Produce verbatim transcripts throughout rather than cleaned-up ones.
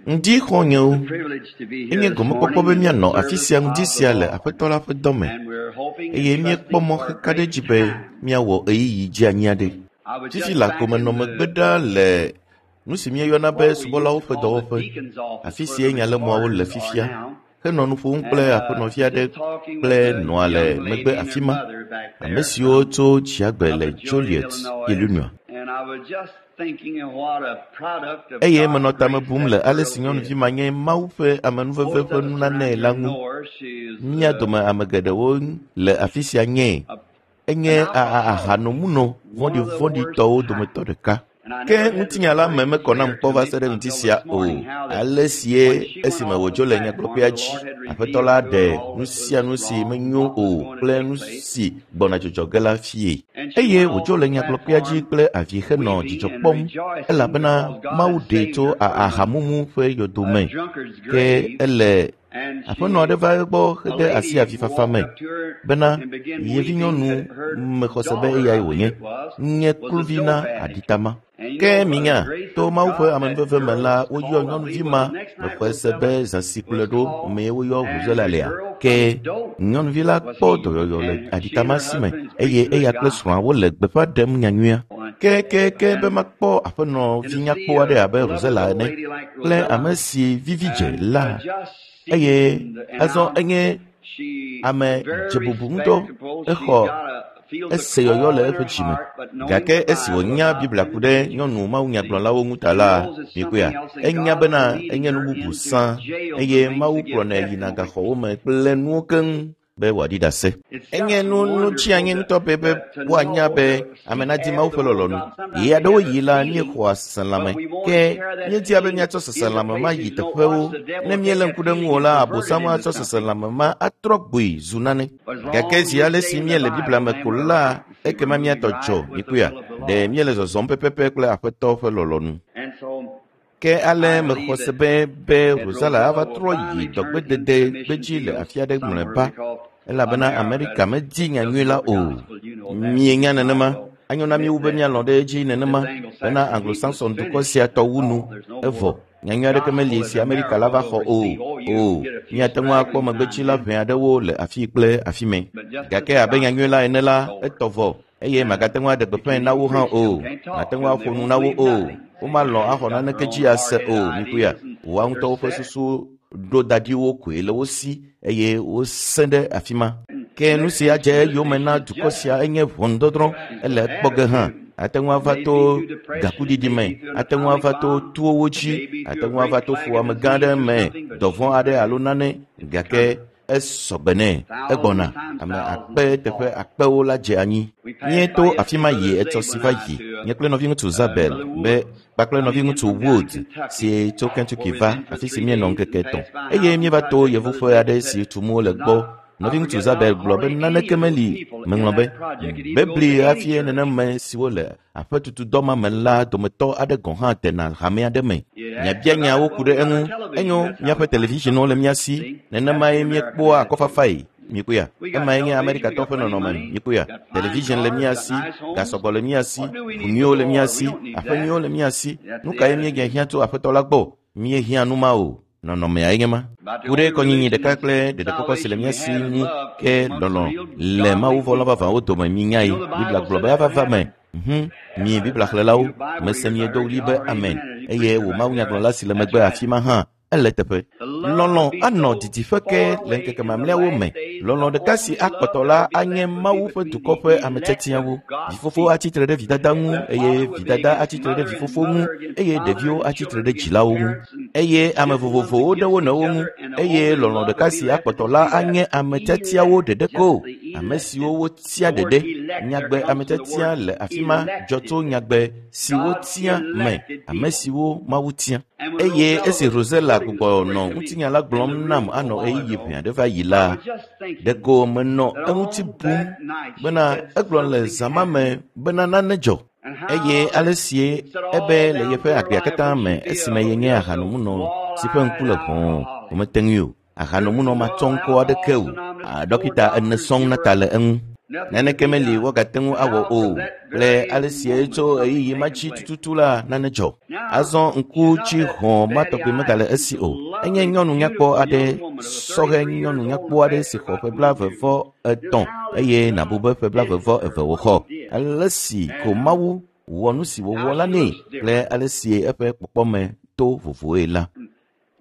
Ŋdi xɔ̃nyewo, enye gɔmekpɔkpɔ be míanɔ afi sia ŋdi sia le Aƒetɔ la ƒe dɔme eye míekpɔ mɔ xeka ɖe edzi be míawɔ ɣeyiɣi dzeanyi aɖe. Fifi le agome megbe ɖaa le nu si míeyɔna be subɔlawo ƒe dɔwɔƒe, afi sie nyalemɔawo le fifia, henɔ nu ƒom kple aƒenɔvi aɖe kple nɔa le megbe afi ma, ame siwo tso Dziagbe le Joliet, Illinois. Eye menɔ tame bum le ale si nyɔnuvi ma nye Mawu ƒe amenuveve ƒe nunanae la ŋu. Mía dome ame geɖewo le afi sia nyee. Enye ahanomunɔ vɔ̃ɖivɔ̃ɖitɔwo dometɔ ɖeka. Ke ŋutinya la me mekɔ nam kpɔ va se ɖe ŋuti sia o. Ale sie esime wòdzo le nyagblɔƒea dzi, Aƒetɔ la ɖe nu sia nu si menyo o kple nu si gbɔna dzɔdzɔ ge la fie. Eye wòdzo le nyagblɔƒea dzi kple avi henɔ dzidzɔ kpɔm elabena Mawu ɖee tso ahamumu ƒe yɔdo me. Ke ele aƒenɔ aɖe va egbɔ hede asi avifafa me bena yevinyɔnu mexɔ se be eyae wònye, nye kluvi na aɖitama. Ke minya, to Mawu ƒe amenuveve me la, woyɔ nyɔnuvi ma mexɔe se be zã si kplɔe ɖo mee woyɔ Rosella lea. Ke nyɔnuvi la kpɔ dɔyɔyɔ le aɖitama si me eye eya kple srɔ̃a wole gbeƒã ɖem nyanyuia. Ke ke ke be makpɔ aƒenɔvi nyakpɔ aɖe abe Rosella ene kple ame si vivi dze la eye azɔ enye ame dzebubu ŋutɔ exɔ ese yɔyɔ le eƒe dzime. Gake esi wònya Biblia ku ɖe nyɔnu mawunyagblɔlawo ŋu ta la, mikpɔea, enya bena enye nu bubu sã eye Mawu kplɔnɛ yina gaxɔwo me kple nuwo keŋ be wòaɖi ɖase. Enye nu nu tsianyi ŋutɔ be be woanya be ame nadi Mawu ƒe lɔlɔ̃nu. Ɣe aɖewo yi la, míexɔa seselãme ke míedia be míatsɔ seselãme ma yi teƒewo. Ne míelé ŋku ɖe ŋu o la, Abosam atsɔ seselãme ma atrɔ gboe zu nane. Gake zi ale si míele Biblia me ko la, ekema míatɔ dzɔ, mikpɔea, ɖe míele zɔzɔm pɛpɛpɛ kple Aƒetɔ ƒe lɔlɔ̃nu. Ke ale mexɔ se be be Rosella ava trɔ yi dɔgbedede gbedzi le afi aɖe mlɔeba elabena Amerika medi nyanyui la o. Mienya nenema. Anyo na míwu be míalɔ̃ ɖe edzi nenema bena Anglo-Saxon dukɔ sia tɔ wu nu evɔ. Nyanyui aɖeke meli si Amerika la va xɔ o. O, míate ŋu akpɔ megbetsila ʋɛ aɖewo le afi kple afi mɛ. Gake abe nyanyui la ene la, etɔ vɔ eye magate ŋu aɖe gbeƒãe na wo hã o. Mate ŋu aƒo nu na wo o. Womalɔ̃ axɔ naneke dzi ase o. Mikpɔea, woa ŋutɔwo ƒe susu ɖo da ɖi wo koe le wo si eye wosẽ ɖe afi ma. Ke nu si adze eyome na dukɔ sia enye ʋɔnudɔdrɔ̃ ele ekpɔ ge hã. Ate ŋu ava to gakuɖiɖi me, ate ŋu ava to towo dzi, ate ŋu ava to fuwɔame gã aɖe me, dɔvɔ̃ aɖe alo nane gake esɔgbe nɛ egbɔna. Ame akpe teƒe akpewo la dze anyi. Míeto afi ma yi etsɔ si va yi. Nye kple nɔviŋutsu Zabel be kpakple nɔviŋutsu Wood si tso Kentucky va afi si míenɔ ŋkeke etɔ̃ eye míeva to yevuƒe aɖe si tum wole gbɔ. Nɔviŋutsu Zabel gblɔ be naneke meli. Meŋlɔ be bebli hafi nenema siwo le aƒetutudɔ ma me la dometɔ aɖe gɔ̃ hã tena hame aɖe me. Miabia nyawo ku ɖe eŋu. Enyo míaƒe televisionwo le mía si. Nenemae míekpɔa akɔfafae. Mikpɔea, emae nye Amerikatɔwo ƒe nɔnɔme. Mikpɔea, television le mía si, gasɔgbɔ le mía si, ʋu nyuiwo le mía si, aƒe nyuiwo le mía si. Nu kae míegahiã tso Aƒetɔ la gbɔ? Míehiã nu ma o. Nɔnɔmea nye ma. Ku ɖe kɔnyinyi ɖeka kple ɖeɖekpɔkpɔ si le mía si ŋu ke lɔlɔ̃ le mawuvɔlɔ̃ vavãwo dome mínyae. Biblia gblɔ be ava va me. Hm, mi Biblia xlẽlawo, mese miedo ɣli be amen eye wò mawunyagblɔla si le megbe afi ma hã ele teƒe. Lɔlɔ̃ anɔ didiƒe ke le ŋkeke mamlɛawo me. Lɔlɔ̃ ɖeka si akpɔtɔ la anye Mawu ƒe dukɔ ƒe ametiatiawo. Vifofo atsi tre ɖe vidada ŋu eye vidada atsi tre ɖe vifofo ŋu eye ɖeviwo atsi tre ɖe dzilawo ŋu eye ame vovovowo ɖe wo nɔewo ŋu eye lɔlɔ̃ ɖeka si akpɔtɔ la anye ametiatiawo ɖeɖe ko. Ame siwo wotia ɖeɖe. Nyagbe ametiatia le afi ma dzɔ tso nyagbe si wotia me. Ame siwo Mawu tia. Eye esi Rosella gbugbɔ nɔ ŋutinya la gblɔm nam anɔ ɣeyiɣi ʋɛ aɖe va yi la, ɖeko menɔ eŋuti bum bena egblɔ le zã ma me bena nane dzɔ. Eye ale sie ebe le yeƒe agbea katã me esime yenye ahanomunɔ si ƒe ŋku le ʋɔɔ womete ŋui o. Ahanomunɔ matsɔ ŋkɔ aɖeke o. Ɖɔkita ene sɔŋ na ta le eŋu. Naneke meli woagate ŋu awɔ o. Le ale si tso ɣeyiɣi ma dzi tututu la nane dzɔ. Azɔ ŋku tsi hɔ̃ ma tɔgbi megale esi o. Enye nyɔnu nyakpɔ aɖe, sɔhɛ nyɔnu nyakpɔ aɖe si xɔ ƒe blaeve vɔ etɔ̃ eye nàbu be ƒe blaeve vɔ eve wòxɔ. Ale si ko Mawu wɔ nu si wòwɔ la nɛ kple ale si eƒe kpɔkpɔme to vovoe la.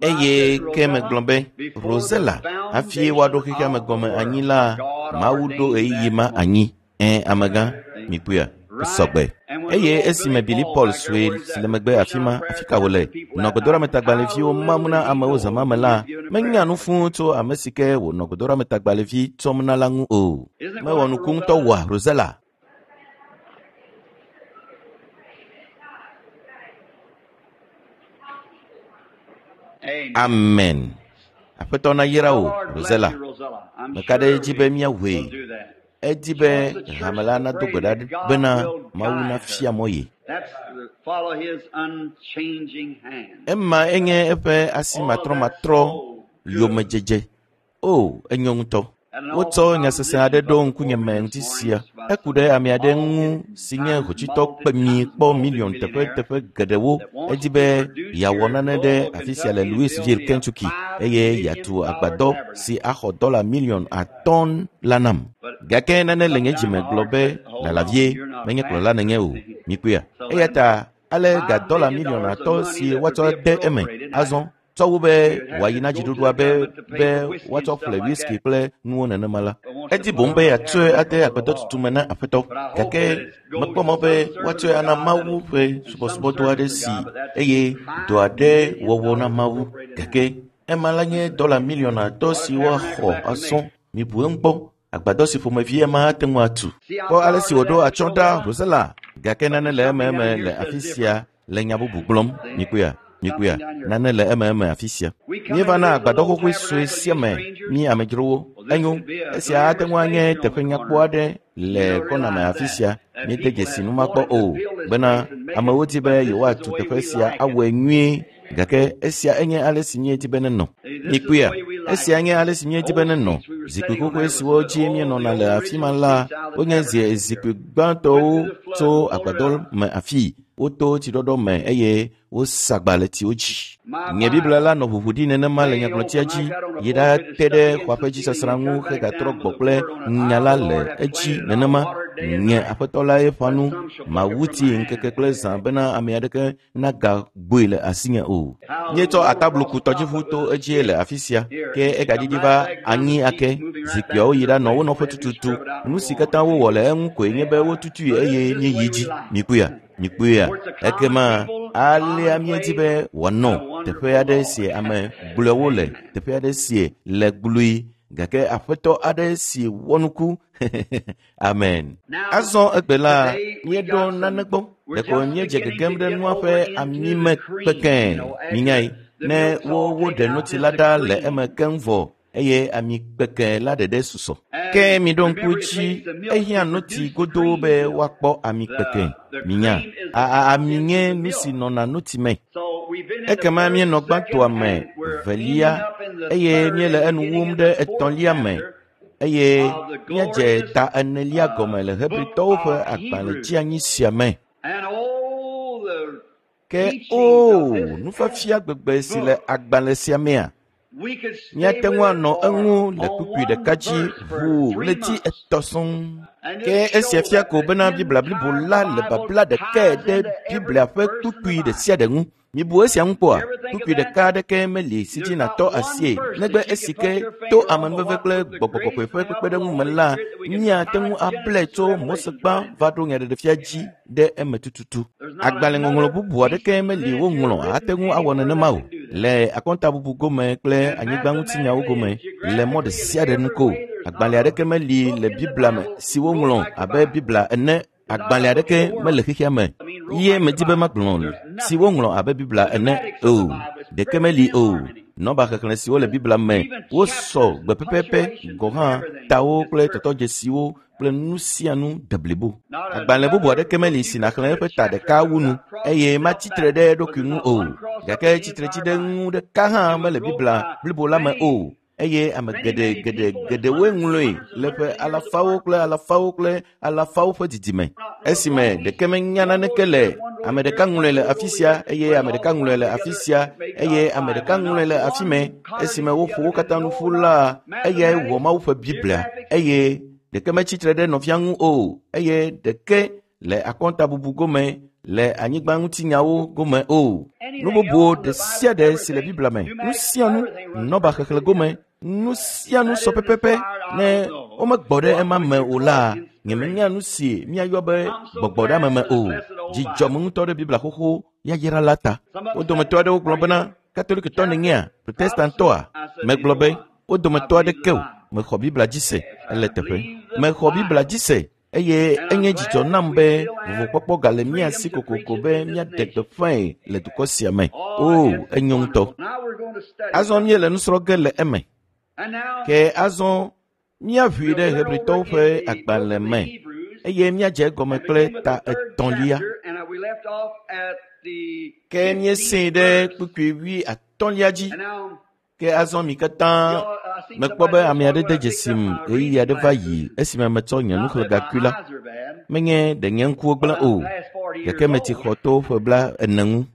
Eye ke megblɔ be, Rosella, hafi woaɖo xexea me gɔme anyi la, Mawu ɖo ɣeyiɣi ma anyi. Ẽ, amegã, mikpɔea, sɔgbe. Eye esime Billy Paul sue si le megbe afi ma, afi ka wòle, nɔ gbedoɖametagbalẽviwo mam na amewo zã ma me la, menya nu fũu tso ame si ke wònɔ gbedoɖametagbalẽvi tsɔm na la ŋu o. Mewɔ nuku ŋutɔ wɔa, Rosella? Amen. Aƒetɔ nayra wò, Rosella. Meka ɖe edzi be míawɔe. Edi be hame la nado gbe ɖa bena Mawu nafia mɔ ye. Ema enye eƒe asi matrɔmatrɔ yomedzedze. O, enyo ŋutɔ. Wotsɔ nya sesẽ aɖe ɖo ŋkunyeme ŋuti sia. Eku ɖe ame aɖe ŋu si nye hotsuitɔ kpemi kpɔ miliɔn teƒeteƒe geɖewo. Edi be yeawɔ nane ɖe afi sia le Louisville, Kentucky, eye yeatu agbadɔ si axɔ dɔla miliɔn atɔ̃ la nam. Gake nane le nye dzime gblɔ be lala vie, menye kplɔla nenye o. Mikpɔea? Eya ta ale ga dɔla miliɔn atɔ̃ si woatsɔ de eme azɔ tsɔ wu be wòayi na dziɖuɖua be be woatsɔ ƒle whisky kple nuwo nenema la. Edi boŋ be yeatsɔe ade agbadɔtutu me na aƒetɔ. Gake mekpɔ mɔ be woatsɔe ana Mawu ƒe subɔsubɔdɔ aɖe si eye dɔ aɖe wɔwɔ na Mawu. Gake ema la nye dɔla miliɔn atɔ̃ si woaxɔ asɔ. Mibu eŋu kpɔ. Agbadɔ si ƒomevi ema ate ŋu atu. Kpɔ ale si wòɖo atsyɔ̃ ɖa, Rosella. Gake nane le ememe le afi sia le nya bubu gblɔm. Mikpɔea? Mikpɔea? Nane le ememe afi sia. Míeva na agbadɔ xoxoe sue sia me, mí amedzrowo. Enyo, esia ate ŋu anye teƒe nyakpɔ aɖe le kɔna me afi sia. Míede dzesi nu ma kpɔ o, bena amewo di be yewoatu teƒe sia awɔe nyuie. Gake esia enye ale si míedi be nenɔ. Mikpɔea? Esia nye ale si míedi be nenɔ. Zikpui xoxoe siwo dzi míenɔna le afi ma la, wonye zikpui gbãtɔwo tso agbadɔ me afii. Woto tsiɖɔɖɔ me eye wosa agba le tsiwo dzi. Nye Biblia la nɔ ʋuʋu ɖi nenema le nyagblɔtia dzi yi ɖate ɖe xɔa ƒe dzisasrã ŋu hegatrɔ gbɔ kple nya la le edzi nenema. Nye aƒetɔ lae ƒã nu, mawu tsi ŋkeke kple zã bena ame aɖeke nagagboe le asinye o. Míetsɔ atabluku tɔdziʋu to edzie le afi sia, ke egaɖiɖi va anyi ake. Zikpuiawo yi ɖanɔ wo nɔƒe tututu. Nu si katã wowɔ le eŋu koe nye be wotutui eye míeyi dzi. Mikpɔea? Mikpɔea? Ekema alea míedi be wòanɔ teƒe aɖe si ame gblɔewo le, teƒe aɖe si le gblui, gake aƒetɔ aɖe si wɔ nuku. Amen. Azɔ egbe la, míeɖo nane gbɔ. Ɖeko míedze gegem ɖe nua ƒe amime kpekẽ. Minyae, ne wo woɖe notsi la ɖa le eme keŋ vɔ eye ami kpekẽ la ɖeɖe susɔ. Ke miɖo ŋku dzi, ehiã notsi godoo be woakpɔ ami kpekẽ. Minya, ami nye nu si nɔna notsi me. Ekema míenɔ gbãtɔa me velia eye míele enu wum ɖe etɔ̃lia me eye míadze ta enelia gɔme le Hebritɔwo ƒe agbalẽtsianyi sia me. Ke o, nufiafia gbegbe si le agbalẽ sia mea, míate ŋu anɔ eŋu le kpukpui ɖeka dzi ʋuu ɣleti etɔ̃ sɔŋ. Ke esia fia ko bena Biblia blibo la le babla ɖekae ɖe Biblia ƒe kpukpui ɖe sia ɖe ŋu. Mibu esia ŋu kpɔa? Kpukpui ɖeka aɖeke meli si dzi nàtɔ asie negbe esi ke to amenuveve kple gbɔgbɔ kɔkɔe ƒe kpekpeɖeŋu me la, míate ŋu ablae tso Mose gbã va ɖo nyaɖeɖefia dzi ɖe eme tututu. Agbalẽŋɔŋlɔ bubu aɖeke meli woŋlɔ ate ŋu awɔ nenema o. Le akɔntabubu gome kple anyigbaŋutinyawo gome le mɔ ɖe sia ɖe nu ko. Agbalẽ aɖeke meli le Biblia me si woŋlɔ abe Biblia ene. Agbalẽ aɖeke mele xexea me ye medi be magblɔ si woŋlɔ abe Biblia ene o. Ɖeke meli o. Nɔba xexlẽ siwo le Biblia me wosɔ gbe pɛpɛpɛ gɔ̃ hã tawo kple tɔtɔdzesiwo kple nu sia nu de blibo. Agbalẽ bubu aɖeke meli si nàxlẽ eƒe ta ɖeka wu nu eye matsi tre ɖe eɖokui ŋu o. Gake tsitretsiɖeŋu ɖeka hã mele Biblia blibo la me o. Eye ame geɖe geɖe geɖewoe ŋlɔe le ƒe alafawo kple alafawo kple alafawo ƒe didime. Esime ɖeke menya naneke le ame ɖeka ŋlɔe le afi sia eye ame ɖeka ŋlɔe le afi sia eye ame ɖeka ŋlɔe le afi mɛ. Esime woƒo wo katã nu ƒu la, eyae wɔ Mawu ƒe Biblia eye ɖeke metsitre ɖe nɔvia ŋu o eye ɖeke le akɔntabubu gome le anyigba ŋutinyawo gome o. Nu bubuwo ɖe sia ɖe si le Biblia me, nu sia nu, nɔba xexlẽ gome, nu sia nu sɔ pɛpɛpɛ ne womegbɔ ɖe ema me o la, nyemenya nu si míayɔ be gbɔgbɔɖeame me o. Dzidzɔm ŋutɔ ɖe Biblia xoxo yayra la ta. Wo dometɔ aɖewo gblɔ bena Katolikitɔ nènyea, Protestantɔa? Megblɔ be wo dometɔ aɖeke o. Mexɔ Biblia dzi se ele teƒe. Mexɔ Biblia dzi se eye enye dzidzɔ nam be vovokpɔkpɔ gale mía si kokoko be míaɖe gbeƒãe le dukɔ sia me. O, enyo ŋutɔ. Azɔ míele nu srɔ̃ ge le eme. Ke azɔ míaʋui ɖe Hebritɔwo ƒe agbalẽ me eye míadze egɔme kple ta etɔ̃lia. Ke míesee ɖe kpukpui wui atɔ̃lia dzi. Ke azɔ mi katã mekpɔ be ame aɖe de dzesim ɣeyiɣi aɖe va yi esime metsɔ nye nuxlẽgakui la. Menye ɖe nye ŋkuwo gblẽ o, gake metsi xɔ to ƒe bla ene ŋu.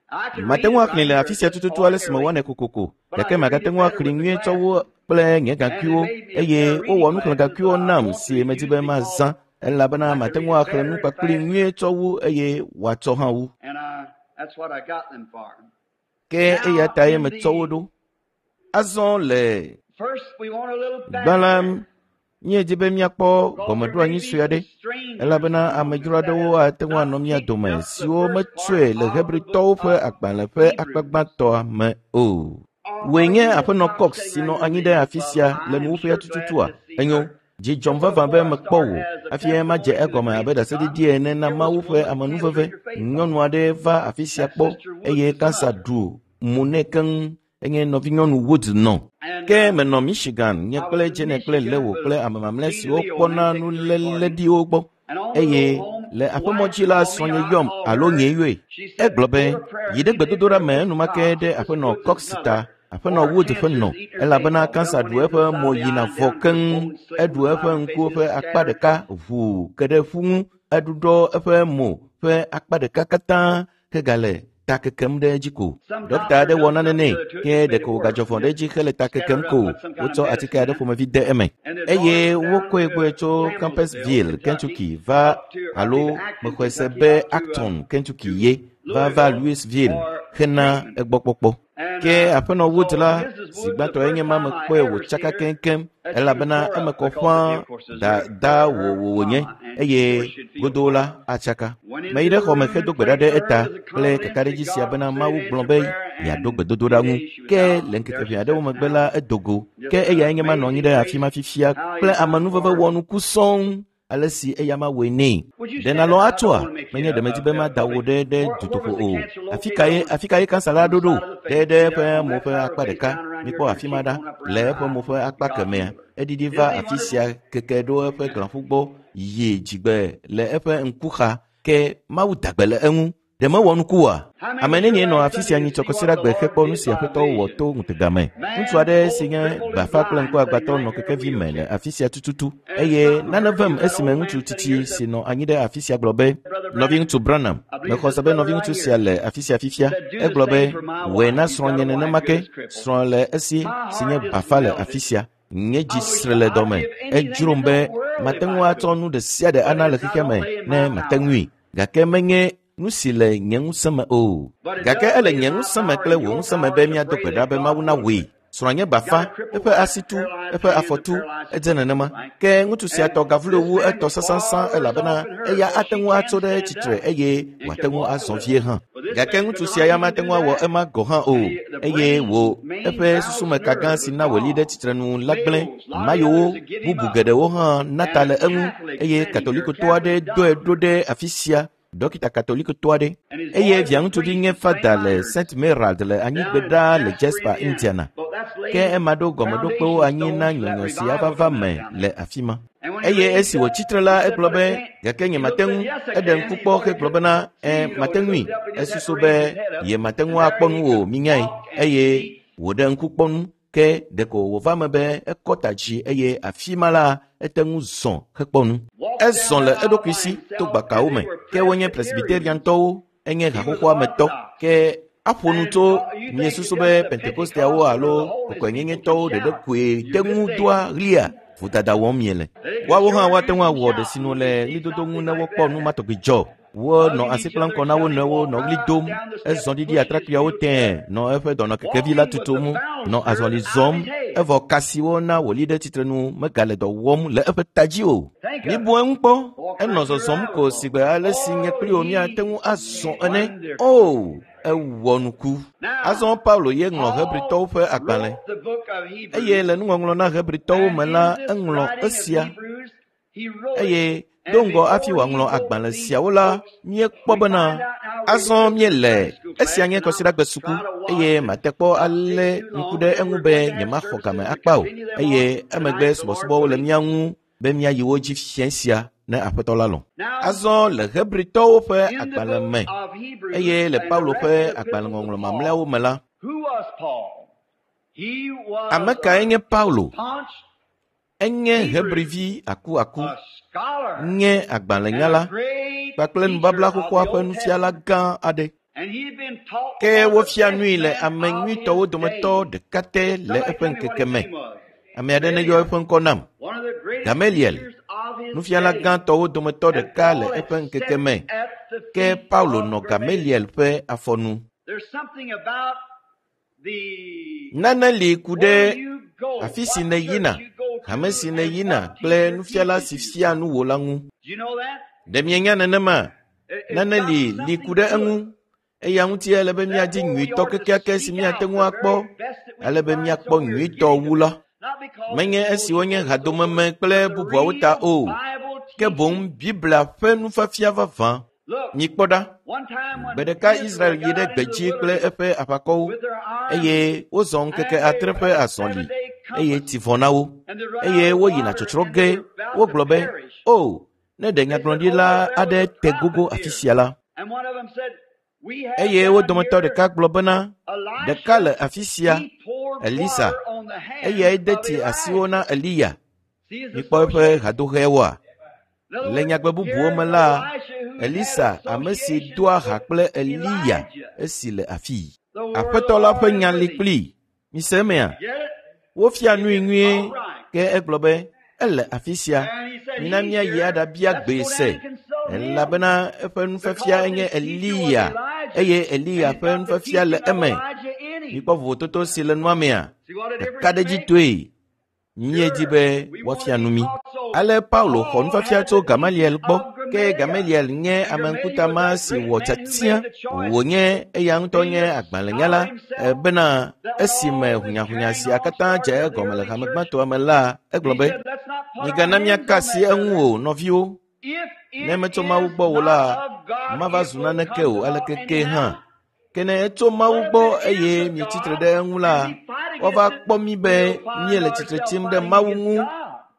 Mate ŋu axlẽe le afi sia tututu ale si mewɔnɛ kokoko, gake magate ŋu axlẽe nyuie tsɔ wu kple nye gakuiwo eye wowɔ nuxlẽgakuiwo nam si medi be mazã elabena mate ŋu axlẽ nu kpakpli nyuie tsɔ wu eye wòatsɔ hã wu. Ke eya tae metsɔ wo ɖo. Azɔ le gbã la, míedi be míakpɔ gɔmeɖoanyi sue aɖe elabena amedzro aɖewo ate ŋu anɔ mía dome siwo metsɔe le Hebritɔwo ƒe agbalẽ ƒe akpa gbãtɔa me o. Wòe nye Aƒenɔ Cox si nɔ anyi ɖe afi sia le nuwuƒea tututua? Enyo, dzi dzɔm vavã be mekpɔ wò hafi madze egɔme abe ɖaseɖiɖi ene na Mawu ƒe amenuveve. Nyɔnu aɖe va afi sia kpɔ eye kansa ɖu mo nɛ keŋ. Enye nɔvinyɔnu Wood nɔ. Ke menɔ Michigan, nye kple Jene kple Leo kple ame mamlɛ siwo kpɔna nuléleɖiwo gbɔ. Eye le aƒemɔdzi la srɔ̃nye yɔm alo nye yɔe. Egblɔ be, yi ɖe gbedodoɖa me enumake ɖe Aƒenɔ Cox ta, Aƒenɔ Wood ƒe nɔ, elabena kansa ɖu eƒe mo yina vɔ keŋ. Eɖu eƒe ŋkuwo ƒe akpa ɖeka ʋuu ke ɖe ƒu ŋu. Eɖuɖɔ eƒe mo ƒe akpa ɖeka katã hegale ta kekem ɖe edzi ko. Ɖɔkita aɖe wɔ nane nɛ ke ɖeko wògadzɔ vɔ̃ ɖe edzi hele ta kekem ko. Wotsɔ atike aɖe ƒomevi de eme eye wokɔe gbɔe tso Campbellsville, Kentucky va alo mexɔe se be Acton, Kentucky ye va va Louisville hena egbɔkpɔkpɔ. Ke Aƒenɔ Wood la zi gbãtɔe nye ma mekpɔe wòtsaka keŋkeŋ elabena eme kɔ ƒãa dada wòwòwònye eye godoo la atsaka. Meyi ɖe xɔme hedo gbe ɖa ɖe eta kple kakaɖedzi sia bena Mawu gblɔ be yeaɖo gbedodoɖa ŋu. Ke le ŋkeke ʋɛ aɖewo megbe la edo go. Ke eyae nye ma nɔ anyi ɖe afi ma fifia kple amenuveve wɔnuku sɔŋ ale si eya ma wɔe nɛ. Ɖe nàlɔ̃ atsoa? Menye ɖe medi be mada wò ɖe ɖe dutoƒo o. Afi kae afi kae kansa la ɖo ɖo? Ɖe ɖe eƒe mo ƒe akpa ɖeka. Mikpɔ afi ma ɖa. Le eƒe mo ƒe akpa kemɛa, eɖiɖi va afi sia keke ɖo eƒe glãƒu gbɔ yi dzigbe le eƒe ŋkuxa. Ke Mawu da gbe le eŋu. Ɖe mewɔ nuku oa? Ame nenie nɔ afi sia nyitsɔ kɔsiɖagbe hekpɔ nu si Aƒetɔ wɔ to ŋutega me. Ŋutsu aɖe si nye bafa kple ŋkuagbãtɔ nɔ kekevi me le afi sia tututu eye nane vem esime ŋutsu tsitsi si nɔ anyi ɖe afi sia gblɔ be, Nɔviŋutsu Branham, mexɔ se be nɔviŋutsu sia le afi sia fifia. Egblɔ be, wɔe na srɔ̃nye nenema ke. Srɔ̃ le esi si nye bafa le afi sia. Nye dzi sre le dɔme. Edzrom be mate ŋu atsɔ nu ɖe sia ɖe ana le xexea me ne mate ŋui. Gake menye nu si le nye ŋusẽ me o. Gake ele nye ŋusẽ me kple wò ŋusẽ me be míado gbe ɖa be Mawu nawɔe. Srɔ̃a nye bafa, eƒe asi tu, eƒe afɔ tu, edze nenema. Ke ŋutsu sia tɔ gavlo wu etɔ sãsãsã elabena eya ate ŋu atso ɖe tsitre eye wòate ŋu azɔ vie hã. Gake ŋutsu sia ya mate ŋu awɔ ema gɔ̃ hã o eye wò eƒe susumeka gã si na wòli ɖe tsitrenu la gblẽ. Mayowo bubu geɖewo hã na ta le eŋu eye Katolikotɔ aɖe dɔe ɖo ɖe afi sia. Dɔkita Katolikotɔ aɖe eye via ŋutsuvi nye fada le Saint Merald le anyigbe ɖaa le Jasper, Indiana. Ke ema ɖo gɔmeɖokpewo anyi na nyɔnyɔ si ava va me le afi ma. Eye esi wòtsitre la, egblɔ be, gake nyemate ŋu. Eɖe ŋku kpɔ hegblɔ bena, ẽ, mate ŋui. Esusu be yemate ŋu akpɔ nu o, minyae. Eye wòɖe ŋku kpɔ nu Ke ɖeko wòva me be ekɔ ta dzi eye afi ma la ete ŋu zɔ hekpɔ nu. Ezɔ le eɖokui si to gbakawo me. Ke wonye Presbyteriantɔwo, enye haxoxoa me tɔ. Ke aƒo nu tso miesusu be Pentekosteawo alo kɔkɔenyenyetɔwo ɖeɖe koe te ŋu doa ɣlia vodada wɔm miele. Woawo hã woate ŋu awɔ ɖe sinu le ɣlidodo ŋu ne wokpɔ nu ma tɔgbi dzɔ. Wonɔ asi kplam kɔ na wo nɔewo nɔ ɣli dom. Ezɔ ɖiɖi atrakpuiawo tẽe nɔ eƒe dɔnɔkekevi la tutum nɔ azɔli zɔm. Evɔ ka siwo na wòli ɖe tsitrenu megale dɔ wɔm le eƒe ta dzi o. Mibu eŋu kpɔ. Enɔ zɔzɔm ko sigbe ale si nye kpli wò míate ŋu azɔ ene. O, ewɔ nuku. Azɔ Paulo ye ŋlɔ Hebritɔwo ƒe agbalẽ. Eye le nuŋɔŋlɔ na Hebritɔwo me la, eŋlɔ esia. Eye do ŋgɔ hafi wòaŋlɔ agbalẽ siawo la, míekpɔ bena azɔ míele esia nye kɔsiɖagbe suku eye mate kpɔ alé ŋku ɖe eŋu be nyemaxɔ game akpa o. Eye emegbe subɔsubɔwo le mía ŋu be míayi wo dzi fiẽ sia ne Aƒetɔ la lɔ̃. Azɔ le Hebritɔwo ƒe agbalẽ me eye le Paulo ƒe agbalẽŋɔŋlɔ mamlɛawo me la, ame kae nye Paulo? Enye Hebrivi akuaku, nye agbalẽnyala kpakple nubabla xoxoa ƒe nufiala gã aɖe. Ke wofia nui le ame nyuitɔwo dometɔ ɖeka te le eƒe ŋkeke me. Ame aɖe neyɔ eƒe ŋkɔ nam. Gamaliel, nufiala gãtɔwo dometɔ ɖeka le eƒe ŋkeke me. Ke Paulo nɔ Gamaliel ƒe afɔnu. Nane li ku ɖe afi si nèyina, hame si nèyina kple nufiala si fia nu wò la ŋu. Ɖe mienya nenema? Nane li li ku ɖe eŋu. Eya ŋuti ele be míadi nyuitɔ kekeake si míate ŋu akpɔ, ale be míakpɔ nyuitɔ wu la. Menye esiwo nye hadomeme kple bubuawo ta o, ke boŋ Biblia ƒe nufiafia vavã. Mikpɔ ɖa, gbe ɖeka Israel yi ɖe gbedzi kple eƒe aʋakɔwo eye wozɔ ŋkeke adre ƒe azɔli eye tsi vɔ na wo eye woyina tsɔtsrɔ̃ ge. Wogblɔ be, o, ne ɖe nyagblɔɖila aɖe te gogo afi sia la. Eye wo dometɔ ɖeka gblɔ bena, ɖeka le afi sia, Elisa, eyae de tsi asiwo na Eliya. Mikpɔ eƒe hadohɛwoa? Le nyagbe bubuwo me la, Elisa, ame si doa ha kple Eliya esi le afii. Aƒetɔ la ƒe nya li kplii. Mise emea? Wofia nui nyuie, ke egblɔ be, ele afi sia. Mina míayi aɖabia gbee se, elabena eƒe nufiafia enye Eliya, eye Eliya ƒe nufiafia le eme. Mikpɔ vovototo si le nua mea? Ɖekaɖedzitɔe. Míedi be woafia nu mí. Ale Paulo xɔ nufiafia tso Gamaliel gbɔ. Ke Gamaliel nye ame ŋkuta ma si wɔ tiatia wònye eya ŋutɔ nye agbalẽnyala bena esime hunyahunya sia katã dze egɔme le hame gbãtɔa me la, egblɔ be, migana míaka asi eŋu o, nɔviwo. Ne metso Mawu gbɔ o la, mava zu naneke o aleke ke hã. Ke ne etso Mawu gbɔ eye mietsi tre ɖe eŋu la, woava kpɔ mí be míele tsitre tsim ɖe Mawu ŋu.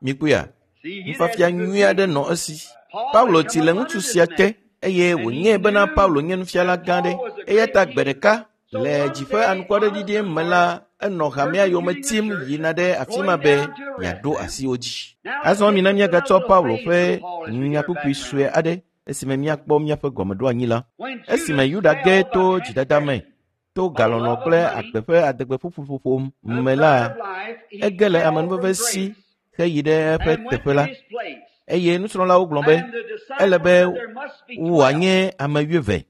Mikpɔea? Nufiafia nyui aɖe nɔ esi. Paulo tsi le ŋutsu sia te eye wònyae bena Paulo nye nufiala gã aɖe. Eya ta gbe ɖeka le dziƒe anukwaɖeɖiɖi me la, enɔ hamea yome tim yina ɖe afi ma be yeaɖo asi wo dzi. Azɔ mina míagatsɔ Paulo ƒe nyakpukpui sue aɖe esime míakpɔ míaƒe gɔmeɖoanyi la. Esime Yuda ge to dzidada me, to galɔlɔ̃ kple agbe ƒe adegbeƒuƒoƒo me la, ege le amenuveve si heyi ɖe eƒe teƒe la. Eye nusrɔ̃lawo gblɔ be, ele be wòanye ame wuieve.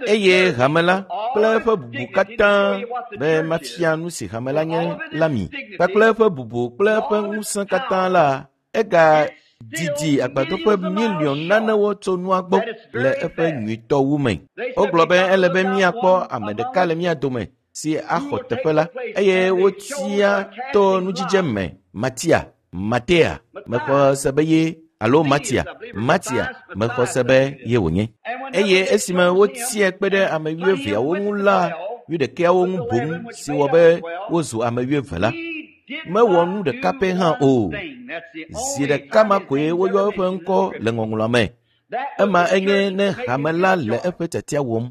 Eye hame la kple eƒe bubu katã be mafia nu si hame la nye la mi, kpakple eƒe bubu kple eƒe ŋusẽ katã la, ega didi agbadɔƒe miliɔn nanewo tso nua gbɔ le eƒe nyuitɔwu me. Wogblɔ be ele be míakpɔ ame ɖeka le mía dome si axɔ teƒe la, eye wotia to nudzidze me Matia, Matea, mexɔ se be ye alo Matia, Matia, mexɔ se be ye wònye. Eye esime wotiae kpe ɖe ame wuieveawo ŋu la, wuiɖekɛawo ŋu boŋ si wɔ be wozu ame wuieve la, mewɔ nu ɖeka pɛ hã o. Zi ɖeka ma koe woyɔ eƒe ŋkɔ le ŋɔŋlɔa me. Ema enye ne hame la le eƒe tiatia wɔm.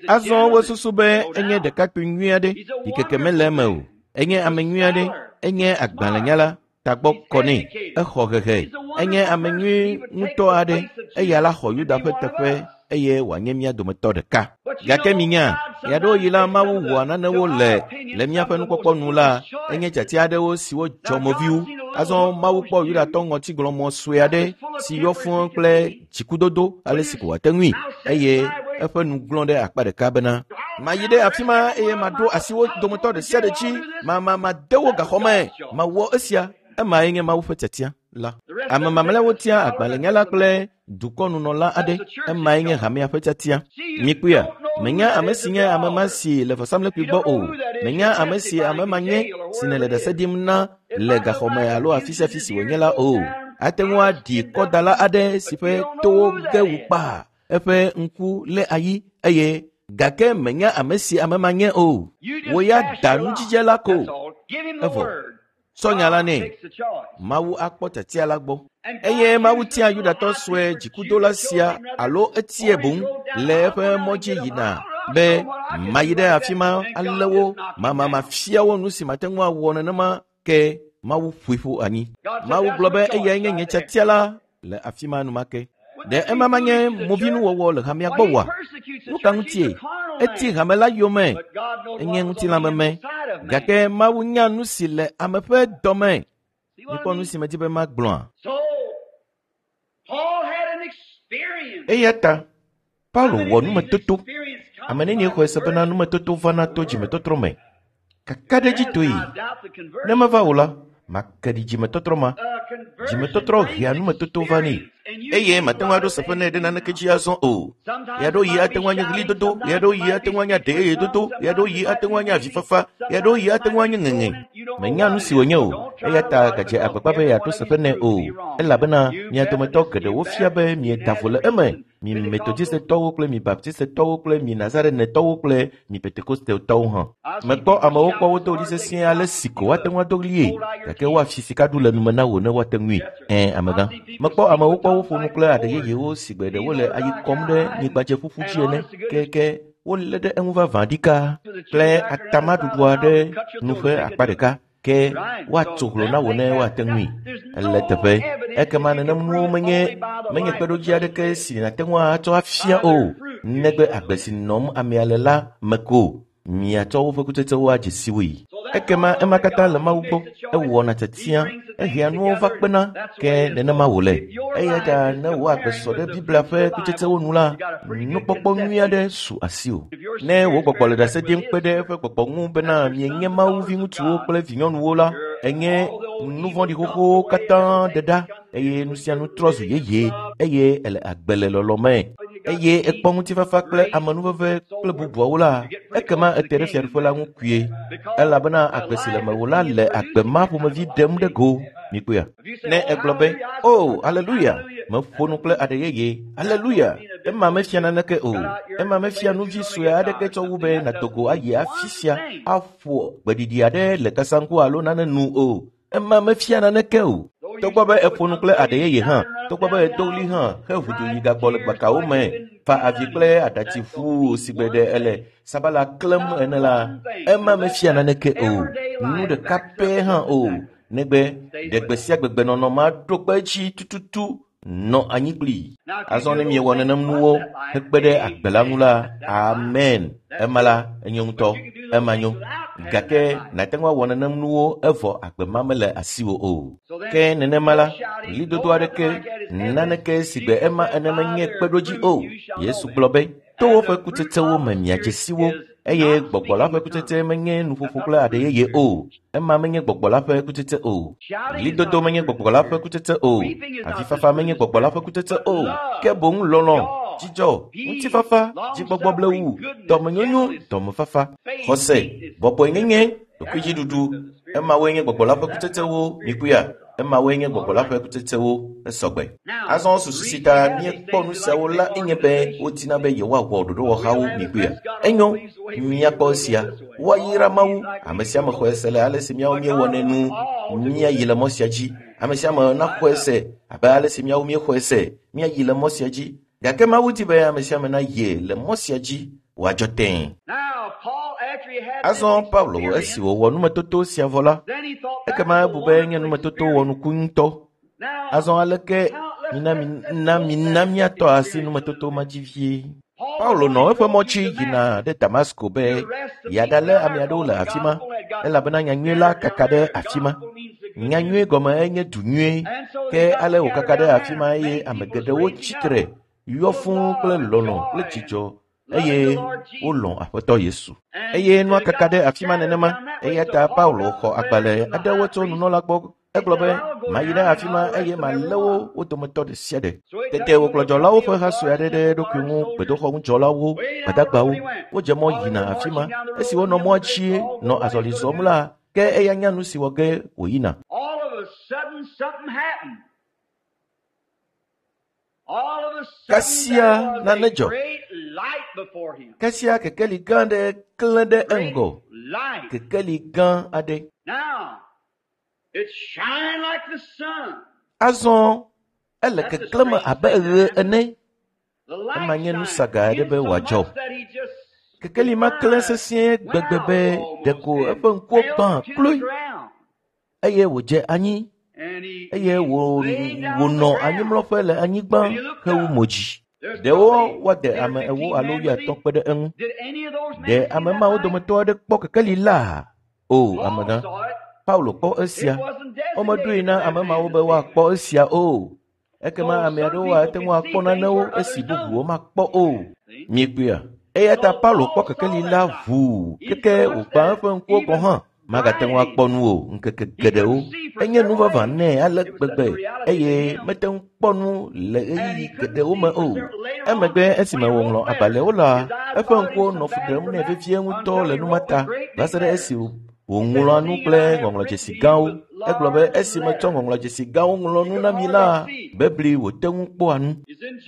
Azɔ wosusu be enye ɖekakpui nyui aɖe, ɖikeke mele eme o. Enye ame nyui aɖe, enye agbalẽnyala, tagbɔ kɔ nɛ, exɔ hehe, enye ame nyui ŋutɔ aɖe, eya la xɔ Yuda ƒe teƒe eye wòanye mía dometɔ ɖeka. Gake minya, ɣeaɖewoɣi la Mawu wɔa nanewo le le míaƒe nukpɔkpɔ nu la, enye tiatia aɖewo siwo dzɔ moviwo. Azɔ Mawu kpɔ Yudatɔ ŋɔtigblɔmɔ sue aɖe si yɔ fũu kple dzikudodo ale si ko wòate ŋui eye eƒe nu glɔ̃ ɖe akpa ɖeka bena mayi ɖe afi ma eye maɖo asi wo dometɔ ɖe sia ɖe dzi, ma ma made wo gaxɔ me, mawɔ esia. Emae nye Mawu ƒe tiatia la. Ame mamlɛawo tia agbalẽnyala kple dukɔnunɔla aɖe. Emae nye hamea ƒe tiatia. Mikpɔea, menya ame si nye ame ma si le vɔsamlekpui gbɔ o. Menya ame si ame ma nye si nèle ɖase ɖim na le gaxɔme alo afi sia afi si wònye la o. Ate ŋu aɖi kɔdala aɖe si ƒe towo ge wu kpaa, eƒe ŋku lé ayi eye gake menya ame si ame ma nye o. Wò ya da nudzidze la ko. Evɔ. Sɔ nya la nɛ. Mawu akpɔ tiatia la gbɔ. Eye Mawu tia Yudatɔ sue dzikudola sia alo etie boŋ le eƒe mɔ dzi yina be mayi ɖe afi ma alé wo, ma mafia wo nu si mate ŋu awɔ nenema ke Mawu ƒoe ƒu anyi. Mawu gblɔ be eyae nye nye tiatia la le afi ma enumake. Ɖe ema manye movinuwɔwɔ le hamea gbɔ oa? Nu ka ŋutie? Eti hame la yome, enye ŋutilãmeme, gake Mawu nya nu si le ame ƒe dɔme. Mikpɔ nu si medi be magblɔa. Eya ta Paulo wɔ numetoto. Ame nenie xɔe se bena numetoto vana to dzimetɔtrɔ me. Kakaɖedzitɔe. Ne meva o la, make ɖi dzimetɔtrɔ ma. Dzimetɔtrɔ hea numetoto vanɛ. Eye mate ŋu aɖo seƒe nɛ ɖe naneke dzi azɔ o. Ɣeaɖewoɣi ate ŋu anye ɣlidodo, ɣeaɖewoɣi ate ŋu anye aɖeyeyedodo, ɣeaɖewoɣi ate ŋu anye avifafa, ɣeaɖewoɣi ate ŋu anye ŋeŋe. Menya nu si wònye o, eya ta gadze agbagba be yeaɖo seƒe nɛ o, elabena mia dometɔ geɖewo fia be mieda vo le eme. Mi Metodistetɔwo kple mi Baptistetɔwo kple mi Nazarenetɔwo kple mi Pentekostetɔwo hã. Mekpɔ amewo kpɔ wodo ɣli sesĩe ale si ko woate ŋu ado ɣlie, gake woafi sika ɖu le nume na wò ne woate ŋui. Ɛ̃, amegã. Mekpɔ amewo kpɔ woƒo nu kple aɖe yeyewo si gbe ɖe wole ayi kɔm ɖe anyigbadzeƒuƒu dzi ene keke wolé ɖe eŋu vavã ɖikaa kple atamaɖuɖu aɖe nu ƒe akpa ɖeka ke woatso hlo na wò ne woate ŋui. Ele teƒe. Ekema nenem nuwo menye menye kpeɖodzi aɖeke si nàte ŋu atsɔ afia o, negbe agbe si nɔm amea le la me ko miatsɔ woƒe kutsetsewo adze si woe. Ekema ema katã le Mawu gbɔ, ewɔna tiatia, ehea nuwo va kpena, ke nenema wòle. Eya ta ne wò agbe sɔ ɖe Biblia ƒe kutsetsewo nu la, nukpɔkpɔ nyui aɖe su asiwò. Ne wò gbɔgbɔ le ɖase ɖim kpe ɖe eƒe gbɔgbɔ ŋu bena mienye Mawu viŋutsuwo kple vinyɔnuwo la, enye nu vɔ̃ɖi xoxowo katã ɖe ɖa eye nu sia nu trɔ zu yeye eye ele agbe le lɔlɔ me eye ekpɔ ŋutifafa kple amenuveve kple bubuawo la, ekema ete ɖe fiaɖuƒe la ŋu kpuie elabena agbe si le mewò la le agbe ma ƒomevi ɖem ɖe go. Mikpɔea? Ne egblɔ be, "O, aleluya, meƒo nu kple aɖe yeye, aleluya," ema mefia naneke o. Ema mefia nu vi sue aɖeke tsɔ wu be nàdo go ayi afi sia aƒo gbeɖiɖi aɖe le kasaŋku alo nane nu o. Ema mefia naneke o. Togbɔ be eƒo nu kple aɖe yeye hã, togbɔ be edo ɣli hã heʋu du yi gagbɔ le gbakawo me, fa avi kple aɖatsi ʋuu si gbe ɖe ele sabala klẽm ene la, ema mefia naneke o. Nu ɖeka pɛ hã o. Negbe ɖe gbe sia gbegbenɔnɔ ma ɖo kpe edzi tututu nɔ anyi kplii. Azɔ ne miewɔ nenem nuwo hekpe ɖe agbe la ŋu la, amen. Ema la enyo ŋutɔ, ema nyo. Gake nàte ŋu awɔ nenem nuwo evɔ agbe ma mele asiwò o. Ke nenema la, ɣlidodo aɖeke, naneke si gbe ema ene menye kpeɖodzi o. Yesu gblɔ be, to woƒe kutsetsewo me miadze si wo, eye gbɔgbɔ la ƒe kutsetse menye nuƒoƒo kple aɖe yeye o. Ema menye gbɔgbɔ la ƒe kutsetse o. Ɣlidodo menye gbɔgbɔ la ƒe kutsetse o. Avifafa menye gbɔgbɔ la ƒe kutsetse o. Ke boŋ lɔlɔ̃, dzidzɔ, ŋutifafa, dzigbɔgbɔ blewu, dɔmenyonyo, dɔmefafa, xɔse, bɔbɔenyenye, ɖokuidziɖuɖu. Emawoe nye gbɔgbɔ la ƒe kutsetsewo. Mikpɔea? Emawoe nye gbɔgbɔ la ƒe kutsetsewo. Esɔgbe. Azɔ susu si ta míekpɔ nu siawo la enye be wodina be yewoawɔ ɖoɖowɔhawo. Mikpɔea? Enyo, míakpɔ esia. Woayra Mawu. Ame sia ame xɔe se le ale si míawo míewɔnɛ nu. Míayi le mɔ sia dzi. Ame sia ame naxɔe se abe ale si míawo míexɔe se. Míayi le mɔ sia dzi. Gake Mawu di be ame sia ame nayi le mɔ sia dzi wòadzɔ tẽe. Azɔ Paulo esi wòwɔ numetoto sia vɔ la, ekema ebu be nye numetoto wɔnuku ŋutɔ. Azɔ aleke mina mina mina míatɔ asi numetoto ma dzi vie. Paulo nɔ eƒe mɔ dzi yina ɖe Damasko be yeaɖalé ame aɖewo le afi ma elabena nyanyui la kaka ɖe afi ma. Nyanyui gɔme enye du nyui ke ale wòkaka ɖe afi ma eye ame geɖewo tsitre yɔ fũu kple lɔlɔ̃ kple dzidzɔ eye wolɔ̃ Aƒetɔ Yesu. Eye nua kaka ɖe afi ma nenema eya ta Paulo xɔ agbalẽ aɖewo tso nunɔla gbɔ. Egblɔ be mayi ɖe afi ma eye malé wo wo dometɔ ɖe sia ɖe. Tete wòkplɔ dzɔlawo ƒe ha sue aɖe ɖe eɖokui ŋu gbedoxɔŋudzɔlawo, gbadagbawo. Wodze mɔ yina afi ma. Esi wonɔ mɔa dzi nɔ azɔli zɔm la, ke eya nya nu si wɔ ge wòyina. Kasia nane dzɔ. Kasia kekeli gã aɖe klẽ ɖe eŋgɔ. Kekeli gã aɖe. Azɔ ele keklẽme abe ɣe ene. Ema nye nu saga aɖe be wòadzɔ. Kekeli ma klẽ sesĩe gbegbe be ɖeko eƒe ŋkuwo gbã kloe eye wòdze anyi eye wònɔ anyimlɔƒe le anyigba hewu mo dzi. Ɖewo woade ame ewo alo wuiatɔ̃ kpe ɖe eŋu. Ɖe ame mawo dometɔ aɖe kpɔ kekeli la? O, amegã. Paulo kpɔ esia. Womeɖoe na ame mawo be woakpɔ esia o. Ekema ame aɖewo ate ŋu akpɔ nanewo esi bubuwo makpɔ o. Miekpɔea? Eya ta Paulo kpɔ kekeli la ʋuu keke wògbã eƒe ŋkuwo gɔ̃ hã. Magate ŋu akpɔ nu o ŋkeke geɖewo. Enye nu vavã nɛ ale gbegbe eye mete ŋu kpɔ nu le ɣeyiɣi geɖewo me o. Emegbe esime wòŋlɔ agbalẽwo la, eƒe ŋkuwo nɔ fu ɖem nɛ vevie ŋutɔ le nu ma ta va se ɖe esi wòŋlɔa nu kple ŋɔŋlɔdzesi gãwo. Egblɔ be esi metsɔ ŋɔŋlɔdzesi gãwo ŋlɔ nu na mi la, bebli wòte ŋu kpɔa nu.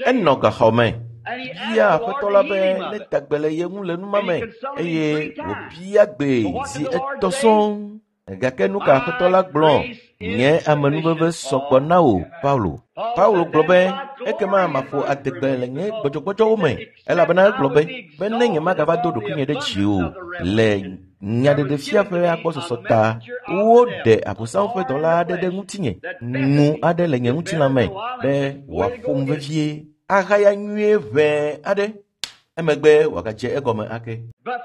Enɔ gaxɔ me. Bia Aƒetɔ la be neda gbe le ye ŋu le nu ma me eye wòbia gbee zi etɔ̃ sɔŋ. Gake nu ka Aƒetɔ la gblɔ? Nye amenuveve sɔgbɔ na wò, Paulo. Paulo gblɔ be ekema maƒo adegbe le nye gbɔdzɔgbɔdzɔwo me elabena egblɔ be be ne nyemagava do ɖokuinye ɖe dzi o le nyaɖeɖefia ƒe agbɔsɔsɔ ta woɖe Abosam ƒe dɔla aɖe ɖe ŋutinye ŋu aɖe le nye ŋutilã me be wòaƒom vevie ahaya nyuie ʋɛ aɖe emegbe wòagadze egɔme ake.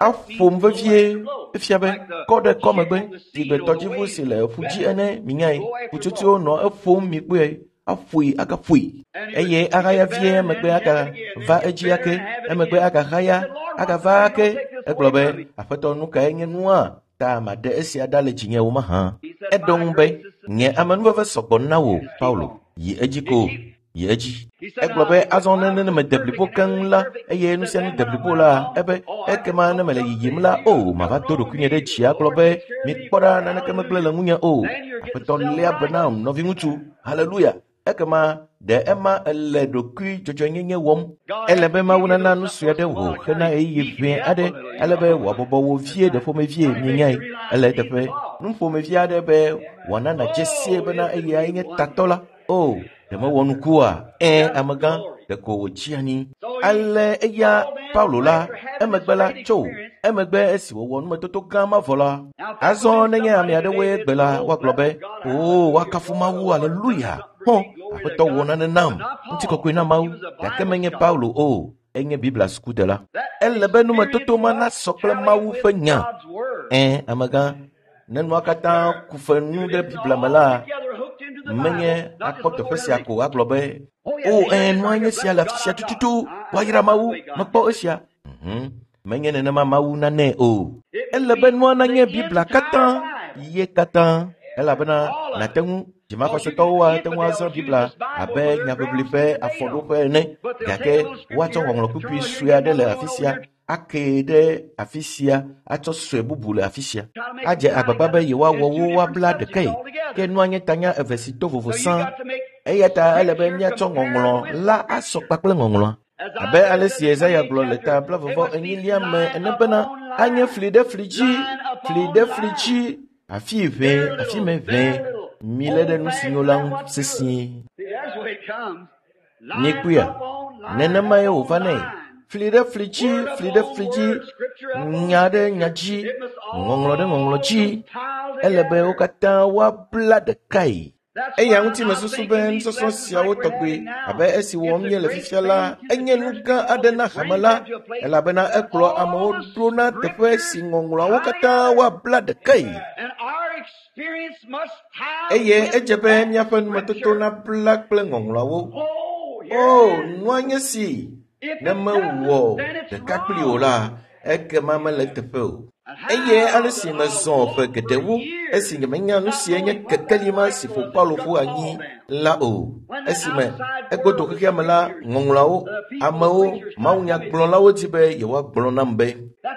Aƒom vevie efia be kɔ ɖe kɔ megbe sigbe tɔdziʋu si le ƒu dzi ene minyae. Ƒutsotsoewo nɔ eƒom mikpɔe aƒoe agaƒoe eye ahaya vie emegbe agava edzi ake emegbe agahaya agava ake. Egblɔ be Aƒetɔ nu kae nye nua ta maɖe esia ɖa le dzinye wo mahã. Eɖo ŋu be nye amenuveve sɔgbɔ na wò Paulo. Yi edzi ko. Yi edzi. Egblɔ be azɔ ne ne mede blibo keŋ la eye nu sia nu de blibo la ebe ekema ne mele yiyim la o mava do ɖokuinye ɖe dzi agblɔ be mikpɔ ɖa naneke megblẽ le ŋunye o. Aƒetɔ léa be nam nɔviŋutsu. Haleluya. Ekema ɖe ema ele ɖokui dzɔdzɔenyenye wɔm. Ele be Mawu nana nu sue aɖe wò hena ɣeyiɣi ʋɛ aɖe ale be wòabɔbɔ wò vie ɖe ƒomevie mienyae. Ele eteƒe nu ƒomevi aɖe be wòana nàdze sie bena eyae nye tatɔ la. O, ɖe mewɔ nukua? Ẽ, amegã, ɖeko wòtsi anyi. Ale eya Paulo la, emegbe la tso. Emegbe esi wòwɔ numetoto gã ma vɔ la, azɔ nenye ame aɖewoe gbe la, woagblɔ be, o, woakafu Mawu, aleluya. Hɔ, Aƒetɔ wɔ nane nam, ŋutikɔkɔe na Mawu. Gake menye Paulo o, enye Biblia sukudela. Ele be numetoto ma nasɔ kple Mawu ƒe nya. Ẽ, amegã, ne nua katã ku fe nu ɖe Biblia me la, menye akpɔ teƒe sia ko agblɔ be o ẽ nua nye sia le afi sia tututu woayra Mawu mekpɔ esia. Mhm. Menye nenema Mawu nanɛ o. Ele be nua nanye Biblia katã ye katã elabena nàte ŋu dzimaxɔsetɔwo ate ŋu azã Biblia abe nyaʋiʋli ƒe afɔɖoƒe ene gake woatsɔ ŋɔŋlɔ kpukpui sue aɖe le afi sia ake ɖe afi sia atsɔ sue bubu le afi sia adze agbagba be yewoawɔ wo woabla ɖekae ke nua nye tanya eve si to vovo sã eya ta ele be míatsɔ ŋɔŋlɔ la asɔ kpakple ŋɔŋlɔa abe ale si Yesaya gblɔ le ta blaeve enyilia me ene bena anye fli ɖe fli dzi fli ɖe fli dzi afi ʋɛ afi me ʋɛ milé ɖe nu si nyo la ŋu sesĩe. Miekpɔea? Nenemae wòva nɛ. Fli ɖe fli dzi, fli ɖe fli dzi, nya ɖe nya dzi, ŋɔŋlɔ ɖe ŋɔŋlɔ dzi. Ele be wo katã woabla ɖekae. Eya ŋuti mesusu be nusɔsrɔ̃ siawo tɔgbe abe esi wɔm míele fifia la, enye nu gã aɖe na hame la, elabena ekplɔ amewo ɖo na teƒe si ŋɔŋlɔawo katã woabla ɖekae. Eye edze be míaƒe numetoto nabla kple ŋɔŋlɔawo. O, nua nye si ne mewɔ ɖeka kpli o la, ekema mele teƒe o. Eye ale si mezɔ ƒe geɖewo esi nyemenya nu si nye kekeli ma si ƒo Paulo ƒu anyi la o. Esime egodo xexea me la, ŋɔŋlɔawo, amewo, mawunyagblɔlawo di be yewoagblɔ nam be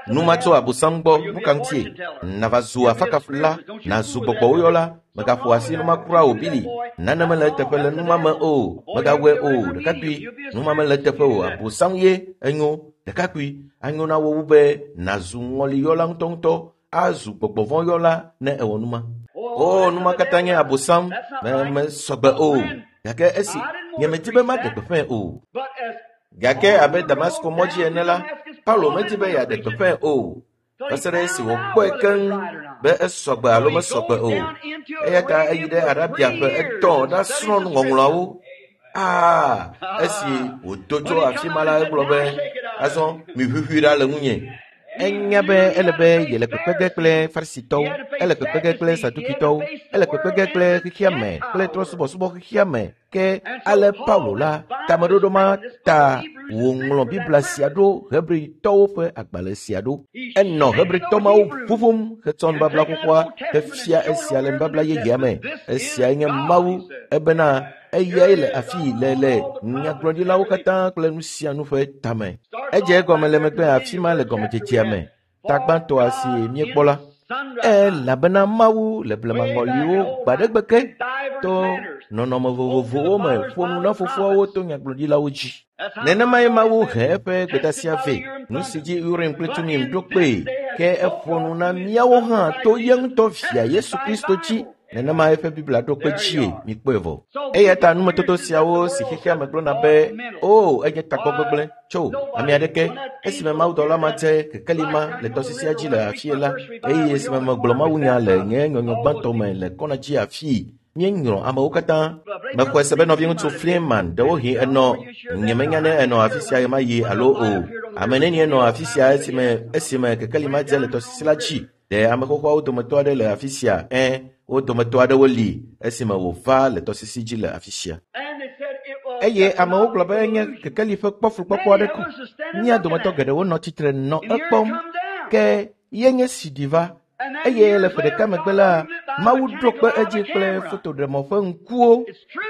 nu ma tso Abosam gbɔ, nu ka ŋutie? Nava zu afakafula, nazu gbɔgbɔwoyɔla, megaƒo asi numa kura o Bili. Nane mele eteƒe le numa me o, megawɔe o, ɖekakpui, numa mele eteƒe o, Abosam ye enyo. Ɖekakpui, anyo na wo wu be nazu ŋɔliyɔla ŋutɔŋutɔ, azu gbɔgbɔvɔ̃yɔla ne ewɔ numa. O, numa katã nye Abosam, me mesɔgbe o. Gake esi nyemedi be maɖe gbeƒãe o. Gake abe Damasko mɔ dzi ene la, Paulo medi be yeaɖe gbeƒãe o. Va se ɖe esi wòkpɔe keŋ be esɔgbe alo mesɔgbe o. Eya ta eyi ɖe Arabia ƒe etɔ̃ ɖasrɔ̃ nuŋɔŋlɔawo. Aa, esi wòdo tso afi ma la, egblɔ be azɔ miʋuʋui ɖa le ŋunye. Enya be ele be yele kpekpe ge kple Farisitɔwo, ele kpekpe ge kple Sadukitɔwo, ele kpekpe ge kple xexea me kple trɔ̃subɔsubɔ xexea me. Ke ale Paulo la, tameɖoɖo ma ta wòŋlɔ Biblia sia ɖo, Hebritɔwo ƒe agbalẽ sia ɖo. Enɔ Hebritɔ mawo ʋuʋum hetsɔ nubabla xoxoa hefia esia le nubabla yeyea me. Esiae nye Mawu, ebena eyae le afii le le nyagblɔɖilawo katã kple nu sia nu ƒe tame. Edze egɔme le megbe afi ma le gɔmedzedzea me, ta gbãtɔa si míekpɔ la. Elabena Mawu le blemaŋɔliwo gbaɖegbe ke to nɔnɔme vovovowo me ƒo nu na fofoawo to nyagblɔɖilawo dzi. Nenemae Mawu he eƒe gbedeasia vɛ, nu si dzi Urim kple Tumim ɖo kpee, ke eƒo nu na míawo hã to ye ŋutɔ via Yesu Kristo dzi. Nenema eƒe Biblia ɖo kpe dzie mikpɔe vɔ. Eya ta numetoto siawo si xexea me gblɔna be o enye tagbɔ gbegblẽ tso ame aɖeke esime mawudɔla ma dze kekeli ma le tɔsisia dzi le afie la, eye esime megblɔ mawunya le nye nyɔnyɔ gbãtɔ me le kɔna dzi afii, míenyrɔ amewo katã. Mexɔe se be nɔviŋutsu Fleeman ɖewohĩ enɔ, nyemenya ne enɔ afi sia ɣemaɣi alo o. Ame nenie nɔ afi sia esime esime kekeli ma dze le tɔsisi la dzi? Ɖe ame xoxoawo dometɔ aɖe le afi sia? Ẽ, wo dometɔ aɖewo li esime wòva le tɔsisi dzi le afi sia. Eye amewo gblɔ be enye kekeli ƒe kpɔflukpɔkpɔ aɖe ko. Mía dometɔ geɖewo nɔ tsitre nɔ ekpɔm. Ke ye nye si ɖi va. Eye le ƒe ɖeka megbe la, Mawu ɖo kpe edzi kple fotoɖemɔ ƒe ŋkuwo.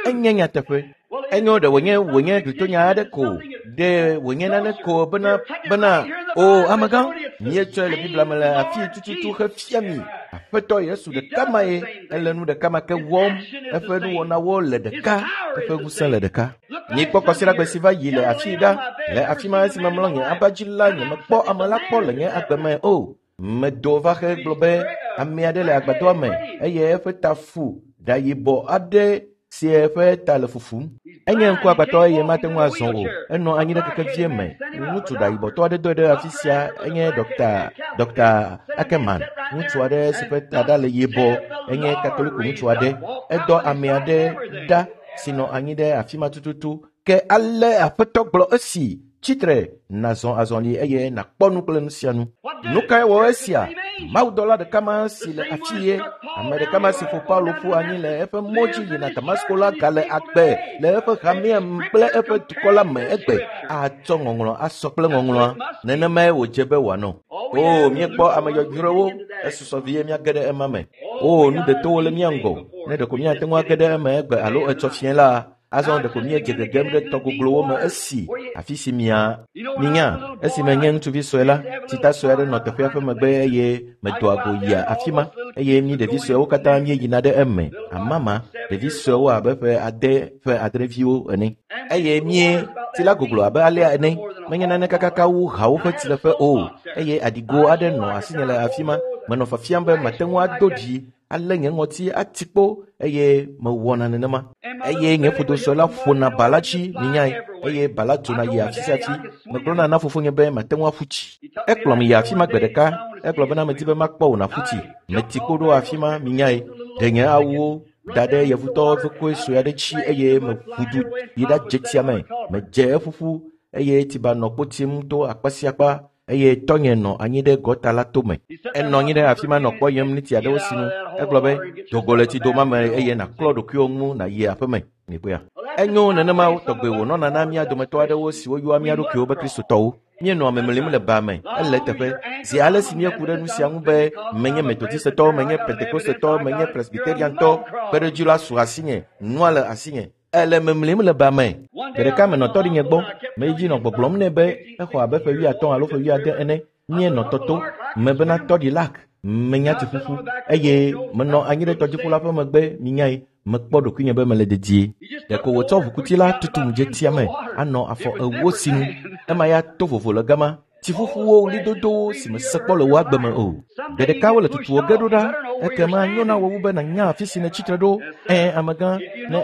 Enye nyateƒe. Enyo ɖe wònye wònye glitonya aɖe ko, ɖe wònye nane ko bena bena o amegã, míetsɔe le Biblia me le afii tututu hefia mi. Aƒetɔ Yesu ɖeka mae, ele nu ɖeka ma ke wɔm, eƒe nuwɔnawo le ɖeka, eƒe ŋusẽ le ɖeka. Mikpɔ kɔsiɖagbe si va yi le afii ɖa, le afi ma esime mlɔ nye aba dzi la, nyemekpɔ ame la kpɔ le nye agbe me o. Medo va xe gblɔ be ame aɖe le agbadɔa me eye eƒe ta fu ɖa yibɔ aɖe si eƒe ta le fufum. Enye ŋkuagbãtɔ eye mate ŋu azɔ o. Enɔ anyi ɖe kekevie me. Ŋutsu ɖayibɔtɔ aɖe doe ɖe afi sia enye Dɔkta Dɔkta Ackerman. Ŋutsu aɖe si ƒe ta ɖa le yibɔ enye Katoliko ŋutsu aɖe. Edɔ ame aɖe ɖa si nɔ anyi ɖe afi ma tututu. Ke ale Aƒetɔ gblɔ esi tsitre nazɔ azɔli eye nakpɔ nu kple nu sia nu. Nu kae wɔ esia? Mawudɔla ɖeka ma si le afi ye, ame ɖeka ma si ƒo Paulo ƒu anyi le eƒe mɔ dzi yina Damasko la gale agbe le eƒe hamea kple eƒe dukɔ la me egbe. Atsɔ ŋɔŋlɔ asɔ kple ŋɔŋlɔa. Nenemae wòdze be wòanɔ. O, míekpɔ ame yɔyrɔewo, esusɔ vie míage ɖe ema me. O, nu ɖetowo le mía ŋgɔ. Ne ɖeko míate ŋu age ɖe eme egbe alo etsɔ fiẽ la, azɔ ɖeko míedze gegem ɖe tɔ goglowo me esi afi si mia minya esime nye ŋutsuvi sue la, tsita sue aɖe nɔ teƒea ƒe megbe eye medoa go yia afi ma eye mí ɖevi suewo katã míeyina ɖe eme. Amama, ɖevi suewo abe ƒe ade ƒe adreviwo ene. Eye mí tsi la goglo abe alea ene. Menye nane kakaka wu hawo ƒe tsileƒe o. Eye aɖigo aɖe nɔ asinye le afi ma. Menɔ fiafiam be mate ŋu ado dzi alé nye ŋɔti ati kpo eye mewɔna nenema. Eye nye ƒodo la ƒona ba la dzi minyae eye ba la dzona yia afi sia afi. Megblɔna na fofonye be mate ŋu aƒu tsi. Ekplɔm yi afi ma gbe ɖeka. Egblɔ bena medi be makpɔ wò nàƒu tsi. Meti kpo ɖo afi ma minyae. Ɖe nye awuwo da ɖe yevutɔwo ƒe koe sue aɖe dzi eye meʋu du yi ɖadze tsia me. Medze eƒuƒu eye tsiba nɔ kpo tim to akpa sia akpa eye tɔnye nɔ anyi ɖe gɔta la tome. Enɔ anyi ɖe afi ma nɔ kpɔyem ne tsi aɖewo sinu. Egblɔ be dogo le tsi doma me eye nàklɔ ɖokuiwò ŋu nàyi aƒeme. Mikpɔea? Enyo nenema tɔgbe wònɔna na mía dometɔ aɖewo siwo yɔa mía ɖokuiwo be Kristotɔwo. Míenɔ memlim le ba me, ele teƒe. Zi ale si míeku ɖe nu sia ŋu be menye Metodistetɔ, menye Pentekostetɔ, menye Presbyteriantɔ, kpeɖodzi la su asinye, nua le asinye. Ele memlim le ba me. Gbe ɖeka menɔ tɔɖinye gbɔ. Meyi dzi nɔ gbɔgblɔm nɛ be exɔ abe ƒe wuiatɔ̃ alo ƒe wuiade ene. Míenɔ tɔto. Mebena tɔɖi lak. Menya tsiƒuƒu eye menɔ anyi ɖe tɔdziƒu la ƒe megbe minyae. Mekpɔ ɖokuinye be mele dedie. Ɖeko wòtsɔ ʋukuti la tutum dze tsia me anɔ afɔ ewo sinu. Ema ya to vovo le gama. Tsiƒuƒuwo ɣlidodowo si mese kpɔ le wò agbe me o. Gbe ɖeka wole tutuwò ge ɖo ɖa. Ekema nyo na wò wu be nànya afi si nètsi tre ɖo. Ẽ, amegã, ne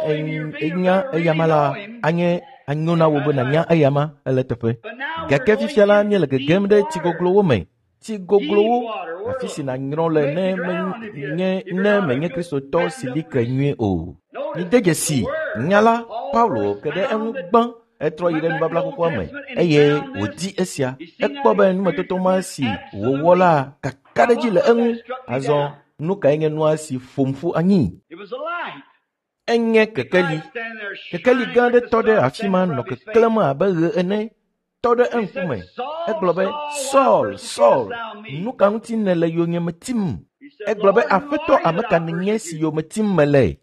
ènya eyama la, anye anyo na wò be nànya eyama ele teƒe. Gake fifia la míele gegem ɖe tsigoglowo me. Tsigoglowo, afi si nànyrɔ le ne menye ne menye Kristotɔ si li ke nyuie o. Mide dzesi nya la, Paulo ke ɖe eŋu gbã. Etrɔ yi ɖe nubabla xoxoa me eye wòdi esia. Ekpɔ be numetoto ma si wòwɔ la kakaɖedzi le eŋu. Azɔ nu kae nye nua si ƒom ƒu anyi? Enye kekeli. Kekeli gã aɖe tɔ ɖe afi ma nɔ keklẽm abe ɣe ene. Tɔ ɖe eŋkume. Egblɔ be, Saul, Saul, nu ka ŋuti nèle yonyeme tim? Egblɔ be, Aƒetɔ, ame ka nènye si yome tim mele?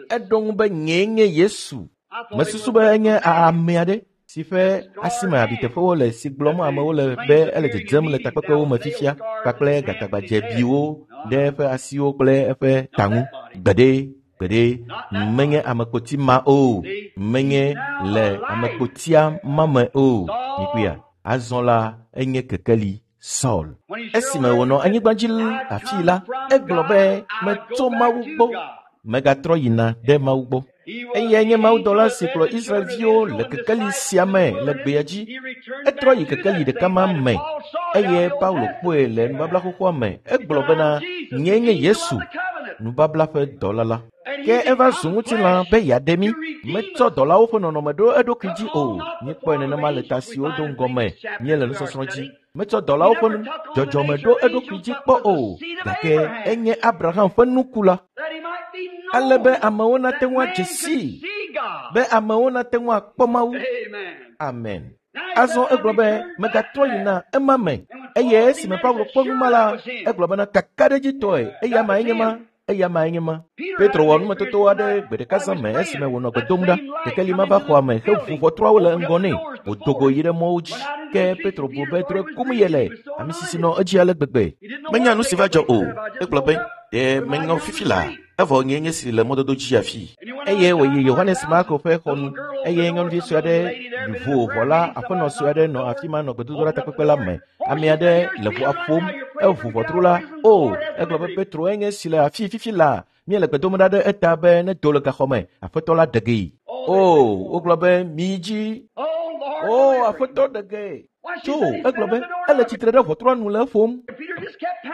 Eɖo ŋu be, nyee nye Yesu. Mesusu be enye ame aɖe si ƒe asime abiteƒewo le si gblɔm amewo le be ele dzedzem le takpekpewo me fifia kpakple gatagbadzebiwo ɖe eƒe asiwo kple eƒe ta ŋu. Gbeɖe, gbeɖe, menye amekpoti ma o. Menye le amekpotia ma me o. Mikpɔea? Azɔ la enye kekeli Saul. Esime wònɔ anyigba dzi afii la, egblɔ be metso Mawu gbɔ. Megatrɔ yina ɖe Mawu gbɔ. Eyae nye mawudɔla si kplɔ Israelviwo le kekeli sia me le gbea dzi. Etrɔ yi kekeli ɖeka ma me eye Paulo kpɔe le nubabla xoxoa me. Egblɔ bena, nyee nye Yesu, nubabla ƒe dɔla la. Ke eva zu ŋutilã be yeaɖe mí. Metsɔ dɔlawo ƒe nɔnɔme ɖo eɖokui dzi o. Míekpɔe nenema le ta siwo do ŋgɔ me míele nusɔsrɔ̃ dzi. Metsɔ dɔlawo ƒe dzɔdzɔme ɖo eɖokui dzi kpɔ o. Gake enye Abraham ƒe nukula. Ale be amewo nate ŋu adze sii, be amewo nate ŋu akpɔ Mawu. Amen. Azɔ egblɔ be megatrɔ yina ema me. Eye esime Paulo kpɔ nu ma la, egblɔ bena kakaɖedzitɔe eya mae nye ma. Eya mae nye ma. Petro wɔ numetoto aɖe gbe ɖeka zã me esime wònɔ gbe dom ɖa. Kekeli ma va xɔa me heʋu ʋɔtruawo le ŋgɔ nɛ. Wòdo go yi ɖe mɔwo dzi. Ke Petro bu be drɔ̃e kum yele. Ame sisi nɔ edzi ale gbegbe. Menya nu si va dzɔ o. Egblɔ be, ɖe meŋɔ fifi la. Evɔ nye nye si le mɔdodo dzi afi. Eye wòyi Yohanes Marko ƒe xɔ nu. Eye nyɔnuvi sue aɖe ʋu ʋɔ la, aƒenɔ sue aɖe nɔ afi ma nɔ gbedodoɖa takpekpe la me. Ame aɖe le ʋua ƒom. Eʋu ʋɔtru la. O, egblɔ be Petro enye si le afi fifi la. Míele gbe dom ɖa ɖe eta be nedo le gaxɔ me. Aƒetɔ la ɖe gee. O, wogblɔ be miyi dzi. O, aƒetɔ ɖe gee. Tso, egblɔ be ele tsitre ɖe ʋɔtrua nu le eƒom.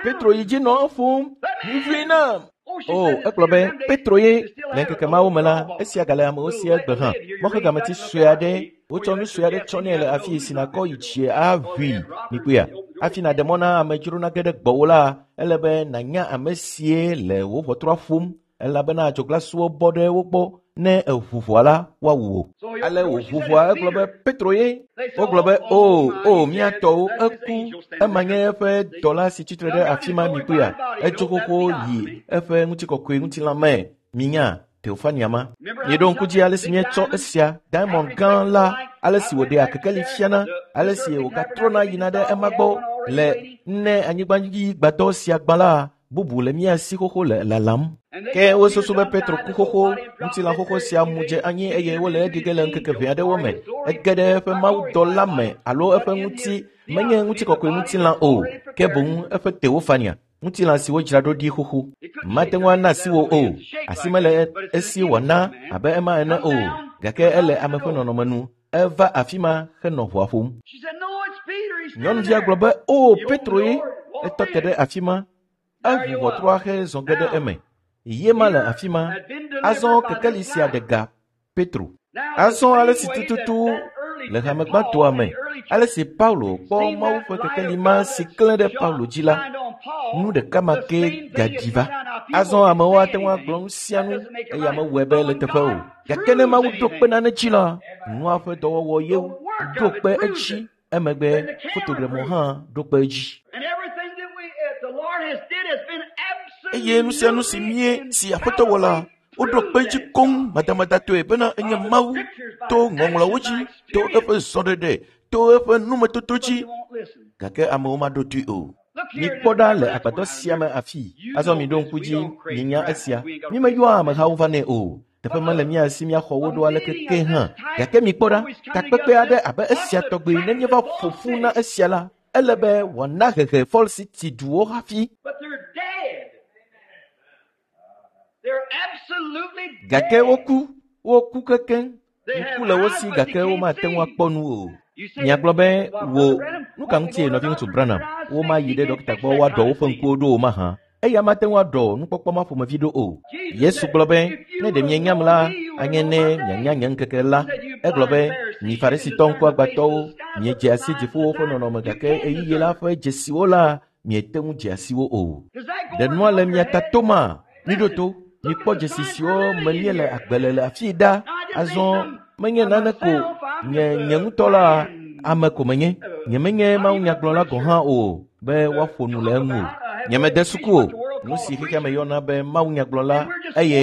Petro yi dzi nɔ eƒom. Miʋui nam. O, egblɔ be Petro ye le ŋkeke mawo me la, esia gale amewo si egbe hã. Mɔxegameti sue aɖe, wotsɔ nu sue aɖe tsɔ nɛ le afi si nàkɔ yi tsie aʋui. Mikpɔea? Hafi nàɖe mɔ na amedzro nage ɖe gbɔwò la, ele be nànya ame sie le wò ʋɔtrua ƒom elabena adzoglasuwo bɔ ɖe wo gbɔ. Ne eʋu ʋɔa la, woawu wò. Ale wòʋu ʋɔa, egblɔ be Petro ye. Wogblɔ be o, o, mía tɔwo, eku. Ema nye eƒe dɔla si tsitre ɖe afi ma mikpɔea? Etso xoxo yi eƒe ŋutikɔkɔe ŋutilã me. Minya Teofania ma. Mieɖo ŋku dzi ale si míetsɔ esia, diamond gã la, ale si wòɖea kekeli fiana, ale si wògatrɔna yina ɖe ema gbɔ le ne anyigbadzigbadɔ sia gbã la, bubu le mía si xoxo le lalam. Ke wosusu be Petro ku xoxo, ŋutilã xoxo sia mu dze anyi eye wole eɖi ge le ŋkeke ʋɛ aɖewo me. Ege ɖe eƒe mawudɔla me alo eƒe ŋuti menye ŋutikɔkɔe ŋutilã o, ke boŋ eƒe Teofania. Ŋutilã si wodzra ɖo ɖi xoxo. Mate ŋu ana asi wò o. Asi mele esi wòana abe ema ene o. Gake ele ame ƒe nɔnɔme nu. Eva afi ma henɔ ʋɔa ƒom. Nyɔnuvia gblɔ be, "O, Petro ye!" Etɔ te ɖe afi ma. Eʋu ʋɔtrua hezɔ ge ɖe eme. Ye ma le afi ma. Azɔ kekeli sia ɖe ga Petro. Azɔ ale si tututu le hame gbãtɔa me, ale si Paulo kpɔ Mawu ƒe kekeli ma si klẽ ɖe Paulo dzi la, nu ɖeka ma ke gaɖi va. Azɔ amewo ate ŋu agblɔ nu sia nu eye amewɔe be le teƒe o. Gake ne Mawu ɖo kpe nane dzi la, nua ƒe dɔwɔwɔ ye ɖo kpe edzi. Emegbe fotoɖemɔ hã ɖo kpe edzi. Eye nu sia nu si mie si Aƒetɔ wɔ la, woɖo kpe edzi koŋ madamadatɔe bena enye Mawu to ŋɔŋlɔawo dzi, to eƒe zɔɖeɖe, to eƒe numetoto dzi. Gake amewo maɖo toe o. Mikpɔ ɖa le agbadɔ sia me afii. Azɔ miɖo ŋku dzi mienya esia. Mímeyɔa amehawo vanɛ o. Teƒe mele mía si míaxɔ wo ɖo aleke ke hã. Gake mikpɔ ɖa, takpekpe aɖe abe esia tɔgbe ne míeva ƒo ƒu na esia la, ele be wòana hehe Fall City duwo hafi. Gake woku, woku kekeŋ. Ŋku le wo si gake womate ŋu akpɔ nu o. Miagblɔ be, wò, nu ka ŋutie nɔviŋutsu Branham, womayi ɖe ɖɔkita gbɔ woaɖɔ woƒe ŋkuwo ɖo o mahã? Eya mate ŋu aɖɔ nukpɔkpɔ ma ƒomevi ɖo o. Yesu gblɔ be, ne ɖe mienyam la, anye ne mianya nye ŋkeke la. Egblɔ be, mi Farisitɔ ŋkuagbãtɔwo, miedze asi dziƒowo ƒe nɔnɔme gake ɣeyiɣi la ƒe dzesiwo la, miete ŋu dze asi wo o. Ɖe nua le mia ta toma? Miɖo to, mikpɔ dzesi siwo me míele agbe le le afii ɖa. Azɔ menye nane ko nye nye ŋutɔ la ame ko menye. Nyemenye mawunyagblɔla gɔ̃ hã o be woaƒo nu le eŋu o. Nyemede suku o. Nu si xexea me yɔna be mawunyagblɔla eye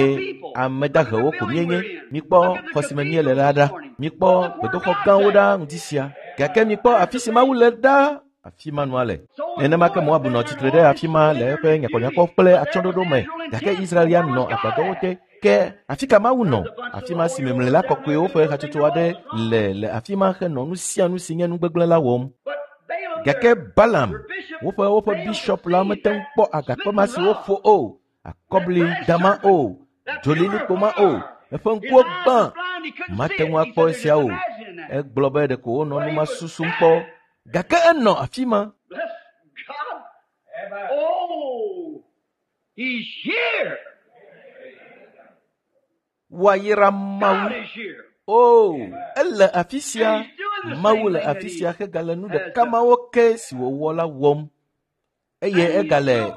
ame dahewo ko míenye. Mikpɔ xɔ si me míele la ɖa. Mikpɔ gbedoxɔ gãwo ɖa ŋdi sia. Gake mikpɔ afi si Mawu le ɖa. Afi ma nua le. Nenema ke Moab nɔ tsitre ɖe afi ma le eƒe nyakɔnyakɔ kple atsyɔ̃ɖoɖo me. Gake Israel ya nɔ agbadɔwo te. Ke afi ka Mawu nɔ? Afi ma si memlẽla kɔkɔewo ƒe hatsotso aɖe le le afi ma henɔ nu sia nu si nye nu gbegblẽ la wɔm. Gake Balaam, woƒe woƒe bishop la mete ŋu kpɔ agakpe ma si woƒo o, akɔbli dama o, dzolilikpo ma o, eƒe ŋkuwo gbã. Mate ŋu akpɔ esia o. Egblɔ be ɖeko wonɔ nu ma susum kpɔ. Gake enɔ afi ma. Woayra Mawu. O, ele afi sia. Mawu le afi sia hegale nu ɖeka mawo ke si wòwɔ la wɔm. Eye egale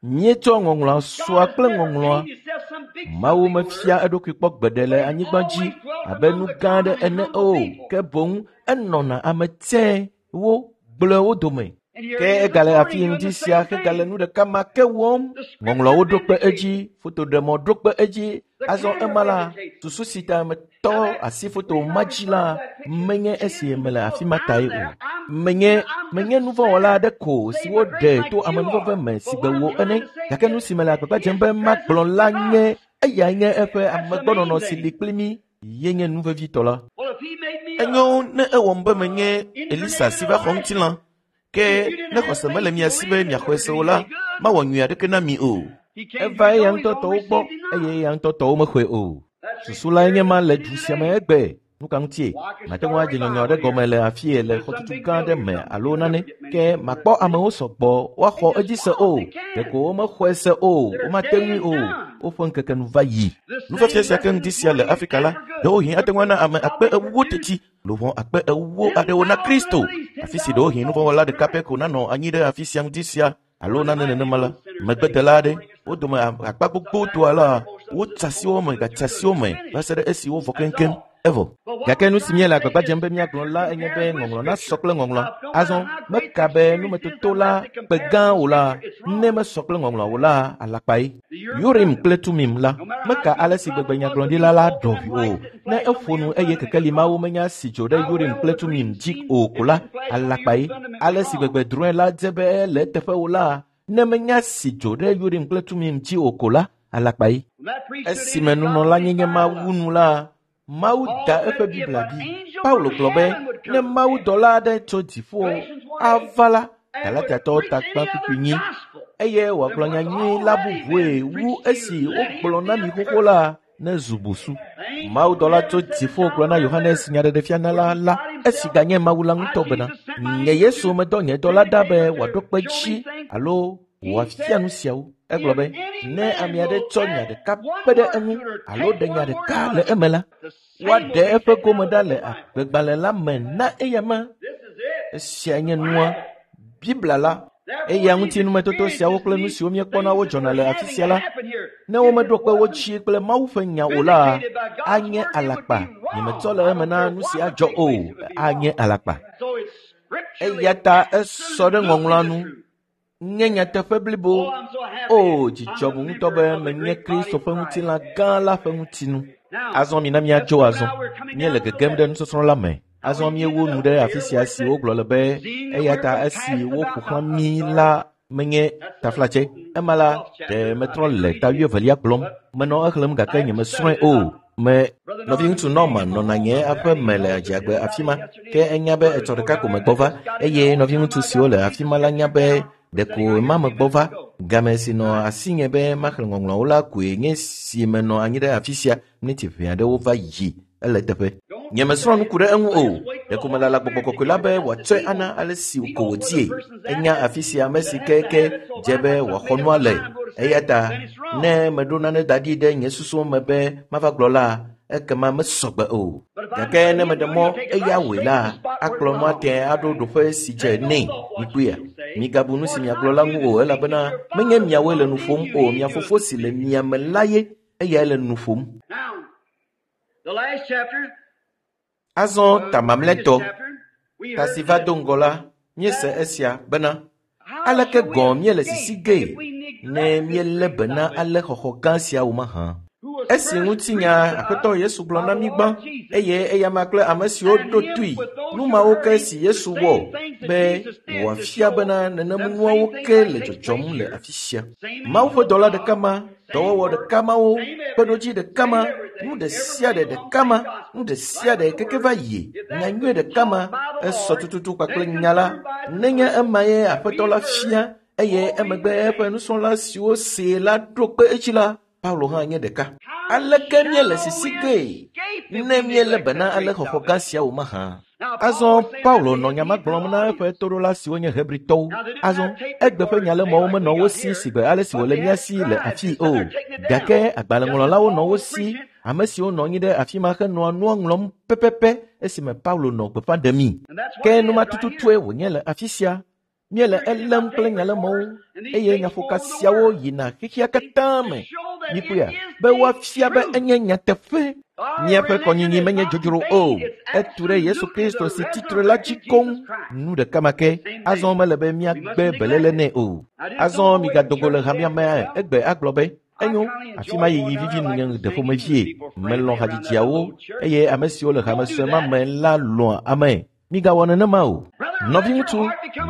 míetsɔ ŋɔŋlɔa sɔa kple ŋɔŋlɔa. Mawu mefia eɖokui kpɔ gbeɖe le anyigba dzi abe nu gã aɖe ene o. Ke boŋ enɔna ame tsɛwo gblɔe wo dome. Ke egale afi ŋdi sia hegale nu ɖeka ma ke wɔm. Ŋɔŋlɔawo ɖo kpe edzi, fotoɖemɔ ɖo kpe edzi. Azɔ ema la, susu si ta metɔ asi foto ma dzi la, menye esi mele afi ma tae o. Menye menye nuvɔ̃wɔla aɖe ko si woɖe to amenuveve me si gbe wo ene. Gake nu si mele agbagba dzem be magblɔ la nye eyae nye eƒe amegbɔnɔnɔ si li kpli mí ye nye nu vevitɔ la. Enyo ne ewɔm be menye Elisa si va xɔ ŋutilã. Ke ne xɔse mele mia si be miaxɔe se o la, mawɔ nyui aɖeke na mi o. Eva eya ŋutɔ tɔwo gbɔ eye eya ŋutɔ tɔwo mexɔe o. Susu lae nye ma le du sia me egbe. Nu ka ŋutie? Mate ŋu adze nyɔnyɔ aɖe gɔme le afie le xɔtutu gã aɖe me alo nane. Ke makpɔ amewo sɔgbɔ woaxɔ edzi se o. Ɖeko womexɔe se o, womate ŋui o. Woƒe ŋkeke nu va yi. Nufiafia sia ke ŋdi sia le Afrika la, ɖewohĩ ate ŋu ana ame akpe ewo teti, luʋɔ akpe ewo aɖewo na Kristo. Afi si ɖewohĩ nuvɔ̃wɔla ɖeka pɛ ko nanɔ anyi ɖe afi sia ŋdi sia alo nane nenema la, megbedela aɖe, wo dome akpa gbogbotoa la, wotsa asi wo me gatsa asi wo me va se ɖe esi wovɔ keŋkeŋ. Evɔ. Gake nu si míele agbagba dzem be míagblɔ la enye be ŋɔŋlɔ nasɔ kple ŋɔŋlɔa. Azɔ meka be numetoto la kpe gã o la, ne mesɔ kple ŋɔŋlɔa o la, alakpae. Urim kple Tumim la, meka ale si gbegbe nyagblɔɖila la ɖɔ ʋui o. Ne eƒo nu eye kekeli mawo menya si dzo ɖe Urim kple Tumim dzi o ko la, alakpae. Ale si gbegbe drɔ̃e la dze be ele eteƒe o la, ne menya si dzo ɖe Urim kple Tumim dzi o ko la, alakpae. Esime nunɔlanyenye ma wu nu la, Mawu da eƒe Biblia ɖi. Paulo gblɔ be ne mawudɔla aɖe tso dziƒo ava la, Galatiatɔwo takpa kpukpui nyi eye wòagblɔ nya nyui la bubue wu esi wogblɔ na mi xoxo la ne zu busu. Mawudɔla tso dziƒo gblɔ na Yohanes nyaɖeɖefianala la esi ganye Mawu la ŋutɔ bena nye Yesu medɔ nye dɔla ɖa be wòaɖo kpe dzi alo wòafia nu siawo. Egblɔ be ne ame aɖe tsɔ nya ɖeka kpe ɖe eŋu alo ɖe nya ɖeka le eme la, woaɖe eƒe gome ɖa le agbegbalẽ la me na eyama. Esia nye nua Biblia la. Eya ŋuti numetoto siawo kple nu siwo míekpɔna wodzɔna le afi sia la, ne womeɖo kpe wo dzi kple Mawu ƒe nya o la, anye alakpa. Nyemetsɔ le eme na nu si adzɔ o, anye alakpa. Eya ta esɔ ɖe ŋɔŋlɔa nu. Nye nyateƒe blibo. O, dzidzɔ ŋu ŋutɔ be menye Kristo ƒe ŋutilã gã la ƒe ŋutinu. Azɔ mina míadzo azɔ. Míele gegem ɖe nusɔsrɔ̃ la me. Azɔ míewu nu ɖe afi sia si wogblɔ le be eya ta esi woƒo xlã mí la menye taflatse. Ema la, ɖe metrɔ le ta wuievelia gblɔm. Menɔ exlẽm gake nyemesrɔ̃e o. Me nɔviŋutsu Norman nɔna nye aƒe me le adziagbe afi ma ke enya be etsɔ ɖeka ko megbɔ va eye nɔviŋutsu siwo le afi ma la nya be ɖeko ma megbɔ va. Game si nɔ asinye be maxlẽ ŋɔŋlɔawo la koe nye si menɔ anyi ɖe afi sia miniti ʋɛ aɖewo va yi ele teƒe. Nyemesrɔ̃ nu ku ɖe eŋu o. Ɖeko melala gbɔgbɔ kɔkɔe la be wòatsɔe ana ale si ko wòdzie. Enya afi sia ame si keke dze be wòaxɔ nua le. Eya ta ne meɖo nane da ɖi ɖe nye susuwo me be mava gblɔ la, ekema mesɔgbe o. Gake ne meɖe mɔ eya wɔe la, akplɔ nua tẽ aɖo ɖoƒe si dze nɛ. Mikpɔea? Migabu nu si miagblɔ la ŋu o elabena menye miawoe le nu ƒom o. Mia fofo si le mia me la ye eyae le nu ƒom. Azɔ ta mamlɛtɔ, ta si va do ŋgɔ la, míese esia bena aleke gɔ̃ míele sisi gee ne míelé be na ale xɔxɔ gã siawo mahã. Esi ŋutinya Aƒetɔ Yesu gblɔ na mí gbã eye eyama kple ame siwo ɖo toe nu mawo ke si Yesu wɔ be wòafia bena nenem nuawo ke le dzɔdzɔm le afi sia. Mawu ƒe dɔla ɖeka ma, dɔwɔwɔ ɖeka mawo, kpeɖodzi ɖeka ma, nu ɖe sia ɖe ɖeka ma, nu ɖe sia ɖe keke va yi, nya nyui ɖeka ma, esɔ tututu kpakple nya la. Nenye ema ye Aƒetɔ la fia eye emegbe eƒe nusrɔ̃la siwo see la ɖo kpe edzi la, Paulo hã nye ɖeka. Aleke míele sisi gee ne míelé be na ale xɔxɔ gã siawo mahã? Azɔ Paulo nɔ nya ma gblɔm na eƒe toɖola siwo nye Hebritɔwo. Azɔ egbe ƒe nyalemɔwo menɔ wo si sigbe ale si wòle mía si le afii o. Gake agbalẽŋlɔlawo nɔ wo si, ame siwo nɔ anyi ɖe afi ma henɔa nua ŋlɔm pɛpɛpɛ esime Paulo nɔ gbeƒã ɖemii. Ke nu ma tututue wònye le afi sia. Míele elém kple nyalemɔwo eye nyaƒoka siawo yina xexea katã me. Mikpɔea? Be woafia be enye nyateƒe. Míaƒe kɔnyinyi menye dzodzro o. Etu ɖe Yesu Kristo si tsitre la dzi koŋ. Nu ɖeka ma ke. Azɔ mele be míagbe beléle nɛ o. Azɔ migado go le hamea me egbe agblɔ be enyo afi ma yiyi vivi nunye ɖe ƒomevie. Melɔ̃ hadzidziawo eye ame siwo le hame sue ma me la lɔ̃a ame. Migawɔ nenema o. Nɔviŋutsu,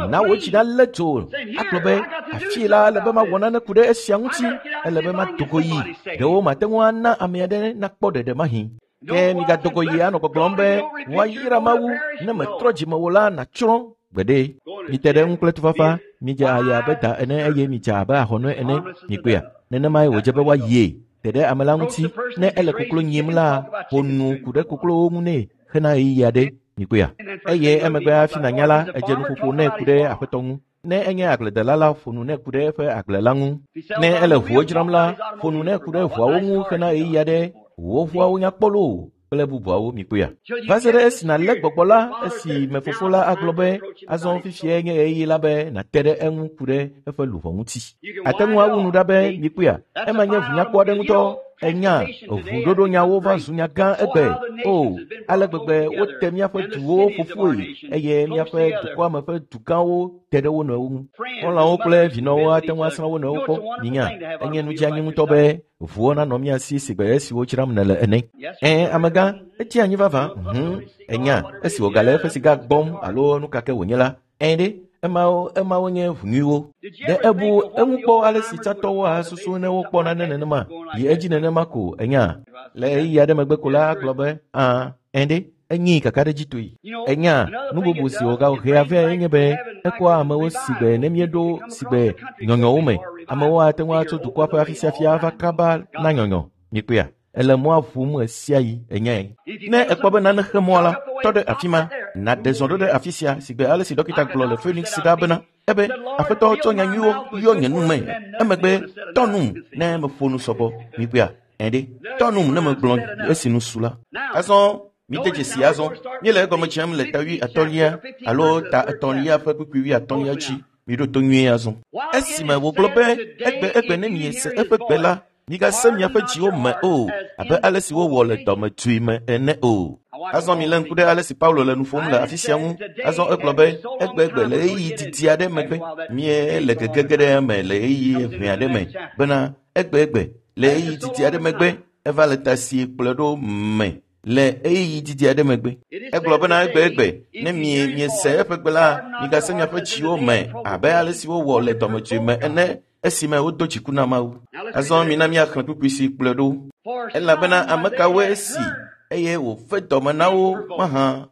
na wò dzi nalé dzo agblɔ be afi la ele be mawɔ nane ku ɖe esia ŋuti, ele be mado go yi. Ɖewo mate ŋu ana ame aɖe nakpɔ ɖeɖe mahi. Ke migado go yi anɔ gbɔgblɔm be woayra Mawu ne metrɔ dzime o la nàtsrɔ̃ gbeɖe. Mite ɖe eŋu kple tufafa, midze aya abe da ene eye midze abe ahɔnɔe ene. Mikpɔea? Nenemae wòdze be woayie. Te ɖe ame la ŋuti. Ne ele koklo nyim la, ƒo nu ku ɖe koklowo ŋu nɛ hena ɣeyiɣi aɖe. Mikpɔea? Eye emegbe hafi nànya la, edze nuƒoƒo nɛ ku ɖe Aƒetɔ ŋu. Ne enye agbledela la, ƒo nu nɛ ku ɖe eƒe agble la ŋu. Ne ele ʋuwo dzram la, ƒo nu nɛ ku ɖe ʋuawo ŋu hena ɣeyiɣi aɖe. Wò ʋuawo nya kpɔ loo kple bubuawo. Mikpɔea? Va se ɖe esi nàlé gbɔgbɔ la, esi me fofo la agblɔ be azɔ fifiae nye ɣeyiɣi la be nàte ɖe eŋu ku ɖe eƒe luʋɔ ŋuti. Ate ŋu awu nu ɖa be mikpɔea? Ema nye ʋunyakpɔ aɖe ŋutɔ. Enya ʋuɖoɖo nyawo va zu nya gã egbe. O, ale gbegbe wote míaƒe duwo ƒoƒoe eye míaƒe dukɔa me ƒe dugãwo te ɖe wo nɔewo ŋu. Xɔlɔ̃wo kple vinɔwo ate ŋu asrã wo nɔewo kpɔ. Minya, enye nu dzeanyi ŋutɔ be ʋuwo nanɔ mía si sigbe esiwo dzram nèle ene. Ẽ, amegã, etsi anyi vavã. Hũm, enya, esi wògale eƒe siga gbɔm alo nu ka ke wònye la, ẽ ɖe, emawo emawo nye ʋu nyuiwo. Ɖe ebu eŋu kpɔ ale si tsãtɔwo asusu ne wokpɔ nane nenema yi edzi nenema ko enya. Le ɣeyiɣi aɖe megbe ko la agblɔ be ã, ẽ ɖe, Enyi kakaɖedzitɔe. Enya nu bubu si wògahea vɛ nye be ekɔa amewo sigbe ne míeɖo sigbe nyɔnyɔwo me. Amewo ate ŋu atso dukɔa ƒe afi sia fia ava kaba na nyɔnyɔ. Mikpɔea? Ele mɔa ʋum ɣe sia ɣi enyae. Ne ekpɔ be nane xe mɔa la, tɔ ɖe afi ma, nàɖe zɔ ɖo ɖe afi sia sigbe ale si dɔkita gblɔ le Phoenix ɖa bena ebe aƒetɔ tsɔ nyanyuiwo yɔ nye nu me. Emegbe tɔ num ne meƒo nu sɔgbɔ. Mikpɔea? Ɛɖe tɔ num ne megblɔ esi nu su la. Azɔ mide dzesi azɔ míele egɔme dzem le ta wui atɔ̃lia alo ta etɔ̃lia ƒe kpukpui wui atɔ̃lia dzi. Miɖo to nyuie azɔ. Esime wògblɔ be egbe egbe ne miese eƒe gbe la, migase miaƒe dziwo me o, abe ale si wowɔ le dɔmedzoe me ene o. Azɔ milé ŋku ɖe ale si Paulo le nu ƒom le afi sia ŋu. Azɔ egblɔ be egbegbe le ɣeyiɣi didi aɖe megbe, míele gegege ɖe eme le ɣeyiɣi ʋɛ aɖe me bena egbegbe le ɣeyiɣi didi aɖe megbe eva le ta si kplɔe ɖo me le ɣeyiɣi didi aɖe megbe. Egblɔ bena egbegbe ne mie miese eƒe gbe la, migase miaƒe dziwo me abe ale si wowɔ le dɔmedzoe me ene esime wodo dziku na Mawu. Azɔ mina míaxlẽ kpukpui si kplɔe ɖo. Elabena ame kawoe si eye wòfe dɔme na wo mahã.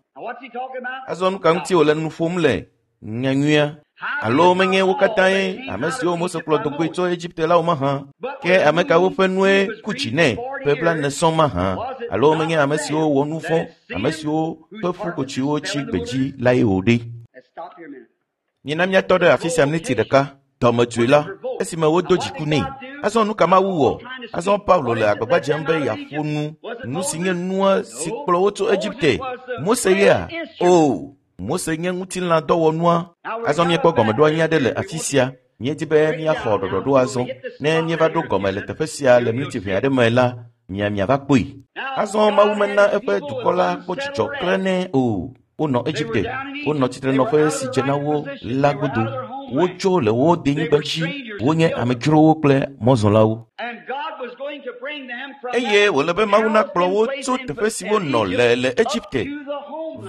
Azɔ nu ka ŋuti wòle nu ƒom le nyanyuia? Alo menye wo katãe ame siwo Mose kplɔ do goe tso Egipte la wo mahã? Ke ame kawo ƒe nue ku dzi nɛ ƒe blaene sɔŋ mahã? Alo menye ame siwo wɔ nu vɔ̃, ame siwo ƒe ƒukotsiwo tsi gbedzi lae wò ɖe? Mina míatɔ ɖe afi sia miniti ɖeka. Dɔmedzoe la, esime wodo dziku nɛ. Azɔ nu ka Mawu wɔ? Azɔ Paulo le agbagba dzem be yeaƒo nu nu si nye nua si kplɔ wo tso Egipte. Mose yea? O, Mose nye ŋutilãdɔwɔnua. Azɔ míekpɔ gɔmeɖoanyi aɖe le afi sia. Míedi be míaxɔ ɖɔɖɔɖo azɔ. Ne míeva ɖo gɔme le teƒe sia le miniti ʋɛ aɖe me la, mia miava kpɔe. Azɔ Mawu mena eƒe dukɔ la kpɔ dzidzɔ klẽnɛ o. Wonɔ Egipte, wonɔ tsitrenɔƒe si dze na wo la godo. Wotso le wo denyigba dzi, wonye amedzrowo kple mɔzɔlawo. Eye wòle be Mawu nakplɔ wo tso teƒe si wonɔ le le Egipte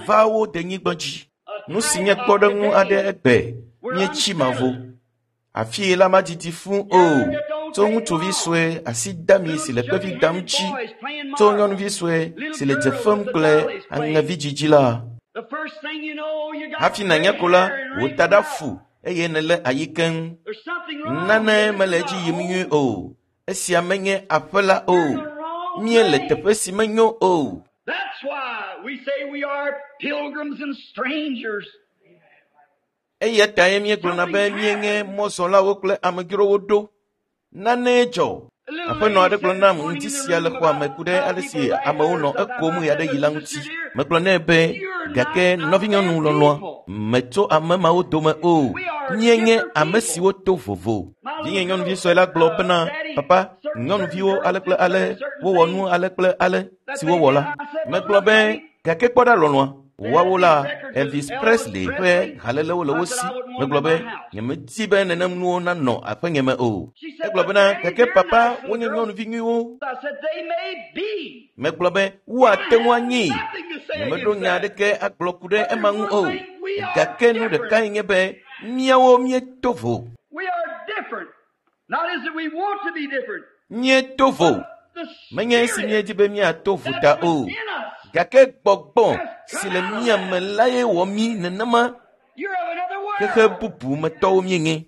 va wo denyigba dzi. Nu si nye kpɔɖeŋu aɖe egbe, míetsi mavo. Afii la madidi fũ o. Tso ŋutsuvi sue asi dami si le kpevi dam dzi, tso nyɔnuvi sue si le dze fem kple aŋevi dzidzi la. Hafi nànya ko la, wò taɖa fu eye nèle ayi keŋ. Nane mele edzi yim nyuie o. Esia menye aƒe la o. Míele teƒe si menyo o. Eya tae míegblɔna be míenye mɔzɔlawo kple amedzrowo ɖo. Nane dzɔ. Aƒenɔ aɖe gblɔ nam ŋuti sia le xɔa me ku ɖe ale si amewo nɔ ekom ɣe aɖe yi la ŋuti. Megblɔ nɛ be gake nɔvinyɔnu lɔlɔ̃a metso ame mawo dome o. Míenye ame siwo to vovo. Vinye nyɔnuvi sue la gblɔ bena papa, nyɔnuviwo ale kple ale wowɔ nu ale kple ale si wowɔ la. Megblɔ be gake kpɔ ɖa lɔlɔ̃a. Woawo la Elvis Presley ƒe halelewo le wo si. Megblɔ be nyemedi be nenem nuwo nanɔ aƒenye me o. Egblɔ bena gake papa wonye nyɔnuvi nyuiwo. Megblɔ be woate ŋu anyi. Nyemeɖo nya aɖeke agblɔ ku ɖe ema ŋu o. Gake nu ɖekae nye be míawo míeto vo. Míeto vo. Menye esi míedi be míato vo ta o. Gake gbɔgbɔ si le mía me lae wɔ mí nenema. Xexe bubu me tɔwo míenye.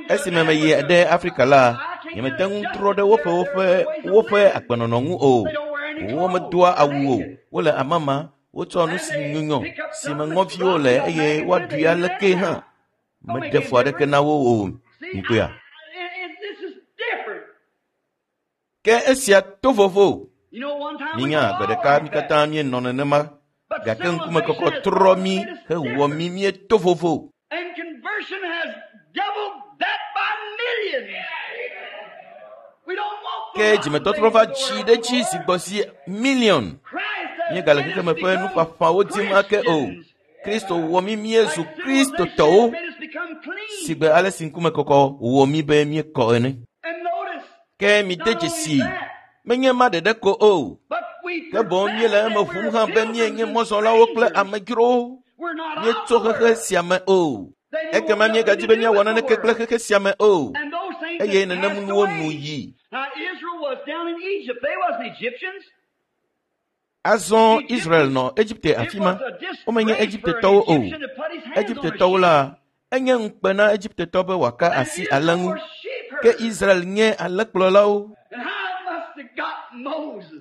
Esime meyi ɖe Afrika la, nyemete ŋu trɔ ɖe woƒe woƒe woƒe agbenɔnɔ ŋu o. Womedoa awu o. Wole amama, wotsɔ nu si nyunyɔ si me ŋɔviwo le eye woaɖui aleke hã. Meɖe fu aɖeke na wo o. Ŋkpɔea? Ke esia to vovo. Minya gbe ɖeka mí katã míenɔ nenema, gake ŋkumekɔkɔ trɔ mí hewɔ mí míeto vovo. Ke dzimetɔtrɔ va dzi ɖe edzi zi gbɔ zi miliɔn. Míegale xexeme ƒe nuƒaƒãwo dim ake o. Kristo wɔ mí míezu Kristotɔwo sigbe ale si ŋkumekɔkɔ wɔ mí be míekɔ ene. Ke mide dzesi menye ma ɖeɖe ko o. Ke boŋ míele eme ʋum hã be míenye mɔzɔlawo kple amedzrowo. Míetso xexe sia me o. Ekema míegadzi be míawɔ naneke kple xexe sia me o. Eye nenem nuwo nu yi. Azɔ Israel nɔ Egipte afi ma. Womenye Egiptetɔwo o. Egiptetɔwo la, enye ŋukpe na Egiptetɔ be wòaka asi ale ŋu. Ke Israel nye alẽkplɔlawo.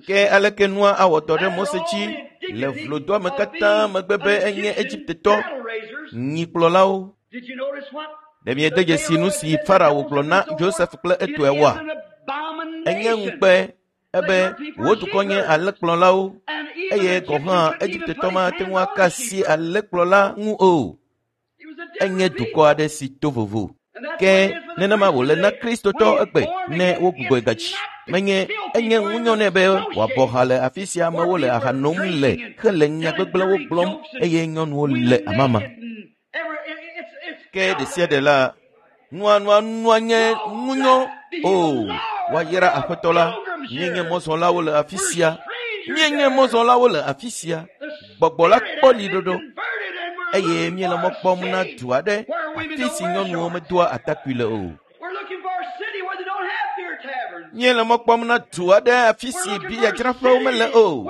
Ke aleke nua awɔ dɔ ɖe Mose dzi le vlodoame katã megbe be enye Egiptetɔ nyikplɔlawo. Ɖe miede dzesi nu si Farao gblɔ na Joseph kple etɔewoa? Enye ŋukpe ebe wò dukɔ nye alẽkplɔlawo eye gɔ̃ hã Egiptetɔ mate ŋu aka asi alẽkplɔla ŋu o. Enye dukɔ aɖe si to vovo. Ke nenema wòle na Kristotɔ egbe ne wogbugbɔe gadzi. Menye enye ŋunyɔ nɛ be wòabɔ ha le afi sia amewo le aha nom le hele nya gbegblẽwo gblɔm eye nyɔnuwo le amama. Ke ɖe sia ɖe la, nua nua nua nye ŋunyɔ o. Woayra Aƒetɔ la. Míenye mɔzɔlawo le afi sia. Míenye mɔzɔlawo le afi sia. Gbɔgbɔ la kpɔ liɖoɖo eye míele mɔ kpɔm na du aɖe afi si nyɔnuwo medoa atakpui le o. Míele mɔ kpɔm na du aɖe afi si biyadzraƒewo mele o.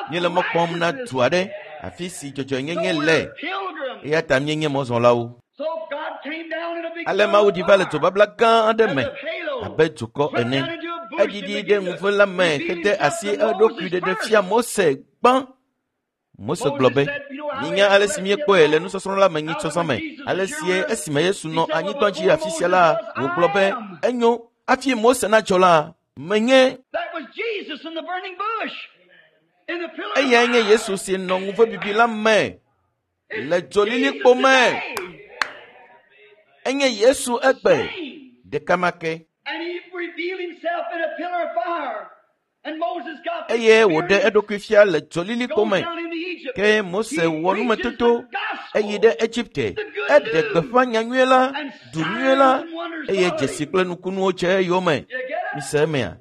Míele mɔ kpɔm na du aɖe afi si dzɔdzɔenyenye le. Eya ta míenye mɔzɔlawo. Ale Mawu ɖi va le dzobabla gã aɖe me abe dukɔ ene. Eɖiɖi ɖe ŋuve la me hede asi eɖokui ɖeɖe fia Mose gbã. Mose gblɔ be, minya ale si míekpɔe le nusɔsrɔ̃ la me nyitsɔsɔ me. Ale si esime Yesu nɔ anyigba dzi afi sia la, wògblɔ be, enyo, hafi Mose nadzɔ la, menye. Eyae nye Yesu si nɔ ŋuve bibi la me le dzolilikpo me. Enye Yesu egbe ɖeka ma ke. Eye wòɖe eɖokui fia le dzolilikpo me. Ke Mose wɔ numetoto eyi ɖe Egipte. Eɖe gbeƒã nyanyuie la, du nyuie la, eye dzesi kple nukunuwo dze eyome. Mise emea?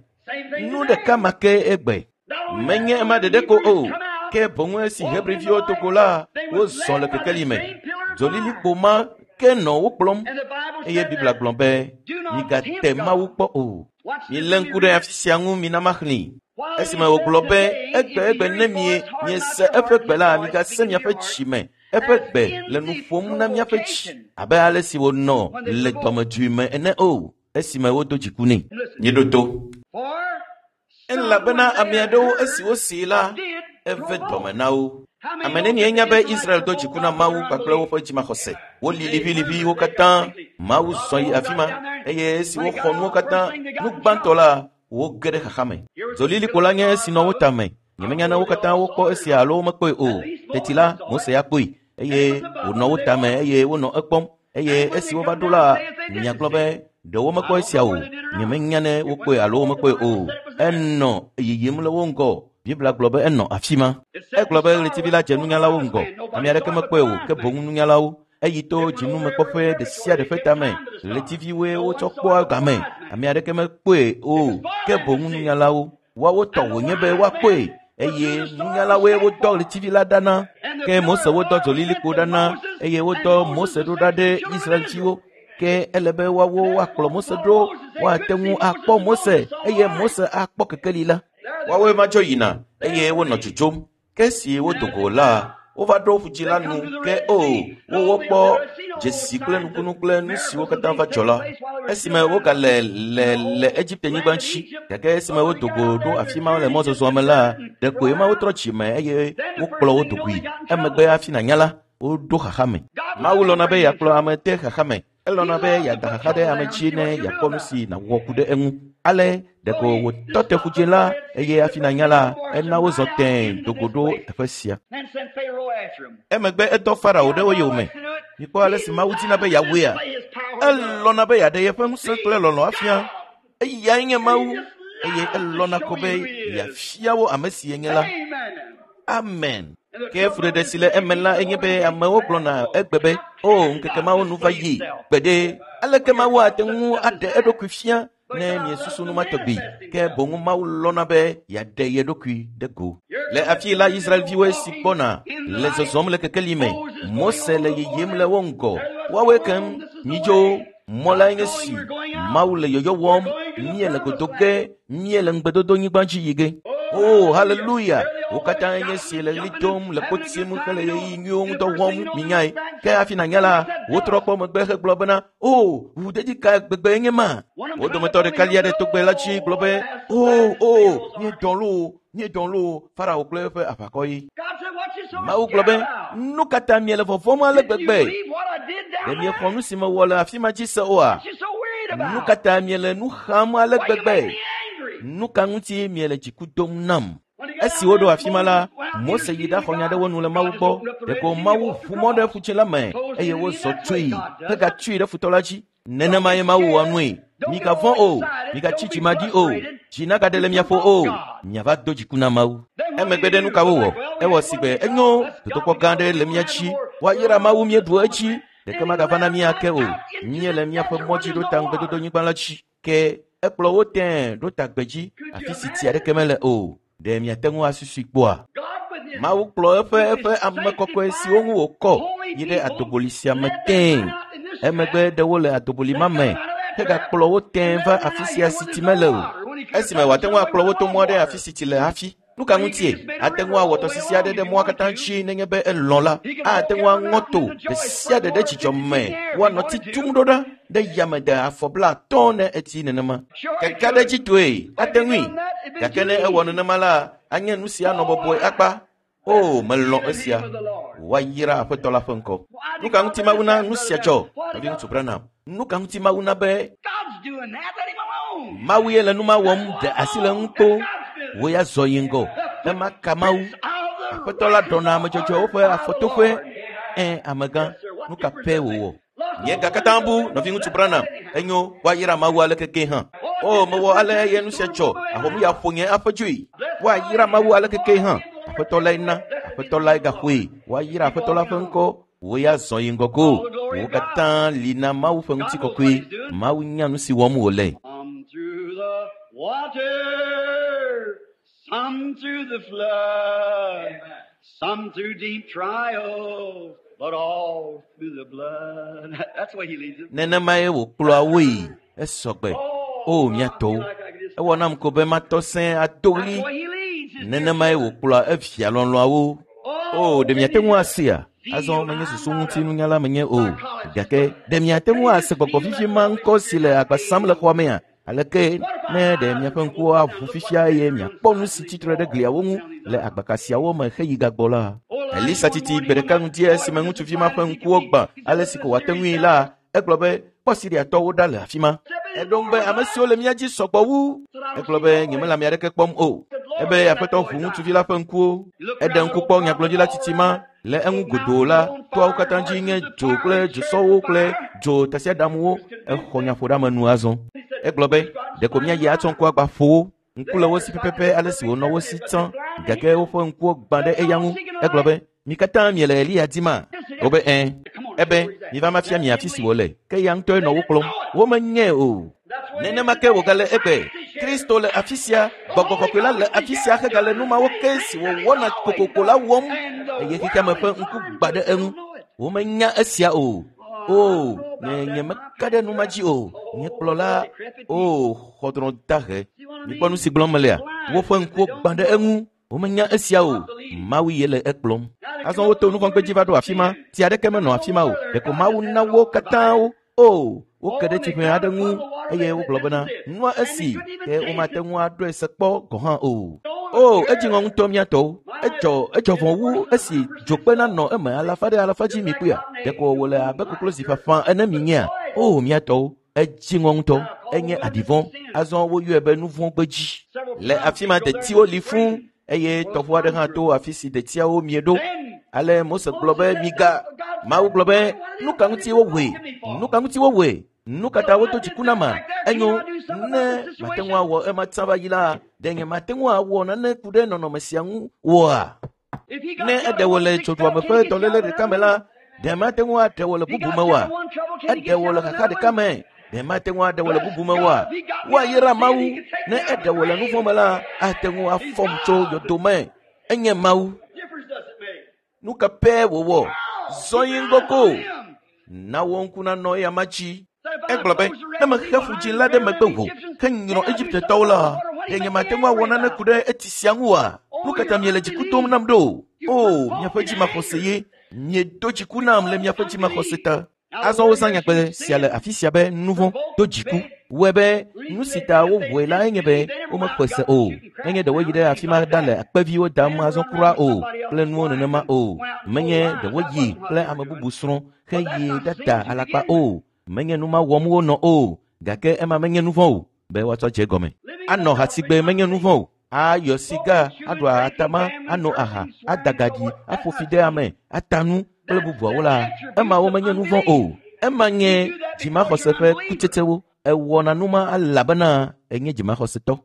Nu ɖeka ma ke egbe. Menye ema ɖeɖe ko o. Ke boŋ esi Hebriviwo do go la, wozɔ le kekeli me. Dzolilikpo ma ke nɔ wo kplɔm. Eye Biblia gblɔ be, migate Mawu kpɔ o. Milé ŋku ɖe afi sia ŋu mina maxlẽe. Esime wògblɔ be, egbe egbe ne mie miese eƒe gbe la, migase miaƒe dzi me. Eƒe gbe le nu ƒom na miaƒe dzi abe ale si wònɔ le dɔmedzoe me ene o. Esime wodo dziku nɛ. Míeɖo to. Elabena ame aɖewo esi wosee la, eve dɔme na wo. Ame nenie nya be Israel do dziku na Mawu kpakple woƒe dzimaxɔse. Woli liʋiliʋiwo katã. Mawu zɔ yi afi ma eye esi woxɔ nuwo katã, nu gbãtɔ la, woge ɖe xaxa me. Dzolilikpo la nye esi nɔ wo tame. Nyemenya ne wo katã wokpɔ esia alo womekpɔe o. Teti la, Mose ya kpɔe eye wònɔ wo tame eye wonɔ ekpɔm. Eye esi wova ɖo la, miagblɔ be ɖe womekpɔ esia o. Nyemenya ne wokpɔe alo womekpɔe o. Enɔ yiyim le wo ŋgɔ. Biblia gblɔ be enɔ afi ma. Egblɔ be ɣletivi la dze nunyalawo ŋgɔ. Ame aɖeke mekpɔe o, ke boŋ nunyalawo. Eyi to dzinumekpɔƒe ɖe sia ɖe ƒe tame. Ɣletiviwoe wotsɔ kpɔa game. Ame aɖeke mekpɔe o, ke boŋ nunyalawo. Woawo tɔ wònye be woakpɔe eye nunyalawoe wodɔ ɣletivi la ɖa na. Ke Mose wodɔ dzolilikpo ɖa na eye wodɔ Mose ɖo ɖa ɖe Israelviwo. Ke ele be woawo woakplɔ Mose ɖo, woate ŋu akpɔ Mose eye Mose akpɔ kekeli la. Woawoe ma dzo yina eye wonɔ dzodzom. Ke esi wodo go la, wova ɖo ƒudzi la nu ke o, wowɔ kpɔ dzesi kple nukunu kple nu siwo katã va dzɔ la. Esime wogale le le Egipte-nyigba dzi, gake esime wodo go ɖo afi ma le mɔzɔzɔa me la, ɖeko ema wotrɔ dzime eye wokplɔ wo do goe. Emegbe hafi nànya la, woɖo xaxa me. Mawu lɔ̃na be yeakplɔ ame de xaxa me. Elɔ̃na be yeada xaxa ɖe ame dzi ne yeakpɔ nu si nàwɔ ku ɖe eŋu. Ale ɖeko wòtɔ te ƒudzi la eye hafi nànya la, ena wozɔ tẽe do go ɖo teƒe sia. Emegbe edɔ Farao ɖe wo yome. Mikpɔ ale si Mawu dina be yeawɔea. Elɔ̃na be yeaɖe yeƒe ŋusẽ kple lɔlɔ̃ afia. Eyae nye Mawu eye elɔ̃na ko be yeafia wo ame si yenye la. Amen. Ke fuɖeɖe si le eme la enye be amewo gblɔna egbe be, o ŋkeke mawo nu va yi gbeɖe. Aleke Mawu ate ŋu aɖe eɖokui fia ne miesusu nu ma tɔgbi? Ke boŋ Mawu lɔ̃na be yeaɖe ye ɖokui ɖe go. Le afi la Israelviwoe si gbɔna le zɔzɔm le kekeli me. Mose le yiyim le wo ŋgɔ. Woawoe keŋ midzo. Mɔ lae nye si Mawu le yɔyɔ wɔm. Míele godo ge, míele ŋugbedodonyigba dzi yi ge. O, haleluya! Wo katã nye si le ɣli dom, le kpotim hele ɣeyiɣi nyuiwo ŋudɔ wɔm minyae. Ke hafi nànya la, wotrɔ kpɔ megbe hegblɔ bena, o, ʋuʋudedi ka gbegbe nye ma? Wo dometɔ ɖeka lia ɖe togbɛ la dzi gblɔ be, o, o, míedɔ loo, míedɔ loo, Farao kple eƒe aʋakɔ ye. Mawu gblɔ be, nu ka ta miele vɔvɔ̃m ale gbegbe? Ɖe miexɔ nu si mewɔ le afi ma dzi se oa? Nu ka ta miele nu xam ale gbegbe? Nu ka ŋuti miele dziku dom nam? Esi woɖo afi ma la, Mose yi ɖaxɔ nya ɖe wo nu le Mawu gbɔ. Ɖeko Mawu ʋu mɔ ɖe ƒutsɛ la me eye wozɔ tsoe hegatsui ɖe futɔ la dzi. Nenemae Mawu wɔ nue. Migavɔ̃ o, migatsi dzimaɖi o, dzi nagaɖe le miaƒo o, miava do dziku na Mawu. Emegbe ɖe nu ka wowɔ? Ewɔ si gbe enyo dodokpɔ gã aɖe le mía dzi. Woayra Mawu míeɖu edzi. Ɖeke magava na mí ake o. Míele míaƒe mɔ dzi ɖo ta ŋugbedodonyigba la dzi. Ke ekplɔ wo tẽe ɖo ta gbedzi, afi si tsi aɖeke mele o. Ɖe miate ŋu asusui kpɔa? Mawu kplɔ eƒe eƒe ame kɔkɔe siwo ŋu wòkɔ yi ɖe adoboli sia me tẽe. Emegbe ɖe wo le adoboli ma me hegakplɔ wo tẽe va afi sia si tsi mele o. Esime wòate ŋu akplɔ wo to mɔ ɖe afi si tsi le hafi. Nu ka ŋutie? Ate ŋu awɔ tɔsisi aɖe ɖe mɔa katã dzi nenye be elɔ̃ la. Ate ŋu aŋɔ to ɖe sia ɖe ɖe dzidzɔ me. Woanɔ titum ɖo ɖa ɖe yame de afɔ blaatɔ̃ ne etsi nenema. Keke ɖe dzi toe, ate ŋui. Gake ne ewɔ nenema la, anye nu si anɔ bɔbɔe akpa. O, melɔ̃ esia. Woayra Aƒetɔ la ƒe ŋkɔ. Nu ka ŋuti Mawu na nu sia dzɔ? Nɔviŋutsu Branham. Nu ka ŋuti Mawu na be Mawu ye le nu ma wɔm ɖe asi le ŋu kpo. Wo ya zɔ yi ŋgɔ. Ema ka Mawu. Aƒetɔ la ɖɔna ame dzɔdzɔewo ƒe afɔtoƒe. Ẽ, amegã, nu ka pɛ wòwɔ? Nye ga katã bu, nɔviŋutsu Branham. Enyo, woayra Mawu ale keke hã. O, mewɔ ale eye nu sia dzɔ. Ahomu ya ƒo nye aƒe dzoe. Woayra Mawu ale keke hã. Aƒetɔ lae na, Aƒetɔ lae gaxɔe. Woayra Aƒetɔ la ƒe ŋkɔ. Wo ya zɔ yi ŋgɔ ko. Wo katã li na Mawu ƒe ŋutikɔkɔe. Mawu nya nu si wɔm wòle. Some through the water, some through the flood, some through deep trials, but all through the blood. That's the way he leads them. Nenemae wòkplɔa woe. Esɔgbe. O, mía tɔwo. Ewɔ nam ko be matɔ sẽe ado That's ɣli. the way he leads his Nenemae wòkplɔa evia lɔlɔ̃awo. O, ɖe miate ŋu asea? Azɔ menye susu ŋutinunyala menye o. Gake ɖe miate ŋu ase gbɔgbɔ vivi ma ŋkɔ si le agba sam le xɔa mea? Aleke ne ɖe miaƒe ŋkuwo aʋu fifia eye miakpɔ nu si tsitre ɖe gliawo ŋu le agbaka siawo me heyi gagbɔ la? Elisa titi gbe ɖeka ŋuti esime ŋutsuvi ma ƒe ŋkuwo gbã ale si ko wòate ŋui la, egblɔ be kpɔ Siriatɔwo ɖa le afi ma. Eɖo ŋu be ame siwo le mía dzi sɔgbɔ wu. Egblɔ be nyemele ame aɖeke kpɔm o. Ebe Aƒetɔ ʋu ŋutsuvi la ƒe ŋkuwo. Eɖe ŋku kpɔ nyagblɔɖila tsitsi ma le eŋu godoo la, toawo katã dzi nye dzo kple dzosɔwo kple dzo tasiaɖamwo. Exɔ nyaƒoɖeamenu azɔ. Egblɔ be ɖeko míayi atsɔ ŋku agba ƒo wo. Ŋku le wo si pɛpɛpɛ ale si wònɔ wo si tsã gake woƒe ŋkuwo gbã ɖe eya ŋu. Egblɔ be mi katã miele Eliya dima? Wobe ẽ. Ebe miva mafia mi afi si wòle. Ke eya ŋutɔe nɔ wo kplɔm. Womenyae o. Nenema ke wògale egbe. Kristo le afi sia, Gbɔgbɔ Kɔkɔe la le afi sia hegale nu mawo ke si wòwɔna kokoko la wɔm eye xexeame ƒe ŋku gbã ɖe eŋu. Womenya esia o. O, nye nyemeka ɖe nu ma dzi o. Nye kplɔla, o, xɔdrɔ̃ dahe. Mikpɔ nu si gblɔm melea? Woƒe ŋkuwo gbã ɖe eŋu. Womenya esia o. Mawu ye le ekplɔm. Azɔ woto nuvɔ̃gbedzi va ɖo afi ma. Tsi aɖeke menɔ afi ma o. Ɖeko Mawu na wo katã wo. O, woke ɖe tsiʋe aɖe ŋu eye wogblɔ bena nua esi ke womate ŋu aɖɔe se kpɔ gɔ̃ hã o. O, edzi ŋɔ ŋutɔ mía tɔwo. Edzɔ edzɔ vɔ̃ wu esi dzokpe nanɔ eme alafa ɖe alafa dzi mi kpuia. Ɖeko wòle abe koklozi ƒaƒã ene mi nyea. O, mía tɔwo. Edzi ŋɔ ŋutɔ. Enye aɖivɔ̃. Azɔ woyɔe be nuvɔ̃gbedzi. Le afi ma detiwo li fũu eye tɔʋu aɖe hã to afi si detiawo mie ɖo. Ale Mose gblɔ be miga. Mawu gblɔ be nu ka ŋuti wowɔe? Nu ka ŋuti wowɔe? Nu ka ta wodo dziku na ma? Enyo ne mate ŋu awɔ ema tsã va yi la, ɖe nye mate ŋu awɔ nane ku ɖe nɔnɔme sia ŋu oa? Ne eɖe wò le tsoɖuame ƒe dɔléle ɖeka me la, ɖe mate ŋu aɖe wò le bubu me oa? Eɖe wò le xaxa ɖeka me, ɖe mate ŋu aɖe wò le bubu me oa? Woayra Mawu ne eɖe wò le nuvɔ̃ me la, ate ŋu afɔm tso yɔdo me. Enye Mawu. Nu ka pɛ wòwɔ? Zɔ yi ŋgɔ ko. Na wò ŋku nanɔ eya ma dzi. Egblɔ be ne mexe ƒu dzi la ɖe megbe wò henyrɔ Egiptetɔwo la, Ɖe nyemate ŋu awɔ nane ku ɖe etsi sia ŋu oa? Nu ka ta miele dziku dom nam ɖo? O, miaƒe dzimaxɔse ye. Miedo dziku nam le miaƒe dzimaxɔse ta. Azɔ wozã nyagbe sia le afi sia be nu vɔ̃ do dziku. Wɔe be nu si ta wowɔe la enye be womexɔe se o. Menye ɖe woyi ɖe afi ma ɖale akpeviwo dam azɔ kura o kple nuwo nenema o. Menye ɖe woyi kple ame bubu srɔ̃ heyi ɖada alakpa o. Menye nu ma wɔm wonɔ o. Gake ema menye nu vɔ̃ o be woatsɔ dze gɔme. Anɔ hasigbe menye nu vɔ̃ o. Ayɔ siga, aɖu atama, ano aha, ada gaɖi, aƒo fi ɖe ame, ata nu kple bubuawo la, emawo menye nu vɔ̃ o. Ema nye dzimaxɔse ƒe kutsetsewo. Ewɔna nu ma elabena enye dzimaxɔsetɔ.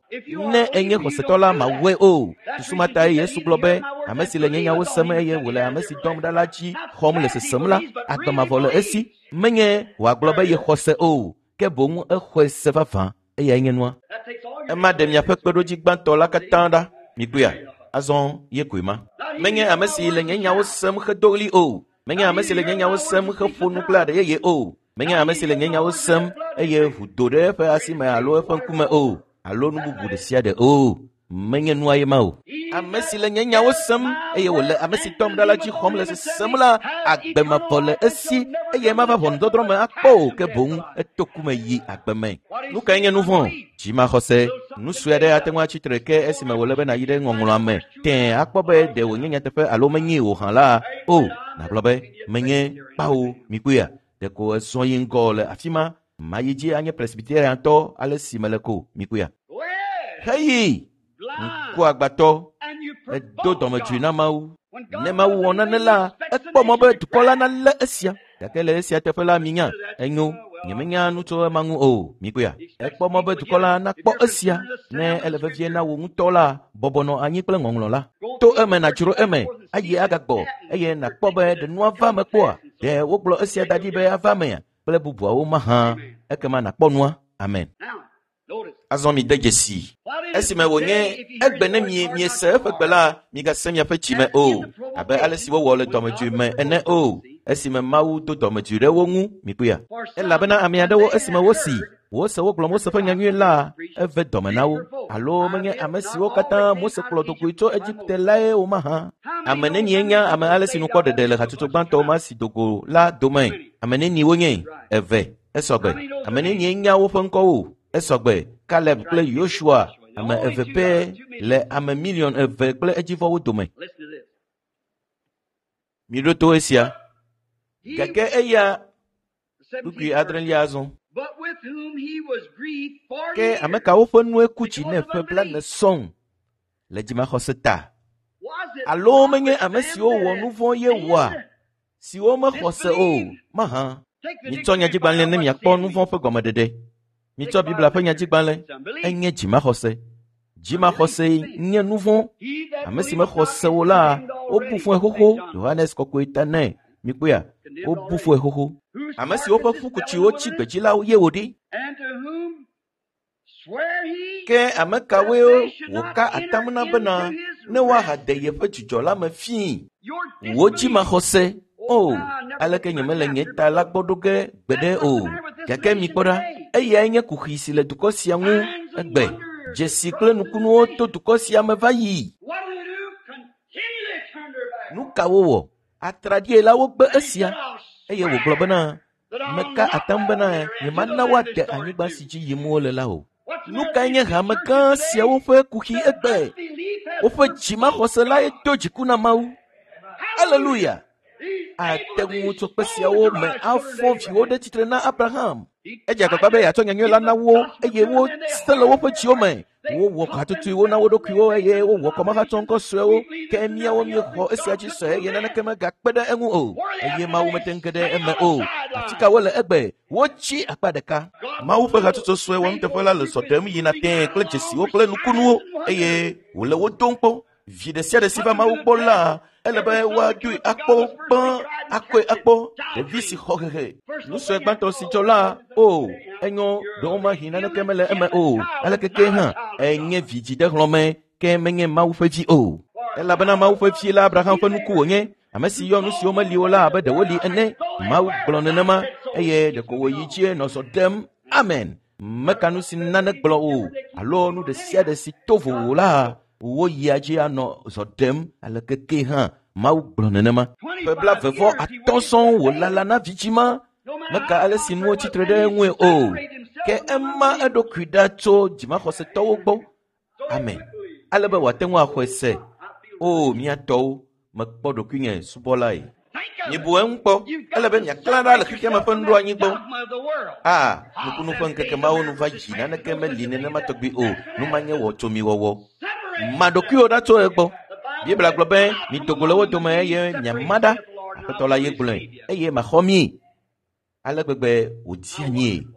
Ne enye xɔsetɔ la, mawɔe o. Susu ma tae Yesu gblɔ be, ame si le nye nyawo sem eye wòle ame si dɔm ɖa la dzi xɔm le sesem la, agbe mavɔ le esi. Menye wòagblɔ be yexɔ se o, ke boŋ exɔe se vavã. Eyae nye nua. Ema ɖe miaƒe kpeɖodzi gbãtɔ la katã ɖa. Mikpɔea? Azɔ ye koe ma. Menye ame si le nye nyawo sem hedo ɣli o. Menye ame si le nye nyawo sem heƒo nu kple aɖe yeye o. Menye ame si le nye nyawo sem eye ʋu do ɖe eƒe asi me alo eƒe ŋkume o, alo nu bubu ɖe sia ɖe o. Menye nua ye ma o. Ame si le nye nyawo sem eye wòle ame si dɔm ɖa la dzi xɔm le sesem la, agbe mavɔ le esi eye mava ʋɔnudɔdrɔ̃ me akpɔ o, ke boŋ eto ku me yi agbe me. Nu kae nye nu vɔ̃? Dzimaxɔse. Nu sue aɖe ate ŋu atsi tre ke esime wòle be nàyi ɖe ŋɔŋlɔa me tẽe akpɔ be ɖe wònye nyateƒe alo menyee o hã la, o, nàgblɔ be menye kpao. Mikpɔea? Ɖeko ezɔ yi ŋgɔ le afi ma. Mayi dzi anye presbyteriantɔ ale si mele ko. Mikpɔea? Heyi! Ŋkuagbãtɔ, edo dɔmedzoe na Mawu. Ne Mawu wɔ nane la, ekpɔ mɔ be dukɔ la nalé esia. Gake le esia teƒe la, minya, enyo, nyemenya nu tso ema ŋu o. Mikpɔea? Ekpɔ mɔ be dukɔ la nakpɔ esia. Ne ele vevie na wò ŋutɔ la, bɔbɔ nɔ anyi kple ŋɔŋlɔ la. To eme nàdzro eme, ayi agagbɔ, eye nàkpɔ be ɖe nua va eme kpɔa? Ɖe wogblɔ esia da ɖi be ava emea? Kple bubuawo mahã. Ekema nàkpɔ nua. Amen. Azɔ mi de dzesi. Esime wònye egbe ne mie miese eƒe gbe la, migase miaƒe dzime o, abe ale si wowɔ le dɔmedzoe me ene o. Esime Mawu do dɔmedzoe ɖe wo ŋu, mikpɔea? Elabena ame aɖewo esime wosi, wose wogblɔ Mose ƒe nyanyui la, eve dɔme na wo. Alo menye ame siwo katã Mose kplɔ do goe tso Egipte lae o mahã. Ame nenie nya ame ale si nukpɔ ɖeɖe le hatsotso gbãtɔ ma si do go la dome? Ame nenie wonye? Eve. Esɔgbe. Ame nenie nya woƒe ŋkɔwo? Esɔgbe. Kaleb kple Yosua, ame eve pɛ le ame miliɔn eve kple edzivɔwo dome. Miɖo to esia. Gake eya kpukpui adrelia azɔ. Ke ame kawo ƒe nue ku dzi nɛ ƒe blaene sɔŋ le dzimaxɔse ta? Alo menye ame siwo wɔ nu vɔ̃ ye wɔa, siwo mexɔ se o mahã? Mitsɔ nyadzigbalẽ ne miakpɔ nu vɔ̃ ƒe gɔmeɖeɖe. Mitsɔ Biblia ƒe nyadzigbalẽ. Enye dzimaxɔse. Dzimaxɔse nye nu vɔ̃. Ame si mexɔ se o la, wobu fɔe xoxo. Yohanes kɔkɔe ta nɛ. Mikpɔea? Wobu fɔe xoxo. Ame siwo ƒe ƒukutsiwo tsi gbedzi la ye wòɖi. Ke ame kawoe wòka atam na bena ne woahade yeƒe dzidzɔ la me fii? Wò dzimaxɔse. O, aleke nyemele nye ta la gbɔ ɖo ge gbeɖe o. Gake mikpɔ ɖa, eyae nye kuxi si le dukɔ sia ŋu egbe. Dzesi kple nukunuwo to dukɔ sia me va yi. Nu ka wowɔ? Atraɖie la wogbe esia. Eye wògblɔ bena, meka atam bena nyemana woade anyigba si dzi yim wole la o. Nu kae nye hame gã siawo ƒe kuxi egbe? Woƒe dzimaxɔse lae do dziku na Mawu. Aleluya! Ate ŋu tso kpe siawo me afɔ viwo ɖe tsitre na Abraham. Edze agbagba be yeatsɔ nyanyui la na wo eye wose le woƒe dziwo me. Wowɔ hatutuiwo na wo ɖokuiwo eye wowɔ kɔmahatsɔŋkɔ suewo. Ke míawo míexɔ esia dzi se eye naneke megakpe ɖe eŋu o. Eye Mawu mete ŋu ge ɖe eme o. Afi ka wole egbe? Wotsi akpa ɖeka. Mawu ƒe hatsotso sue wɔnuteƒe la le zɔ ɖem yina tẽe kple dzesiwo kple nukunuwo eye wòle wo dom kpɔ. Vi ɖe sia ɖe si va Mawu gbɔ la, ele be woadoe akpɔ gbã, akɔe akpɔ. Ɖevi si xɔ hehe. Nu sue gbãtɔ si dzɔ la, o, enyo, ɖewomahi naneke mele eme o. Aleke ke hã, enye vidzi ɖe hlɔ̃me, ke menye Mawu ƒe vi o. Elabena Mawu ƒe vi la Abraham ƒe nuku wònye, ame si yɔ nu siwo meli o la abe ɖe woli ene. Mawu gblɔ nenema eye ɖeko wòyi dzie nɔ zɔ ɖem. Amen. Meka nu si nane gblɔ o alo nu ɖe sia ɖe si to vovo la woyia dzi anɔ zɔ ɖem aleke ke hã Mawu gblɔ nenema. Ƒe blaeve vɔ atɔ̃ sɔŋ wòlala na vidzima. Meka ale si nuwo tsitre ɖe eŋue o. Ke ema eɖokui ɖa tso dzimaxɔsetɔwo gbɔ. Amen. Ale be wòate ŋu axɔe se. O mía tɔwo, mekpɔ ɖokuinye subɔlae. Mibu eŋu kpɔ. Ele be miaklã ɖa le xexea me ƒe nuɖoanyi gbɔ. A, nukunu ƒe ŋkeke mawo nu va yi naneke meli nenema tɔgbi o. Nu ma nye wɔtsomiwɔwɔ. Ma ɖokuiwò ɖa tso egbɔ. Biblia gblɔ be mido go le wo dome eye miama ɖa. Aƒetɔ la ye gblɔe eye maxɔ mi. Ale gbegbe wòdi anyie.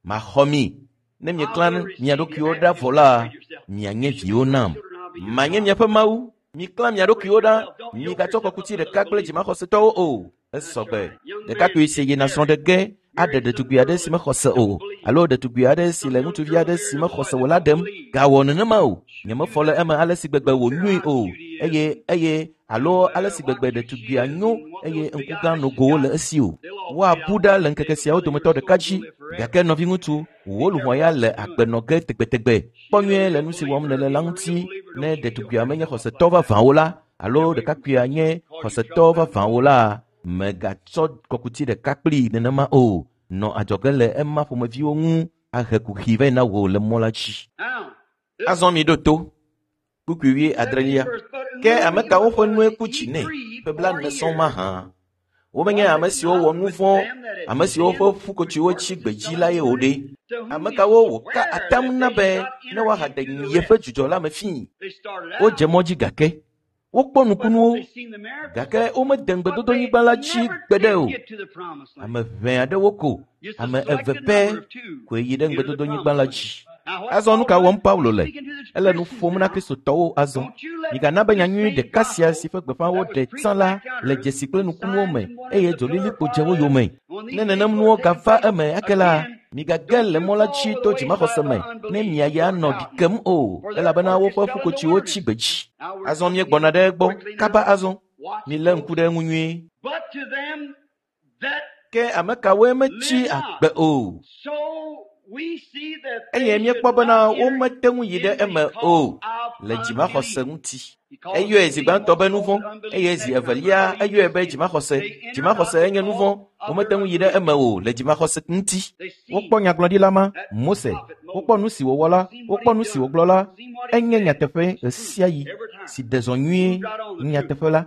Maxɔ mi. Ne mieklã mia ɖokuiwo ɖa vɔ la, mianye viwo nam. Manye miaƒe Mawu. Miklã mia ɖokuiwo ɖa. Migatsɔ kɔkuti ɖeka kple dzimaxɔsetɔwo o. Esɔgbe. Ɖekakpui si yina srɔ̃ ɖe ge aɖe ɖetugbi aɖe si mexɔ se o alo ɖetugbi aɖe si le ŋutsuvi aɖe si mexɔ se o la ɖem. Gawɔ nenema o. Nyemefɔ le eme ale si gbegbe wònyoe o eye eye alo ale si gbegbe ɖetugbia nyo eye ŋku gã nogowo le esi o. Woabu ɖa le ŋkeke siawo dometɔ ɖeka dzi. Gake nɔviŋutsu, wò luʋɔ ya le agbe nɔ ge tegbetegbe. Kpɔ nyuie le nu si wɔm nèle la ŋuti. Ne ɖetugbuia menye xɔsetɔ vavãwo la alo ɖekakpuia nye xɔsetɔ vavãwo la, mègatsɔ kɔkuti ɖeka kplii nenema o. Nɔ adzɔge le ema ƒomeviwo ŋu ahe kuxi vɛ na wò le mɔ la dzi. Azɔ mi ɖo to. Kpukpui wi adrelia. Ke ame kawo ƒe nue ku dzi nɛ ƒe blaene sɔŋ mahã? Womenye ame siwo wɔ nu vɔ̃, ame siwo ƒe ƒukotsiwo tsi gbedzi la ye wòɖe. Ame kawo wòka atam na be ne woahaɖe yeƒe dzudzɔ la me fii. Wodze mɔ dzi gake wokpɔ nukunuwo gake womede ŋugbedodonyigba la dzi gbeɖe o. Ame ʋɛ aɖewo ko, ame eve pɛ koe yi ɖe ŋugbedodonyigba la dzi. Azɔ nu ka wɔm Paulo le? Ele nu ƒom na Kristotɔwo azɔ. Migana be nyanyui ɖeka sia si ƒe gbeƒã woɖe tsã la le dzesi kple nukunuwo me eye dzolilikpo dze wo yome. Ne nenem nuwo gava eme ake la, migage le mɔ la dzi to dzimaxɔse me ne miaya nɔ ɖi kem o elabena woƒe ƒukotsiwo tsi gbedzi. Azɔ míegbɔna ɖe egbɔ kaba azɔ. Milé ŋku ɖe eŋu nyuie. Ke ame kawoe metsi agbe o? Eye míekpɔ bena womete ŋu yi ɖe eme o le dzimaxɔse ŋuti. Eyɔe zi gbãtɔ be nu vɔ̃ eye zi evelia eyɔe be dzimaxɔse. Dzimaxɔse enye nu vɔ̃. Womete ŋu yi ɖe eme o le dzimaxɔse ŋuti. Wokpɔ nyagblɔɖila ma, Mose. Wokpɔ nu si wòwɔ la, wokpɔ nu si wògblɔ la. Enye nyateƒe ɣesiaɣi si ɖe zɔ nyuie nyateƒe la.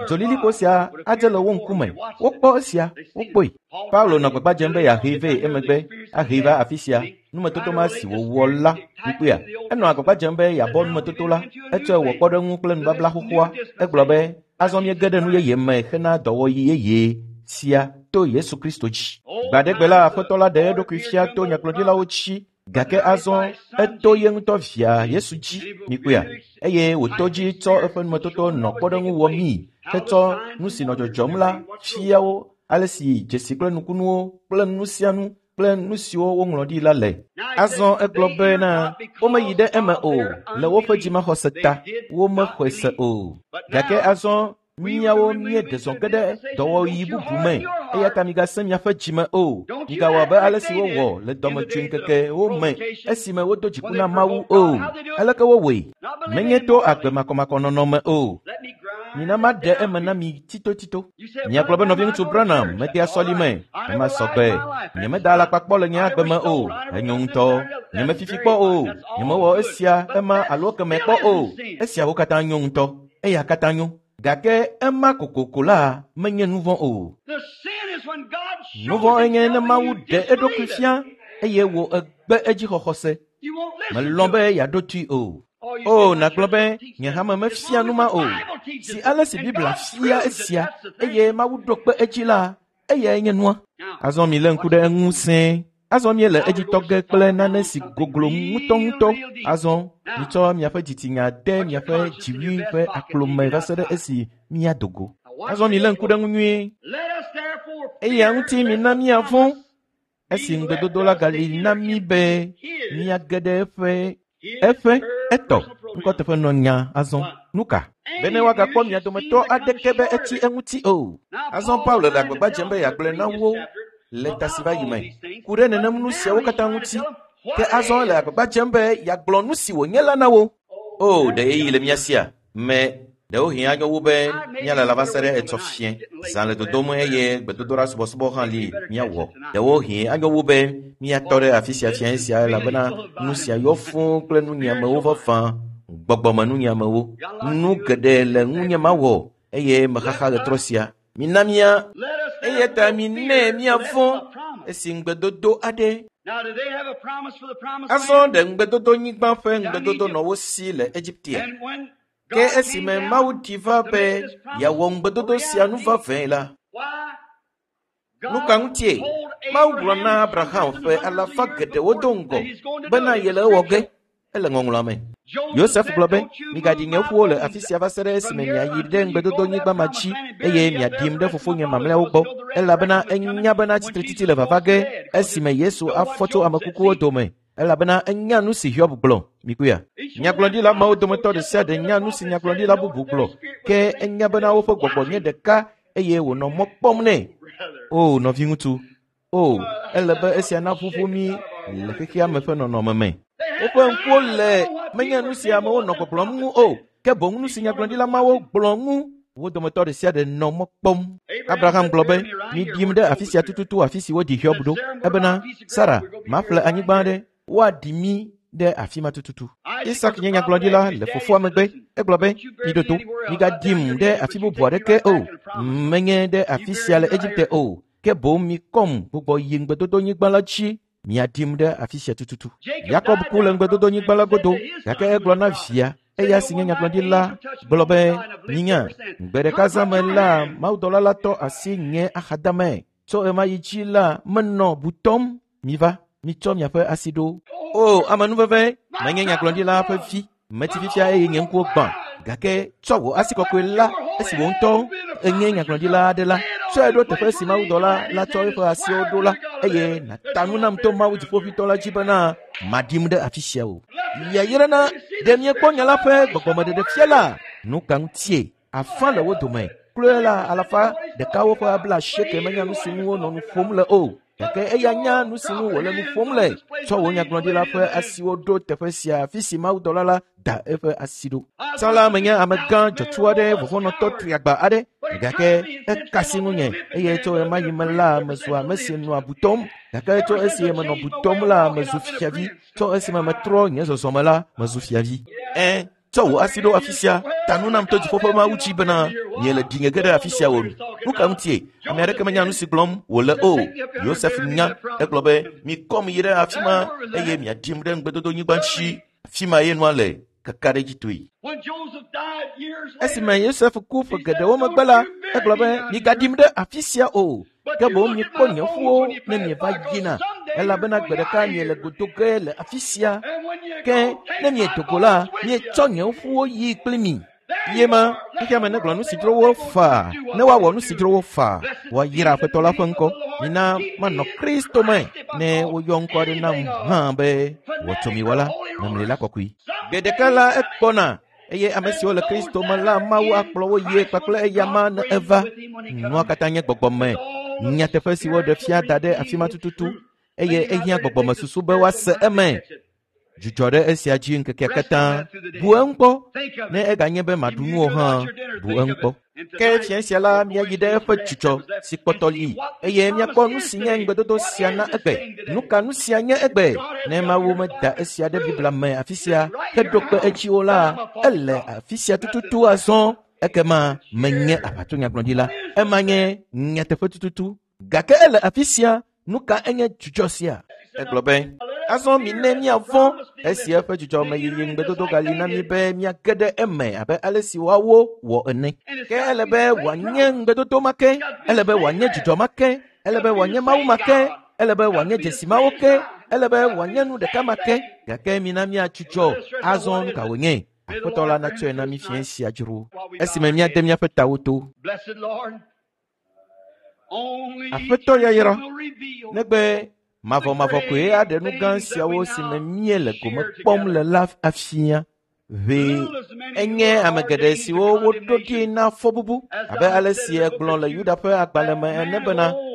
Dzolilikpo sia adze le wo ŋkume. Wokpɔ esia, wokpɔe. Paulo nɔ gbagba dzem be yeahee vɛ emegbe ahee va afi sia. Numetoto ma si wòwɔ la, mikpɔea? Enɔ agbagba dzem be yeabɔ numetoto la. Etsɔe wɔ kpɔɖeŋu kple nubabla xoxoa. Egblɔ be azɔ míege ɖe nu yeye me hena dɔwɔɣi yeye sia to Yesu Kristo dzi. Gbaɖegbe la Aƒetɔ la ɖe eɖokui fia to nyagblɔɖilawo dzi gake azɔ eto ye ŋutɔ via Yesu dzi. Mikpɔea? Eye wòto dzi tsɔ eƒe numetoto nɔ kpɔɖeŋu wɔ mí hetsɔ nu si nɔ dzɔdzɔm la fia wo ale si dzesi kple nukunuwo kple nu sia nu kple nu siwo woŋlɔ ɖi la le. Azɔ egblɔ bena womeyi ɖe eme o le woƒe dzimaxɔse ta, womexɔe se o. Gake azɔ míawo míeɖe zɔ ge ɖe dɔwɔɣi bubu me eya ta migasẽ miaƒe dzime o. Migawɔ abe ale si wowɔ le dɔmedzoeŋkekewo me esime wodo dziku na Mawu o. Aleke wowɔe? Menye to agbe makɔmakɔnɔnɔ me o. Mina maɖe eme na mi tsitotsito. Miagblɔ be nɔviŋutsu Branham medea sɔlime. Ema sɔgbe. Nyemeda alakpa kpɔ le nye agbe me o. Enyo ŋutɔ. Nyemefifi kpɔ o. Nyemewɔ esia, ema alo kemɛ kpɔ o. Esiawo katã nyo ŋutɔ. Eya katã nyo. Gake ema kokoko la menye nu vɔ̃ o. Nu vɔ̃ enye ne Mawu ɖe eɖokui fia eye wò egbe edzixɔxɔ se. Melɔ̃ be yeaɖo toe o. O, nàgblɔ be nye hame mefia nu ma o. Si ale si Biblia fia esia eye Mawu ɖo kpe edzi la, eyae nye nua. Azɔ milé ŋku ɖe eŋu sẽe. Azɔ míele edzi tɔ ge kple nane si goglo ŋutɔŋutɔ. Azɔ mitsɔ miaƒe dzitsinya de miaƒe dziwui ƒe aklo me va se ɖe esi míado go. Azɔ milé ŋku ɖe eŋu nyuie. Eya ŋuti mina míavɔ̃ esi ŋugbedodo la gali na mí be míage ɖe eƒe eƒe etɔ ŋkɔteƒe nɔ nya azɔ. Nu ka? Bene woagakpɔ mia dometɔ aɖeke be etsi eŋuti o. Azɔ Paulo le agbagba dzem be yeagblɔe na wo Le ta si va yi me ku ɖe nenem nu siawo katã ŋuti. Ke azɔ le agbagba dzem be yeagblɔ nu si wònye la na wo. O, ɖe ɣeyiɣi le mía sia? Me ɖewohĩ anyo wu be míalala va se ɖe etsɔ fiẽ. Zã le dodom eye gbedodoɖa subɔsubɔ hã li míawɔ. Ɖewohĩ anyo wu be míatɔ ɖe afi sia fiẽ sia elabena nu sia yɔ fũu kple nunyiamewo vavã, gbɔgbɔmenunyiamewo. Nu geɖe le ŋunye mawɔ eye mexaxa ɣetrɔ sia. Mina mía eya ta minɛ míavɔ̃ esi ŋugbedodo aɖe. Azɔ ɖe ŋugbedodonyigba ƒe ŋugbedodo nɔ wo si le Egipte. Ke esime Mawu ɖi va be yeawɔ ŋugbedodo sia nu vavãe la, nu ka ŋutie? Mawu gblɔ na Abraham ƒe alafa geɖewo do ŋgɔ bena yele ewɔ ge. Ele ŋɔŋlɔa me. Yosef gblɔ be, migaɖi nye ƒuwo le afi sia va se ɖe esime miayi ɖe ŋugbedodonyigba ma dzi eye miaɖim ɖe fofonye mamlɛawo gbɔ, elabena enya bena tsitretsitsi le vava ge esime Yesu afɔ tso ame kukuwo dome. Elabena enya nu si Hiob gblɔ. Mikuya. Nyagblɔɖila mawo dometɔ ɖe sia ɖe nya nu si nyagblɔɖila bubu gblɔ, ke enya bena woƒe gbɔgbɔ nye ɖeka eye wònɔ mɔ kpɔm nɛ. O nɔviŋutsu, o ele be esia naʋuʋu mí le xexea me ƒe nɔnɔme me. Woƒe ŋkuwo le menye nu si amewo nɔ gbɔgblɔm ŋu o, ke boŋ nu si nyagblɔɖila mawo gblɔ ŋu. Wo dometɔ ɖe sia ɖe nɔ mɔ kpɔm. Abraham gblɔ be, miɖim ɖe afi sia tututu afi si wodi Hiob ɖo. Ebena, Sara, maƒle anyigba aɖe, woaɖi mí ɖe afi ma tututu. Isak nye nyagblɔɖila le fofoa megbe. Egblɔ be, miɖo to, migaɖim ɖe afi bubu aɖeke o, menye ɖe afi sia le Egipte o, ke boŋ mikɔm gbugbɔ yi ŋugbedodonyigba la dzi. Miaɖim ɖe afi sia tututu. Yakob ku le ŋugbedodonyigba la godo, gake egblɔ na via, eya si nye nyagblɔɖila, gblɔ be, minya, gbe ɖeka zã me la, mawudɔla la tɔ asi nye axadame. Tso ɣemaɣi dzi la, menɔ butɔm. Miva, mitsɔ miaƒe asi ɖo. O, amenuveve, menye nyagblɔɖila ƒe vi, metsi fifia eye nye ŋkuwo gbã. Gake tsɔ wò asi kɔkɔe la, esi wò ŋutɔ enye nyagblɔɖila aɖe la, tsɔe ɖo teƒe si mawudɔla la tsɔ eƒe asiwo ɖo la, eye nàta nu nam to Mawu dziƒoʋĩtɔ la dzi bena maɖim ɖe afi sia o. Yayra na ɖe miekpɔ nya la ƒe gbɔgbɔmeɖeɖefia la. Nu ka ŋutie? Afã le wo dome. Kloe la alafa ɖekawo ƒe bla asieke menya nu si ŋu wonɔ nu ƒom le o. Gake eya nya nu si ŋu wòle nu ƒom le. Tsɔ wò nyagblɔɖila ƒe asiwo ɖo teƒe sia afi si mawudɔla la da eƒe asi ɖo. Tsã la menye amegã dzɔtsu aɖe, vɔvɔ̃nɔtɔ triagba aɖe, gake ekasi ŋunye eye tso ɣemaɣi me la mezu ame si nɔa butɔm. Gake tso esi menɔ butɔm la mezu fiavi. Tso esime metrɔ nye zɔzɔme la mezu fiavi. Ẽ, tsɔ wò asi ɖo afi sia, ta nu nam to dziƒo ƒe Mawu dzi bena miele ɖinye ge ɖe afi sia o. Nu ka ŋutie? Ame aɖeke menya nu si gblɔm wòle o. Yosef nya, egblɔ be, mikɔm yi ɖe afi ma eye miaɖim ɖe ŋugbedodonyigba dzi. Afi ma ye nua le kakaɖedzitɔe. Esime Yosef ku ƒe geɖewo megbe la, egblɔ be, migaɖim ɖe afi sia o, ke boŋ mikpɔ nye ƒuwo ne mieva yina, elabena gbe ɖeka miele godo ge le afi sia. Ke ne miedo go la, mietsɔ nye ƒuwo yi kpli mi. Ye ma, xexea me negblɔ nu si dzro wo faa, ne woawɔ nu si dzro wo faa, woayra Aƒetɔ la ƒe ŋkɔ. Mina manɔ Kristo me, ne woyɔ ŋkɔ aɖe nam hã be wɔtsomiwɔla, memlila kɔkɔe. Gbe ɖeka la ekpɔna eye ame siwo le Kristo me la, Mawu akplɔ wo yie kpakple eyama ne eva. Nua katã nye gbɔgbɔ me. Nyateƒe si woɖe fia da ɖe afi ma tututu eye ehiã gbɔgbɔmesusu be woase eme. Dzudzɔ ɖe esia dzi ŋkekea katã. Bu eŋu kpɔ. Ne eganye be maɖu nu o hã, bu eŋu kpɔ. Ke fia sia la, míayi ɖe eƒe dzudzɔ si kpɔtɔ li eye míakpɔ nu si nye ŋugbedodo sia na egbe. Nu ka nu sia nye egbe? Ne Mawu meda esia ɖe Biblia me afi sia heɖo kpe edzi o la, ele afi sia tututu azɔ. Ekema menye aʋatsonyagblɔɖila. Ema nye nyateƒe tututu. Gake ele afi sia. Nu ka enye dzudzɔ sia? Egblɔ be, azɔ mine míavɔ̃ esi eƒe dzudzɔmeyiyi ŋugbedodo gali na mí be míage ɖe eme abe ale si woawo wɔ ene. Ke ele be wòanye ŋugbedodo ma ke, ele be wòanye dzudzɔ ma ke, ele be wòanye Mawu ma ke, ele be wòanye dzesi mawo ke, ele be wòanye nu ɖeka ma ke. Gake mina míadzudzɔ azɔ nu ka wònye? Aƒetɔ la natsɔe na mí fiẽ sia dzro esime míade míaƒe tawo to. Aƒetɔ yayra, negbe mavɔmavɔ koe aɖe nu gã siawo si me míele gome kpɔm le la afia. Ʋee enye ame geɖe siwo woɖo ɖi na fɔbubu, abe ale si egblɔ le Yuda ƒe agbalẽ me ene bena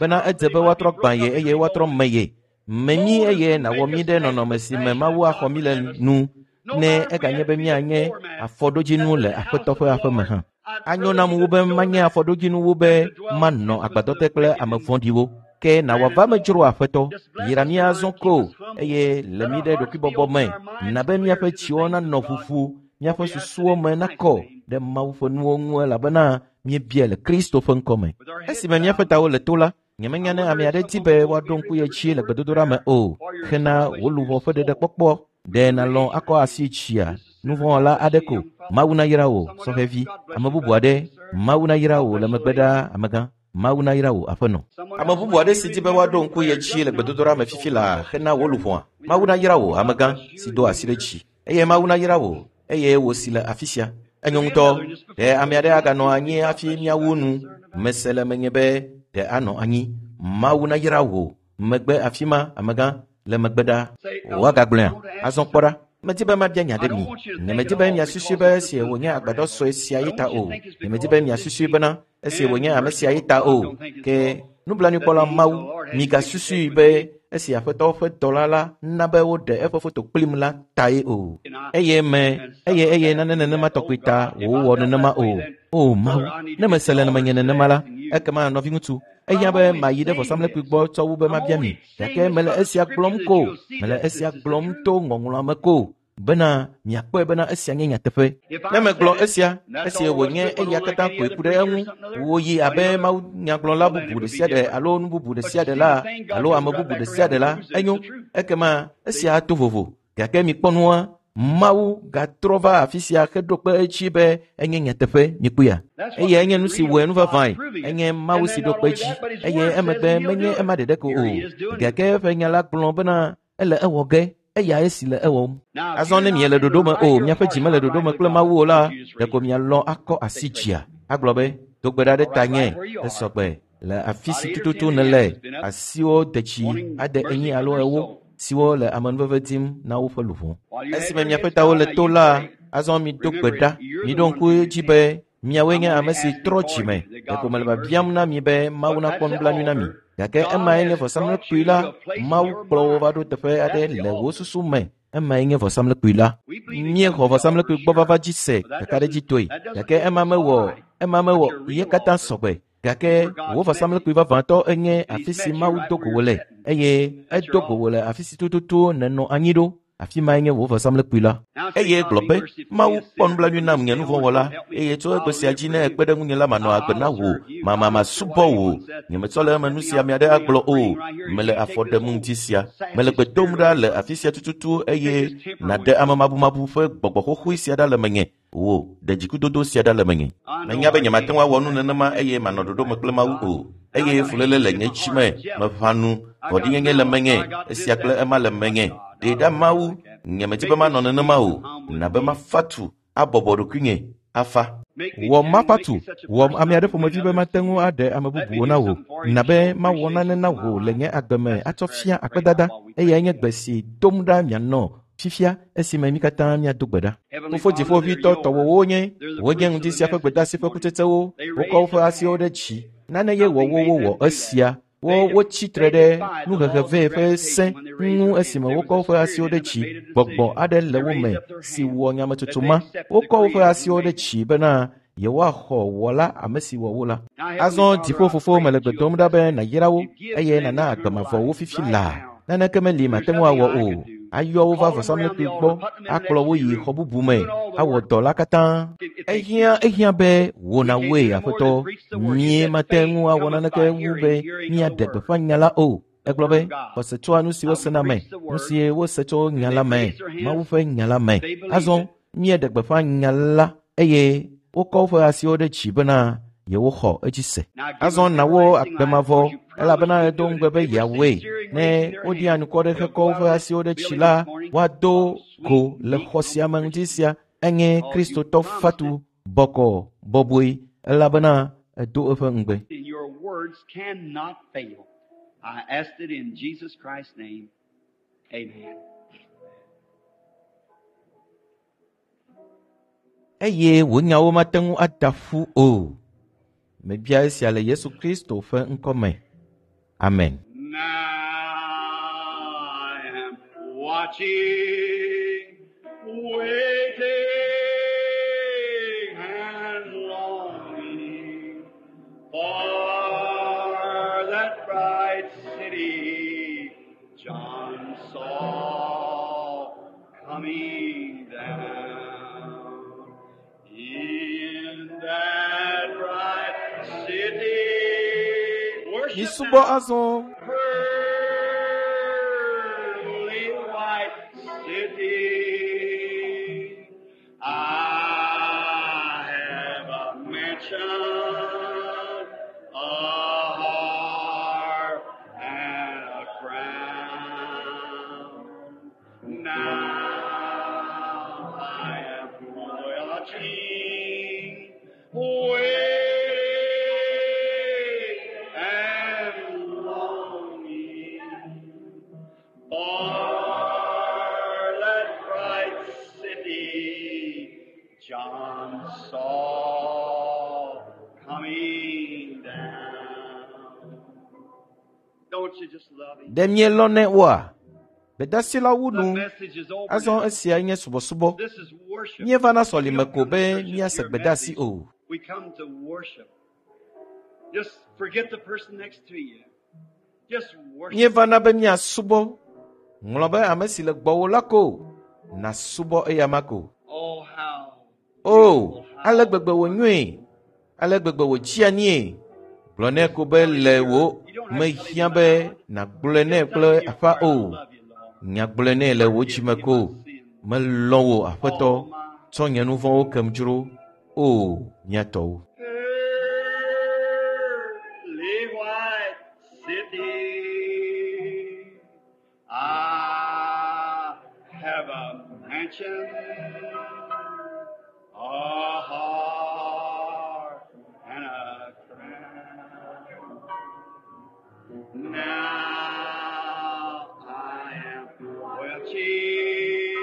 bena edze be woatrɔ gbã ye eye woatrɔ me ye. Me mí eye nàwɔ mí ɖe nɔnɔme si me Mawu axɔ mí le nu ne eganye be míanye afɔɖodzinu le Aƒetɔ ƒe aƒeme hã. Anyo nam wu be manye afɔɖodzinu wu be manɔ agbadɔ te kple ame vɔ̃ɖiwo. Ke nàwɔ ava me dzro Aƒetɔ, yra mí azɔ ko eye le mí ɖe ɖokuibɔbɔ me. Na be míaƒe dziwo nanɔ ʋuʋu, míaƒe susuwo me nakɔ ɖe Mawu ƒe nuwo ŋu elabena míebia le Kristo ƒe ŋkɔme. Esime míaƒe tawo le to la, Nyemenya ne ame aɖe di be woaɖo ŋku ye dzi le gbedodoɖa me o hena wò luʋɔ ƒe ɖeɖekpɔkpɔ. Ɖe nàlɔ̃ akɔ asi tsia nuvɔ̃wɔla aɖe ko. Mawu nayra wò, sɔhɛvi. Ame bubu aɖe, Mawu nayra wò le megbe ɖaa, amegã. Mawu nayra wò, aƒenɔ. Ame bubu aɖe si di be woaɖo ŋku ye dzi le gbedodoɖa me fifi laa hena wò luʋɔa. Mawu nayra wò, amegã, si do asi ɖe dzi. Eye Mawu nayra wò, eye wò si le afi sia. Enyo ŋutɔ. Ɖe ame aɖe aganɔ anyi hafi míawu nu. Mese le menye be ɖe anɔ anyi. Mawu nayra wò. Megbe afi ma, amegã, le megbe ɖaa. Woagagblɔea? Azɔ kpɔ ɖa. Medi be mabia nya ɖe mi. Nyemedi be miasusui be esi wònye agbadɔ sue sia yi ta o. Nyemedi be miasusui bena esi wònye ame sia yi ta o. Ke nublanuikpɔla Mawu, migasusui be esi Aƒetɔ ƒe dɔla la na be woɖe eƒe foto kplim la tae o. Eye me, eye eye nane nenema tɔgbi ta wòwɔ nenema o. O Mawu, ne mese le menye nenema la, ekema nɔviŋutsu, ehiã be mayi ɖe vɔsamlekpui gbɔ tsɔ wu be mabia mi. Gake mele esia gblɔm ko, mele esia gblɔm to ŋɔŋlɔa me ko bena miakpɔe bena esia nye nyateƒe. Ne megblɔ esia, esi wònye eya katã koe ku ɖe eŋu, wòyi abe mawunyagblɔla bubu ɖe sia ɖe alo nu bubu ɖe sia ɖe la alo ame bubu ɖe sia ɖe la, enyo. Ekema esia ato vovo. Gake mikpɔ nua, Mawu gatrɔ va afi sia heɖo kpe edzi be enye nyateƒe, mikpɔea? Eye enye nu si wɔe nu vavãe. Enye Mawu si ɖo kpe edzi. Eye emegbe menye ema ɖeɖe ko o. Gake eƒe nya la gblɔ bena ele ewɔ ge. Eya esi le ewɔm. Azɔ ne miele ɖoɖo me o, miaƒe dzi mele ɖoɖo me kple Mawu o la, ɖeko mialɔ̃ akɔ asi dzia. Agblɔ be, do gbe ɖa ɖe tanye, esɔgbe le afi si tututu nèle, asiwo de tsi ade enyi alo ewo siwo le amenuveve dim na woƒe luʋɔ. Esime miaƒe tawo le to la, azɔ mido gbe ɖa. Miɖo ŋku edzi be miawoe nye ame si trɔ dzime. Ɖeko mele biabiam na mi be Mawu nakpɔ nublanui na mi. Gake emae nye vɔsamlekpui la. Mawu kplɔ wo va ɖo teƒe aɖe le wò susu me. Emae nye vɔsamlekpui la. Míexɔ vɔsamlekpui gbɔ vava dzi se kakaɖedzitɔe. Gake ema mewɔ, ema mewɔ ye katã sɔgbe. Gake wò vɔsamlekpui vavãtɔ enye afi si Mawu do go wò le, eye edo go wò le afi si tututu nènɔ anyi ɖo. Afi mae nye wò vɔsamlekpui la. Eye gblɔ be, Mawu kpɔ nublanui nam nye nuvɔ̃wɔla, eye tso egbe sia dzi ne ekpe ɖe ŋunye la manɔ agbe na wò, mama masubɔ wò. Nyemetsɔ le eme nu sia ame aɖe agblɔ o. Mele afɔ ɖem ŋuti sia. Mele gbe dom ɖa le afi sia tututu eye nàɖe amemabumabu ƒe gbɔgbɔ xoxoe sia ɖa le menye. Wò, ɖe dzikudodo sia ɖa le menye. Menya be nyemate ŋu awɔ nu nenema eye manɔ ɖoɖo me kple Mawu o. Eye fuléle le nye dzi me, meʋã nu, vɔ̃ɖinyenye le menye, esia kple ema le menye. Ɖe ɖa Mawu, nyemedi be manɔ nenema o. Na be mafa tu, abɔbɔ ɖokuinye, afa. Wɔ mafa tu, wɔ ame aɖe ƒomevi be mate ŋu aɖe ame bubuwo na wò. Na be mawɔ nane na wò le nye agbe me atsɔ fia akpedada. Eyae nye gbe si dom ɖa mianɔ fifia esime mi katã míado gbe ɖa. Fofo dziƒoʋĩtɔ tɔwòwo nye, wonye ŋdi sia ƒe gbedeasi ƒe kutsetsewo. Wokɔ woƒe asiwo ɖe dzi. Nane ye wɔ wo wowɔ esia. Wo wotsi tre ɖe nuhehe vɛ ƒe sẽ ŋu esime wokɔ woƒe asiwo ɖe dzi. Gbɔgbɔ aɖe le wo me si wɔ nyametsotso ma. Wokɔ woƒe asiwo ɖe dzi bena yewoaxɔ wɔla ame si wɔ wo la. Azɔ dziƒofofo mele gbe dom ɖa be nàyra wo eye nàna agbe mavɔ wo fifi laa. Naneke meli mate ŋu awɔ o. Ayɔ wo va vɔsamlekpui gbɔ, akplɔ wo yi xɔ bubu me, awɔ dɔ la katã. Ehiã ehiã be wò nàwɔe, Aƒetɔ. Mie mate ŋu awɔ naneke wu be míaɖe gbeƒã nya la o. Egblɔ be, xɔse tsoa nu si wosena me, nu si wose tso nya la me, Mawu ƒe nya la me. Azɔ míeɖe gbeƒã nya la eye wokɔ woƒe asiwo ɖe dzi bena yewoxɔ edzi se. Azɔ na wo agbe mavɔ, elabena edo ŋugbe be yeawɔe. Ne woɖi anukɔ ɖe hekɔ woƒe asiwo ɖe dzi la, woado go le xɔ sia me ŋdi sia. Enye Kristotɔ fatu bɔkɔ bɔbɔe, elabena edo eƒe ŋugbe. Your words cannot fail. I asked it in Jesus Christ's name. Amen. Eye wò nyawo mate ŋu ada ƒu o. Mebia esia le Yesu Kristo ƒe ŋkɔ me. Amen. Now I am watching, waiting and longing for that bright city John saw coming down. In that bright city, Misubɔ azɔ. Pearly white city, I have a mansion, a harp, and a crown. Now I am watching, waiting, and longing for that bright city John saw coming down. Don't you just love him? Ɖe mielɔnɛ oa? Gbedasi la wu The nu. message is over. Azɔ now. esia nye subɔsubɔ. This is worship. Míevana sɔlime We don't ko come be to church to míase hear gbedasi message. o. We come to worship. Just forget the person next to you. Just worship. Míevana be míasubɔ. Ŋlɔ be ame si le gbɔwò la ko nàsubɔ eyama ko. Oh, how O, beautiful, how ale gbegbe wònyoe, ale gbegbe wòtsia nie. Gblɔ nɛ ko be le wò mehiã be nàgblɔe nɛ kple aƒa o. Nyagblɔe nɛ le wò dzime ko. Melɔ̃ wò Aƒetɔ, tsɔ nye nu vɔ̃wo kem dzro. O, mía tɔwo. Pearly white city. I have a mansion, a harp, and a crown. Now I am watching,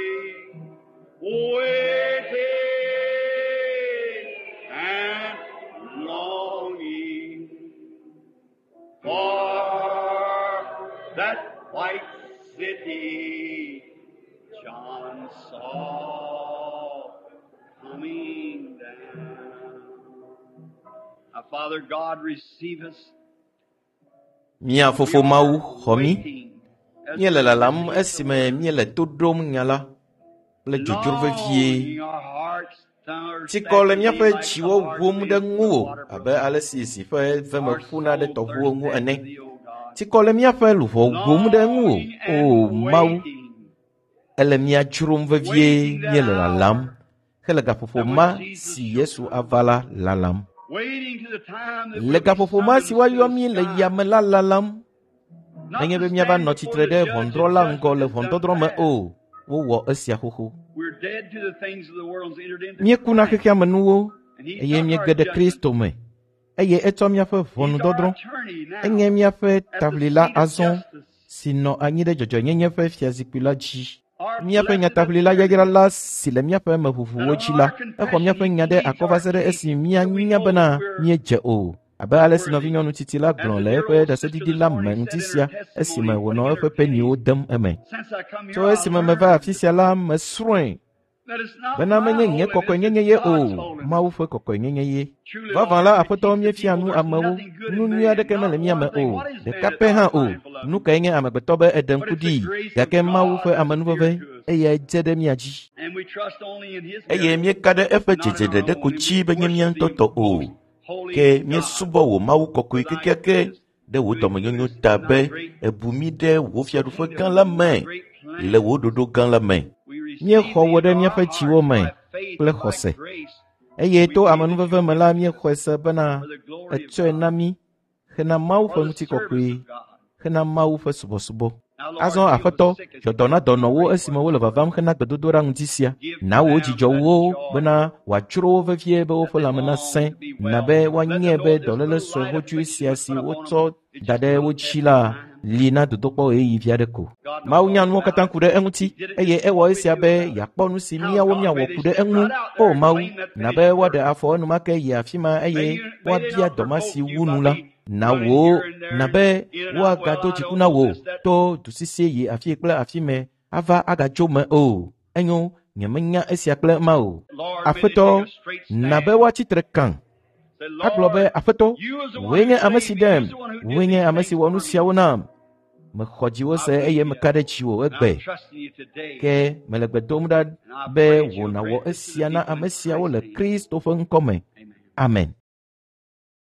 waiting, and longing for that white city John saw coming down. Now, Father God, receive us. Mía We fofo Mawu are xɔ mí. waiting as Míele we lalam receive the esime word, míele to ɖom nya la kple dzodzro vevie. longing our hearts Tsikɔ le thirst after thee míaƒe like the dziwo hard wom ɖe fish to the ŋuwò water abe brook. ale si zi ƒe veme Our ƒuna ɖe soul tɔʋuwo thirsts ŋu after ene. thee, O God. Tsikɔ le míaƒe luʋɔ wom ɖe ŋuwò. Longing O and Mawu, waiting, ele mía dzrom vevie waiting that míele lalam hour hele gaƒoƒo that ma when Jesus si shall Yesu come, ava la lalam. waiting to the time that Le we'll be gaƒoƒo ma si summoned to woayɔ the mí le sky, yame la lalam. not Nenye to be míava stand nɔ before tsitre the ɖe judge and ʋɔnudrɔ̃la judgment ŋgɔ le has done ʋɔnudɔdrɔ̃ me past. o. Wowɔ esia xoxo. We're dead to the things of the world and entered into Míekuna Christ, xexea me nuwo and He eye took our míege ɖe judgment. Kristo me. Eye etsɔ míaƒe He's our ʋɔnudɔdrɔ̃. attorney Enye now míaƒe at the taʋlila seat of azɔ justice. si nɔ anyi ɖe dzɔdzɔenyenye ƒe fiazikpui la dzi. Our Míaƒe blessed nyataʋlila attorney, yayra la si le míaƒe that meʋuʋuwo on dzi la, our exɔ confession míaƒe He nya ɖe pleads akɔ va our se ɖe case esi that we míanya know bena that we're míedze o. Abe ale si worthy. nɔvinyɔnu tsitsi la As gblɔ the le dear eƒe old sister ɖaseɖiɖi this la me morning ŋuti said in her sia esime testimony, wònɔ putting in eƒe her peniwo pennies, dem eme. since I come here, Tso I esime meva learned afi sia la, mesrɔ̃e that it's not bena my menye nye holiness, kɔkɔenyenye it's ye God's o, holiness. Mawu ƒe kɔkɔenyenye ye. Truly, Vavã Lord, la, we Aƒetɔ, teach the míefia people nu there's amewo. nothing good Nu in nyui man, aɖeke mele not mía me one thing. o, What is man ɖeka that pɛ thou hã art o. mindful of Nu him? kae nye amegbetɔ be eɖe But ŋku it's the ɖii? grace of Gake Mawu God ƒe that's amenuveve, appeared to us. eyae dze ɖe mía dzi. And we trust only in His Eye merit, míeka ɖe eƒe not in dzedze our ɖeɖe own. ko And we dzi be nye mía worship ŋutɔ the tɔ o. most holy Ke God míesubɔ wò Mawu kɔkɔe for thy kekeake goodness, ɖe wò doing dɔmenyonyo goodness ta in thy be great èbu mí ɖe wò fiaɖuƒe gã kingdom la and thy me great le plan. wò ɖoɖo gã la me. We receive Míexɔ thee wò ɖe into our míaƒe dziwo hearts me by faith kple and by xɔse. grace. Eye We to believe that amenuveve you me give la, it to us míexɔe se bena for the glory of ètsɔe na God, mí hena Mawu ƒe for the service ŋutikɔkɔe, of God. hena Mawu ƒe subɔsubɔ. Now, Lord, Azɔ heal the Aƒetɔ, sick as dzɔ they dɔ na come to dɔnɔwo pray for esime us. wole vavam hena gbedodoɖa ŋuti sia. Give Na to wò them dzidzɔ that wo joy bena wòadzro wo vevie be that woƒe they lãme long nasẽ, to be na well. be Let them woanyae know be this dɔléle little sue light xoxoe affliction sia was si put upon wotsɔ them is da just ɖe a wo little dzi test of la time. li na dodokpɔ ɣeyiɣi vi aɖe ko. God knows Mawu nya all nuwo about katã it. ku ɖe eŋuti He did it eye just to ewɔ see what we esia do be about it. yeakpɔ nu si How míawo God míawɔ may ku they ɖe step eŋu. right out O there and Mawu, claim that na be finished woaɖe work. afɔ enumake yi afi ma May eye you, may they woabia not dɔ ma provoke si you wu by nu la. me Na running wò here and there na and be in and out. Well, woagado I dziku don't na know wò this, that. to dusisi yi afi kple afi me ava agadzo me o. Enyo, nyemenya esia kple ema o. Lord, may they Aƒetɔ, take a straight na be stand. woatsi tre kã. Say, Agblɔ be, Lord, Aƒetɔ, you is the one wòe who nye ame saved si me. ɖem, You's the one who did wòe nye these ame things si wɔ nu for me. siawo nam. Mexɔ dziwò I se eye believe you. meka ɖe dziwò And egbe. I'm trusting you today. Ke mele gbe dom ɖa And I be pray that wò you'll nàwɔ grant this to the esia na people in ame siawo Christ's le name. Kristo ƒe ŋkɔ me. Amen. Amen.